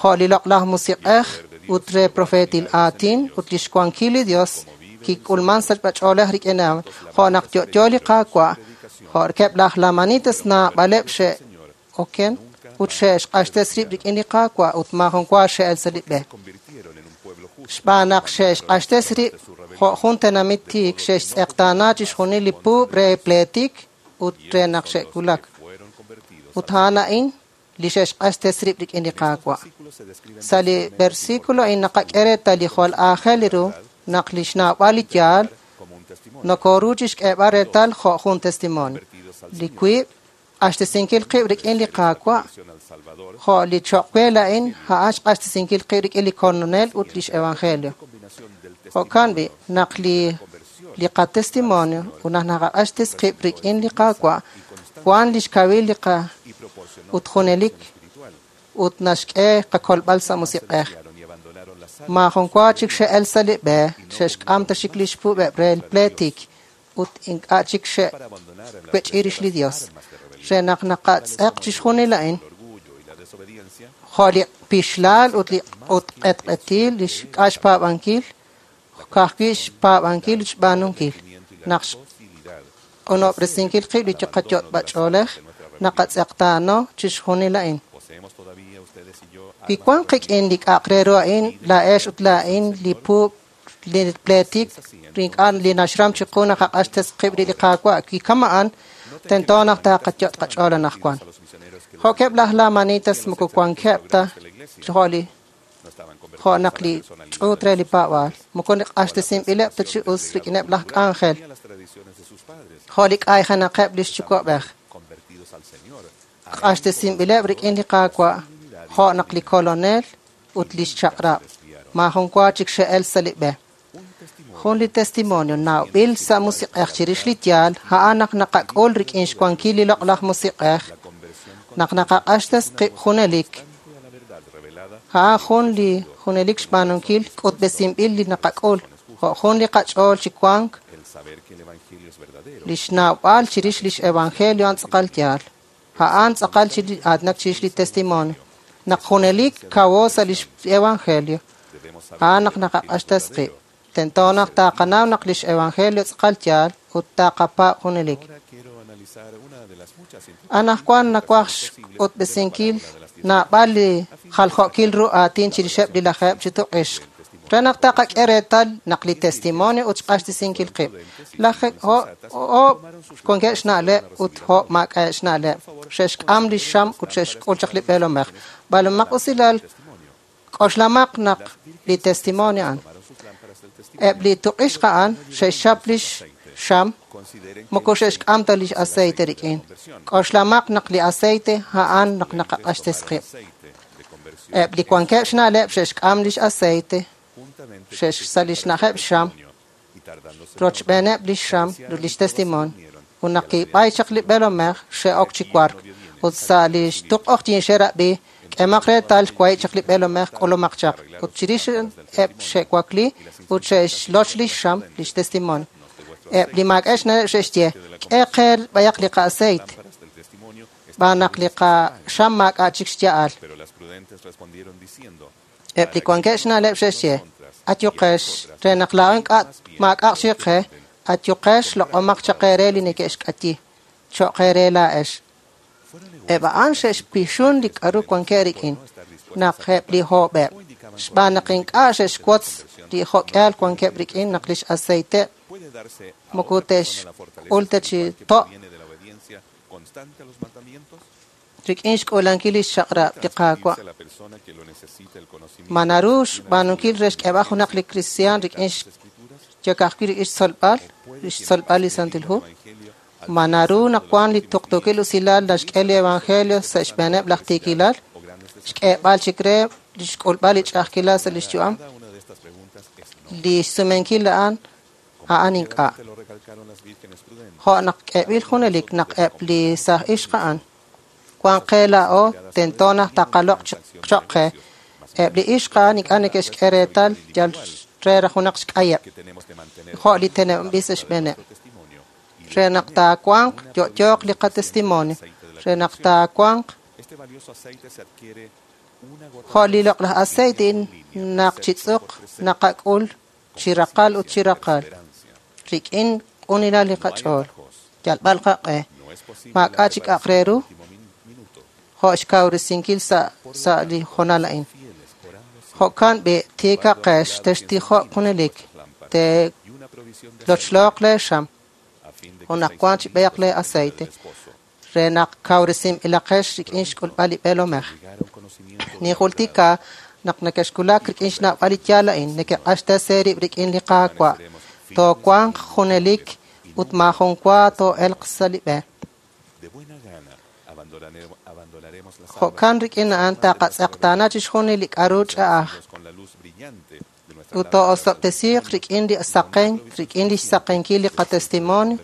jo' li loq'laj musiq'ej ut re profeetil aatin ut lix wankil li Dios kik'ulman sa' ch'oolej rik'in a'an, jo' naq yo'yo li Qaawa', jo' rikeb' laj Lamanitas naab'aleb' xe'oken ut xe'xq'axtes rib' rik'in li Qaawa' ut maajun wa xe'el sa' li b'e. Xb'aan naq xe'xq'axtes rib' jo' jun tenamit tiik xe'xtz'eqtaana chixjunil li puub' re pleetik ut re naq xe'kulak. Ut a'an a'in li xe'xq'axtes rib' rik'in li Qaawa'. Sa' li versículo a'in naqak'e reetal li jwal aajel ru naq li xnawb'al li yaal nokoru chixk'eeb'al reetal jo' jun testimonio. Li wiib' q'axtesinkil qib' rik'in li Qaawa' jo' li choq' we la'in a'an xq'axtesinkil qib' rik'in li Kolonel ut lix Evangelio. Jo'kan b'i' naq li li qatestimonio ut naq naqaq'axtes qib' rik'in li Qaawa' wan lix kawil li qa ut junelik ut naxk'e qakolb'al sa' musiq'ej. Maajun wa chik xe'el sa' li b'e xe'xk'am ta chik lix puub'eb' re pleetik ut ink'a' chik xe'wech'i rix li Dios. Re naq naqatz'eq chixjunil a'in jo' li pixlaal ut li ut q'etq'etil li xk'a xpaab'ankil ka'ajwi' xpaab'ankil ut xb'aanunkil. Naq xq'unob'resinkil qib' li qayot'b'ach'oolej naqatz'eqtaano chixjunil a'in. Wi wan qik'in li k'a'aq re ru a'in laa'ex ut laa'in li puub' li pleetik ink'a' li naxram chiqu naqaq'axtes qib' li Qaawa' wi kama'an tento naq taqayot' qach'ool anaqwan. Jo'keb' laj Lamanitas moko wankeb' ta jo' li jo' naq li ch'uut re li paab'aal moko q'axtesinb'ileb' ta chi us rik'ineb' laj k'anjel jo' li k'ayjenaqeb' lix yuwa'b'ej. Q'axtesinb'ileb' rik'in li Qaawa' jo' naq li Kolonel ut lix chaq'rab' maajun wa chik xe'el sa' li b'e. Jun li testimonio nawb'il sa' musiq'ej chirix li yaal a'an naq naqak'ul rik'in xwankil li loq'laj musiq'ej naq naqaq'axtes qib' junelik. A'an jun li junelik xb'aanunkil k'utb'esinb'il li naqak'ul jo' jun li qach'ool chi wank li xnawb'al chirix lix evangelio a'an tz'aqal yaal. A'an tz'aqal chi aatinak chirix li testimonio naq junelik kawo sa' lix evangelio a'an naq naqaq'axtes qib'. Tento naq taqanaw naq lix evangelio tz'aqal yaal ut taqapaab' junelik. Anaqwan nawaj xk'utb'esinkil naab'al li jaljo'kil ru aatin chirixeb' li lajeeb' chi tuq'ixq re naq taqak'e reetal naq li testimonio ut xq'axtesinkil qib'. Laj oob' wankeb' xna'leb' ut oob' maak'a'eb' xna'leb' xe'xk'am li xam ut xe'xk'ul chaq li b'eelomej. B'alomaq usilal k'oxlamaq naq li testimonio a'an. Eb' li tuq'ixq a'an xe'xchap lix xam moko xe'xk'am ta lix aceite rik'in. K'oxlamaq naq li aceite a'an naq naqaq'axtes qib'. Eb' li wankeb' xna'leb' xe'xk'am lix aceite sa' lix na'ajeb' xam rochb'eeneb' lix xam ut lix testimonio. Ut naq kib'ay chaq li b'eelomej xe'ok chi wark ut sa' lix tuq'oqyin xe'rab'i k'emaq reetal xwahi' chaq li b'eelomej k'ulumaq chaq. Ut chirix eb' xe'wakli ut xe'xloch lix xam lix testimonio. Eb' li maak'a'eb' xna'leb' xe'xye k'e qe b'ayaq li qa'aceite b'aan naq li qaxam maak'a' chik xya'al. Eb' li wankeb' xna'leb' xe'xye ayuqex re naq laa'o ink'a' maak'a'aq chik qe ayuqex loq'omaq chaq eere li neke'xk'ayi cho'q eere laa'ex. Eb' a'an xe'xpixun li k'aru wankeb' rik'in naq eb' li hoob'eb' xb'aan naq ink'a' xe'xwotz li jo'k'ihal wankeb' rik'in naq lix aceite moko te'xk'ul ta chi to' rik'in xk'uulankil lix chaq'rab' li Qaawa'. Ma naru xb'aanunkil re xk'eeb'al junaq li kristiaan rik'in yokajwi' rik'in xtzolb'al lix tzolb'al li Santil Hu Ma naru naq wan li tuqtuukil usilal naxk'e li evangelio sa' xb'eeneb' laj tiikilal, xk'eeb'al chik re li xk'ulb'al li ch'a'ajkilal sa' lix yu'am? Li xsumenkil a'an a'an ink'a'. Jo' naq k'eeb'il junelik naq eb' li saaj ixq a'an wan qe laa'o tento naq taqaloq' choq' qe. Eb' li ixq a'an ink'a' neke'xk'e reetal yal re junaq xk'ayeb' jo' li teneb'anb'il sa' xb'eeneb'. Re naq taawanq yo'yooq li qatestimonio, re naq taawanq jo' li loq'laj aceite naq chi tz'uq naqak'ul chi raqal ut chi raqal rik'in q'unilal li qach'ool, yalb'al qaq'e, maak'a' chik aq re ru jo' xkawresinkil sa' sa' li hoonal a'in. Jo'kan b'i' tiikaqex textijoq junelik, te'lochloq leexam ut naq wan chi b'eeq lee aceite re naq kawresinb'ilaqex rik'in xk'ulb'al li b'eelomej. Ninjultika naq nekexwulak rik'in xnawb'al li yaal a'in, nekeq'axtes eerib' rik'in li Qaawa', toowanq junelik ut maajun wa too'elq sa' li b'e. Jo'kan rik'in a'an taqatz'eqtaana chixjunil li k'a'ru ch'a'aj ut too'osob'tesiiq rik'in li saqen, rik'in lix saqenkil li qatestimonio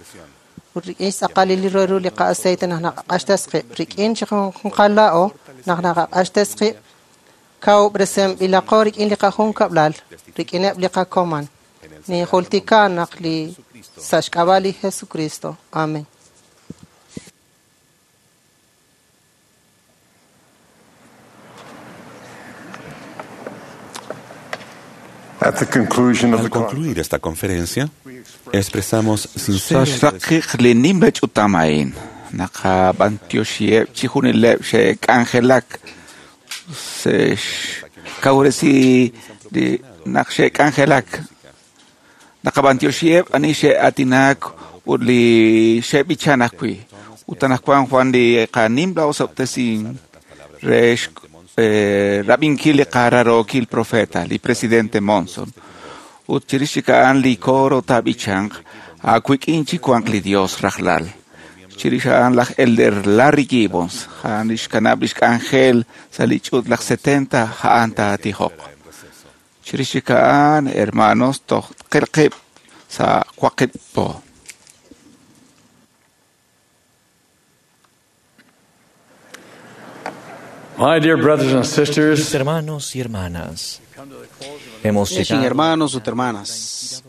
ut rik'in xtz'aqalil li ru li qa'aceite naq naqaq'axtes qib', rik'in chiqajunqal laa'o naq naqaq'axtes qib', kawub'resinb'ilaqo rik'in li qajunkab'lal, rik'ineb' li qakoman. Ninjultika naq li sa' xk'ab'a' li Jesucristo. Amen. At the conclusion of Al the concluir esta conferencia, expresamos sincero Sa' xraqik li nimla ch'utam a'in, naqab'antioxiheb' chixjunileb' xe'k'anjelak xe'xkawresi li naq xe'k'anjelak. Naqab'antioxiheb' ani xe'aatinak ut li xe'b'ichan ajwi'. Ut anaqwan Juan li qanimla osob'tesin re eh, rab'inkil li qararookil profeta, li presidente Monson. Ut chirix chik a'an li coro taab'ichanq aawik'in chiwanq li Dios rajlal. Chirix a'an laj Elder Larry Gibbons, a'an lix kanab' lix k'anjel sa' li ch'uut laj setenta a'an taatijoq. Chirix chik a'an, hermanos, toj qilqib' sa' waqib' po. My dear brothers and sisters, Mis hermanos y hermanas, hemos Xin llegado hermanos ut hermanas,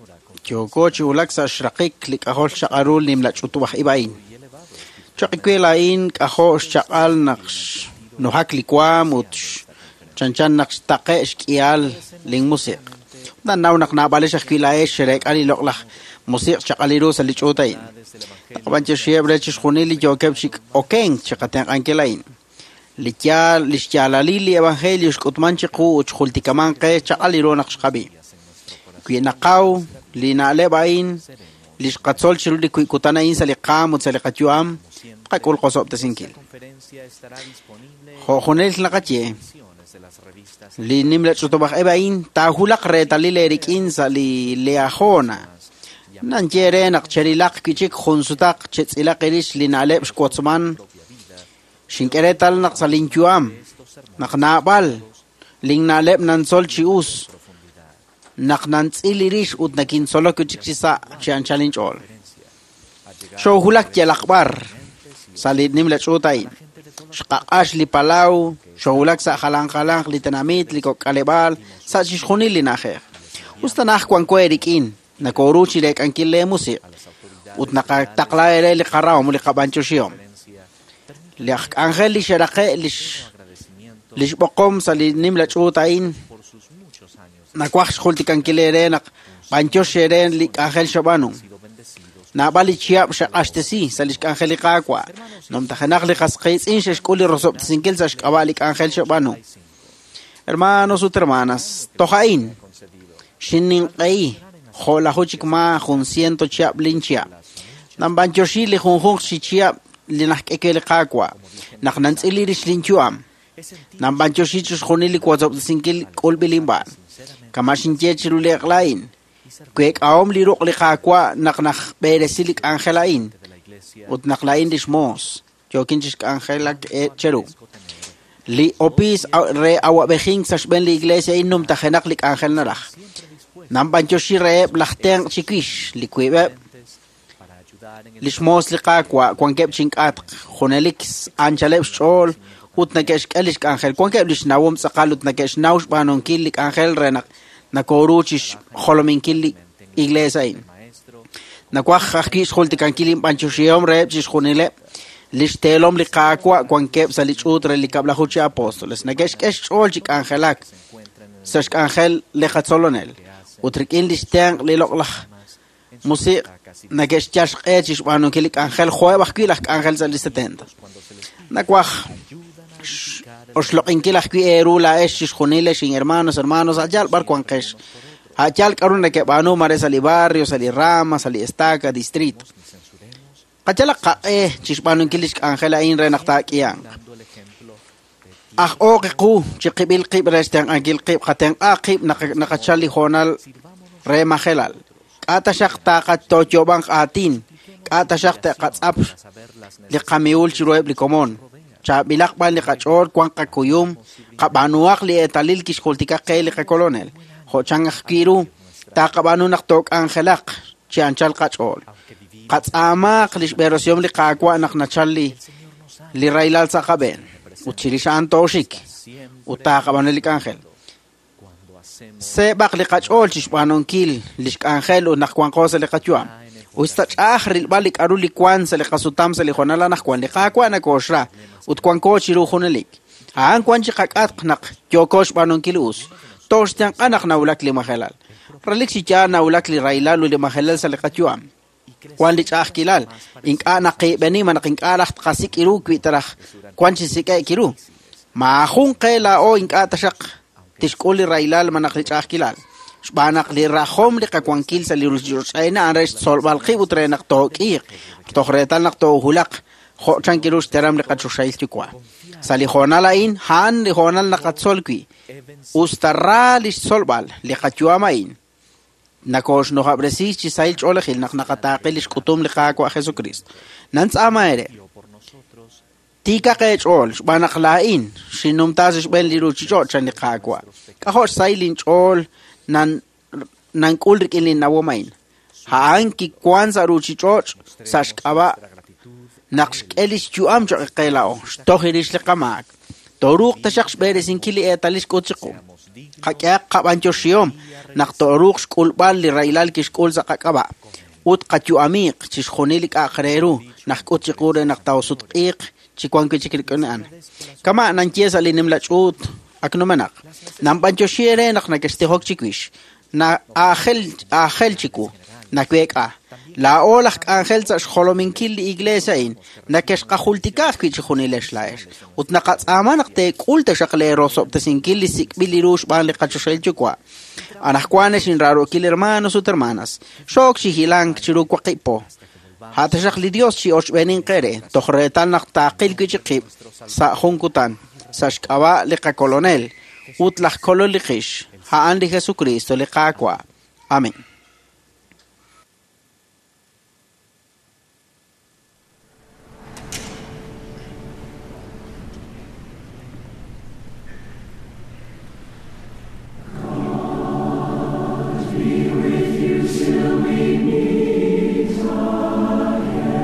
yooko chi wulak sa' xraqik li k'ajol xchaq'al nimla ch'utub'aj ib' a'in. Choq' a'in k'ajo' xchaq'al naq xnujak li waam ut chanchan naq xtaqe' xk'ihal linmusiq'. Nanaw naq naab'alex ajwi' laa'ex xereek'a li loq'laj musiq' xchaq'al ru sa' li ch'uut a'in. Taqab'antioxiheb' re chixjunil li yookeb' chi okenk chiqatenq'ankil a'in. Li yaal li xyaalalil li evangelio xk'utman chiqu ut xjultikaman qe xchaq'al ru naq xqab'i. Wi naqaw li na'leb' a'in li xqatzol chiru li kutan a'in sa' li qaam ut sa' li qayu'am, tqak'ul qosob'tesinkil. Jo' junelik naqaye, li nimla ch'utub'aj eb' a'in taahulaq reetalil eerik'in sa' li leajona. Nanye re naq cherilaq wi' chik jun sutaq chetz'ilaq irix li na'leb' xwotzman xink'e reetal naq sa' linyu'am, naq naab'al linna'leb' nantzol chi us, naq nantz'il irix ut nakintzolok wi' chik chi sa' chi anchal inch'ool. Xoohulak yalaq b'ar sa' li nimla ch'uut a'in. Xqaq'ax li palaw, xoohulak sa' jalan jalanq li tenamit, li kok'aleb'aal, sa' chixjunil li na'ajej. Us tanaj wanko eerik'in, nakooru chi reek'ankil leemusiq' ut naqataqla eere li qarahom li qab'antioxihom. Li aj k'anjel li xeraqe' lix lix b'oqom sa' li nimla ch'uut a'in nawaj xjultikankil eere naq b'antiox eere li k'anjel xab'aanu. Naab'al li chihab' xaq'axtesi sa' lix k'anjel li Qaawa'. Nomtajenaq li qasqiitz'in xe'xk'ul li rosob'tesinkil sa' xk'ab'a' li k'anjel xab'aanu. Hermanos ut hermanas, toj a'in xinninq'ehi jo'laju chik ma jun ciento chihab' linchihab'. Namb'antioxi li junjunq chi chihab' li najk'eke li Qaawa', naq nantz'il rix linyu'am. Namb'antioxi chixjunil li wosob'tesinkil k'ulb'il inb'aan. Kama xinye chiru li eq'la a'in, week'ahom li ruq' li Qaawa' naq najb'eresi li k'anjel a'in, Ut naq laa'in lix moos, yookin chixk'anjelak cheru. Li opiis re awab'ejink sa' xb'een li iglesia a'in numtajenaq li k'anjel naraj. Nanb'antioxi reheb' laj tenq' chiwix, li wiib'eb' lix moos li Qaawa' wankeb' chink'atq, junelik anchaleb' xch'ool ut neke'xk'e lix k'anjel. Wankeb' lix nawom tz'aqal ut neke'xnaw xb'aanunkil li k'anjel re naq nakoru chixjolominkil li iglesia a'in. Nawaj ajwi' xjultikankil inb'antioxihom reheb' chixjunileb' lix teelom li Qaawa' wankeb' sa' li ch'uut re li kab'laju chi apóstoles. Neke'xk'e xch'ool chi k'anjelak sa' xk'anjel li qatzolonel. Ut rik'in lix tenq' li loq'laj musiq' neke'xyal xq'e chixb'aanunkil li k'anjel jo'eb' ajwi' laj k'anjel sa' li setenta. Nawaj oxloq'inkil ajwi' eeru laa'ex chixjunilex inhermanos, hermanos, a'yal b'ar wanqex. A'yal k'aru nekeb'aanu mare sa' li barrio, sa' li rama, sa' li estaca, distrito. Qayalaq qaq'e chixb'aanunkil lix k'anjel a'in re naq taak'ihanq. Aj ooq qu chiqib'il qib' re xtenq'ankil qib', qatenq'a qib' naqachal li hoonal re majelal. K'a taxaq taqatoyoob'anq aatin, k'a taxaq te'qatz'ap li qamiul chiruheb' li komon. Chaab'ilaq b'an li qach'ool wan qakuyum, qab'aanuhaq li eetalil kixjultika qe li qakolonel. Jo'chan ajwi' ru taqab'aanu naq took'anjelaq chi anchal qach'ool. Qatz'aamaq lix b'eerosihom li Qaawa' naq nachal li li rahilal sa' qab'een. Ut chirix a'an tooxik ut taqab'aanu li k'anjel. Seeb'aq li qach'ool chixb'aanunkil lix k'anjel ut naq wanqo sa' li qayu'am. Us ta ch'a'aj rilb'al li k'aru li wan sa' li qasutam sa' li hoonal anaqwan li Qaawa' nakooxra ut wanko chiru junelik. A'an wan chi qak'atq naq yooko xb'aanunkil us. Tooxtenq'a naq nawulak li majelal. Relik chi yaal nawulak li rahilal ut li majelal sa' li qayu'am. Wan li ch'a'ajkilal, ink'a' naqiib'eni ma naq ink'a' raj tqasik' iru wi' taraj wan chi sik'e'k iru. Maajun qe laa'o ink'a' taxaq tixk'ul li rahilal ma naq li ch'a'ajkilal. Xb'aan naq li rajom li qawankil sa' li ruuchich'och' a'in re xtzolb'al qib' ut re naq took'iiq, toj reetal naq toohulaq jo'chan kiru xteram li qachoxahil yuwa'. Sa' li hoonal a'in, a'an li hoonal naqatzol wi'. Us ta ra li xtzolb'al li qayu'am a'in. Nakooxnojab'resi chi sahil ch'oolejil naq naqataaqe lix k'utum li Qaawa' Jesucristo. Nantz'aama eere. Tiikaq eech'ool xb'aan naq laa'in xinnumta sa' xb'een li ruuchich'och' chan li Qaawa'. K'ajo' xsahil inch'ool nan nank'ul rik'in li nawom a'in. A'an kiwan sa' ruuchich'och' sa' xk'ab'a' naq xk'e lix yu'am cho'q qe laa'o, xtoj rix li qamaak. Tooruuq taxaq xb'eresinkil li eetalil xk'ut chiqu. Qak'ehaq qab'antioxihom naq tooruuq xk'ulb'al li rahilal kixk'ul sa' qak'ab'a' ut qayu'amiiq chixjunil li k'a'aq re ru naq k'ut chiqu re naq taosutq'iiq chi wan wi' chik rik'in a'an. Kama' nanye sa' li nimla ch'uut ak numenaq. Nanb'antioxi eere naq nakextijok chiwix. Na aajel aajel chiwu naweek'a. Laa'o laj k'anjel sa' xjolominkil li iglesia a'in nakexqajultika ajwi' chixjunilex laa'ex. Ut naqatz'aama naq teek'ul taxaq leerosob'tesinkil li sik'b'il li ru xb'aan li qachoxahil yuwa'. Anaqwan ex inraarookil hermanos ut hermanas, xook chi hilank chiru waqib' po. A'taxaq li Dios chi oxb'eenin qere, toj reetal naq taaqil wi' chi qib' sa' jun kutan, sa' xk'ab'a' li qakolonel ut laj kolol li qix, a'an li Jesucristo li Qaawa'. Amén. Be with you till we meet again.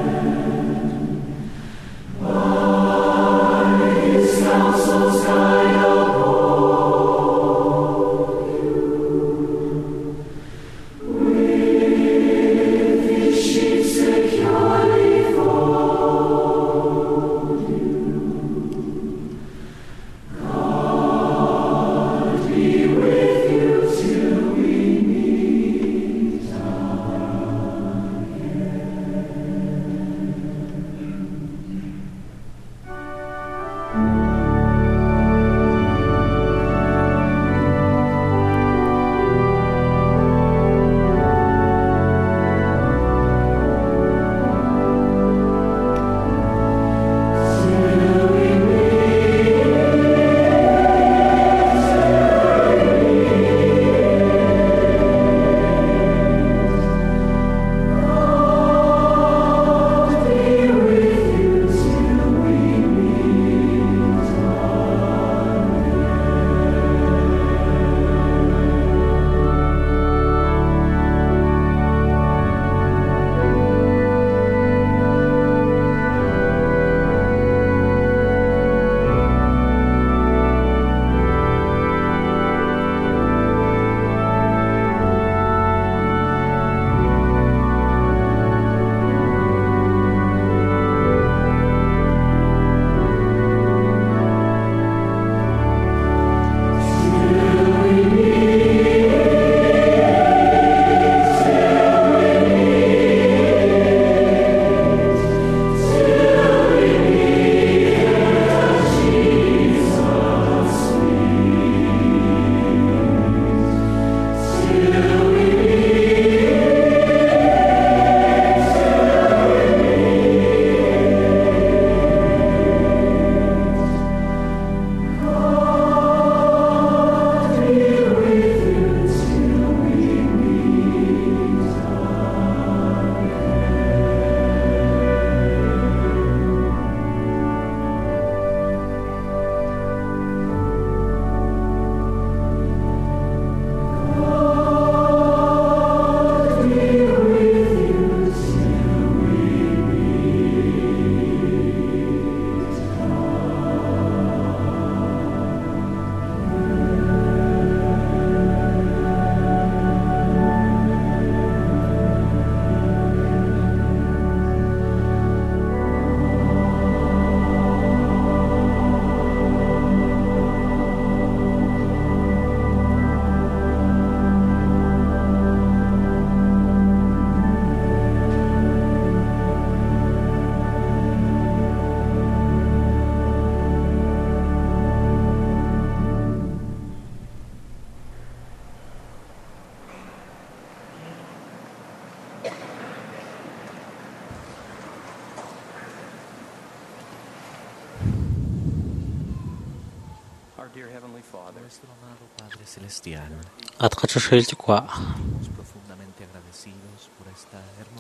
At qachoxahil Yuwa',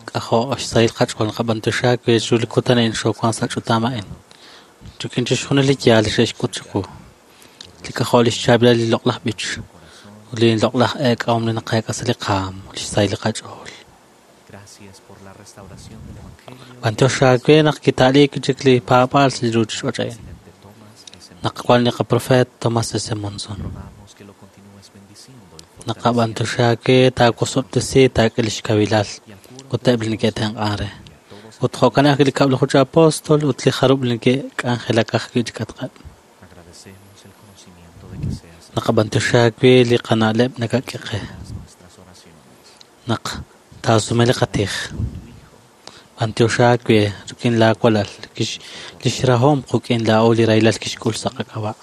k'ajo' xsahil qach'ool naqab'anyoxi aawe chiru li kutan a'in xoowank sa' ch'utam a'in. Rik'in chixjunil li yaal li xe'xk'ut chiqu, li k'ajo' lix chaab'ilal li loq'laj b'ich, ut li loq'laj eek'ahom li naqeek'a sa' li qaam, li xsahil li qach'ool. B'anyox aawe naq kita'liik chik li paab'aal sa' li ruuchich'och' a'in. Naq wan li qaprofeet Thomas S. Monson. Naqab'anyoxi aawe taawosob'tesi taak'e lix kawilal ut eb' li neke'tenq'an re. Ut jo'kan ajwi' li kab'laju chi apóstol ut li jarub' li neke'k'anjelak ajwi' chi k'atqeb'. Naqab'anyoxi aawe li qana'leb' nakak'e qe. Naq taasume li qatij. B'anyox aawe rik'in laawalal lix rahom quk'in laa'o li rahilal kixk'ul sa' qak'ab'a'.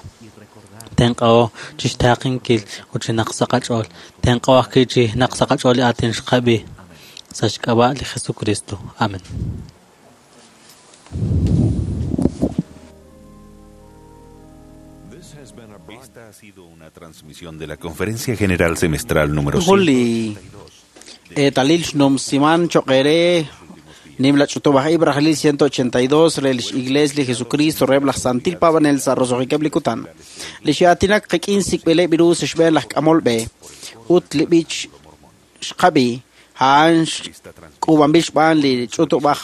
Tenq'aho chixtaaqinkil ut chi naq sa' qach'ool. Tenq'aho ajwi' chi naq sa' qach'ool li aatin xqab'i sa' xk'ab'a' li Jesucristo. Amen. Esta ha sido una transmisión de la Conferencia General Semestral número Jun li eetalil xnumsiman choq' eere nimla ch'utub'aj ib' rajlil ciento ochenta y dos re lix Iglesia li Jesucristo reheb' laj Santil Paab'anel sa' roso'jikeb' li kutan. Li xe'aatinak qik'in sik'b'ileb' ru sa' xb'een laj k'amol b'e ut li b'ich xqab'i a'an k'uub'anb'il xb'aan li ch'utub'aj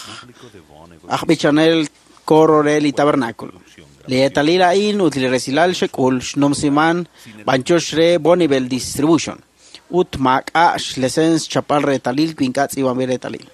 aj b'ichanel coro re li tabernáculo. Li eetalil a'in ut li resilal xek'ul xnumsiman b'anyox re Bonneville Distribution ut maak'a' xlesens chapal reetalil wi ink'a' tz'iib'anb'il reetalil.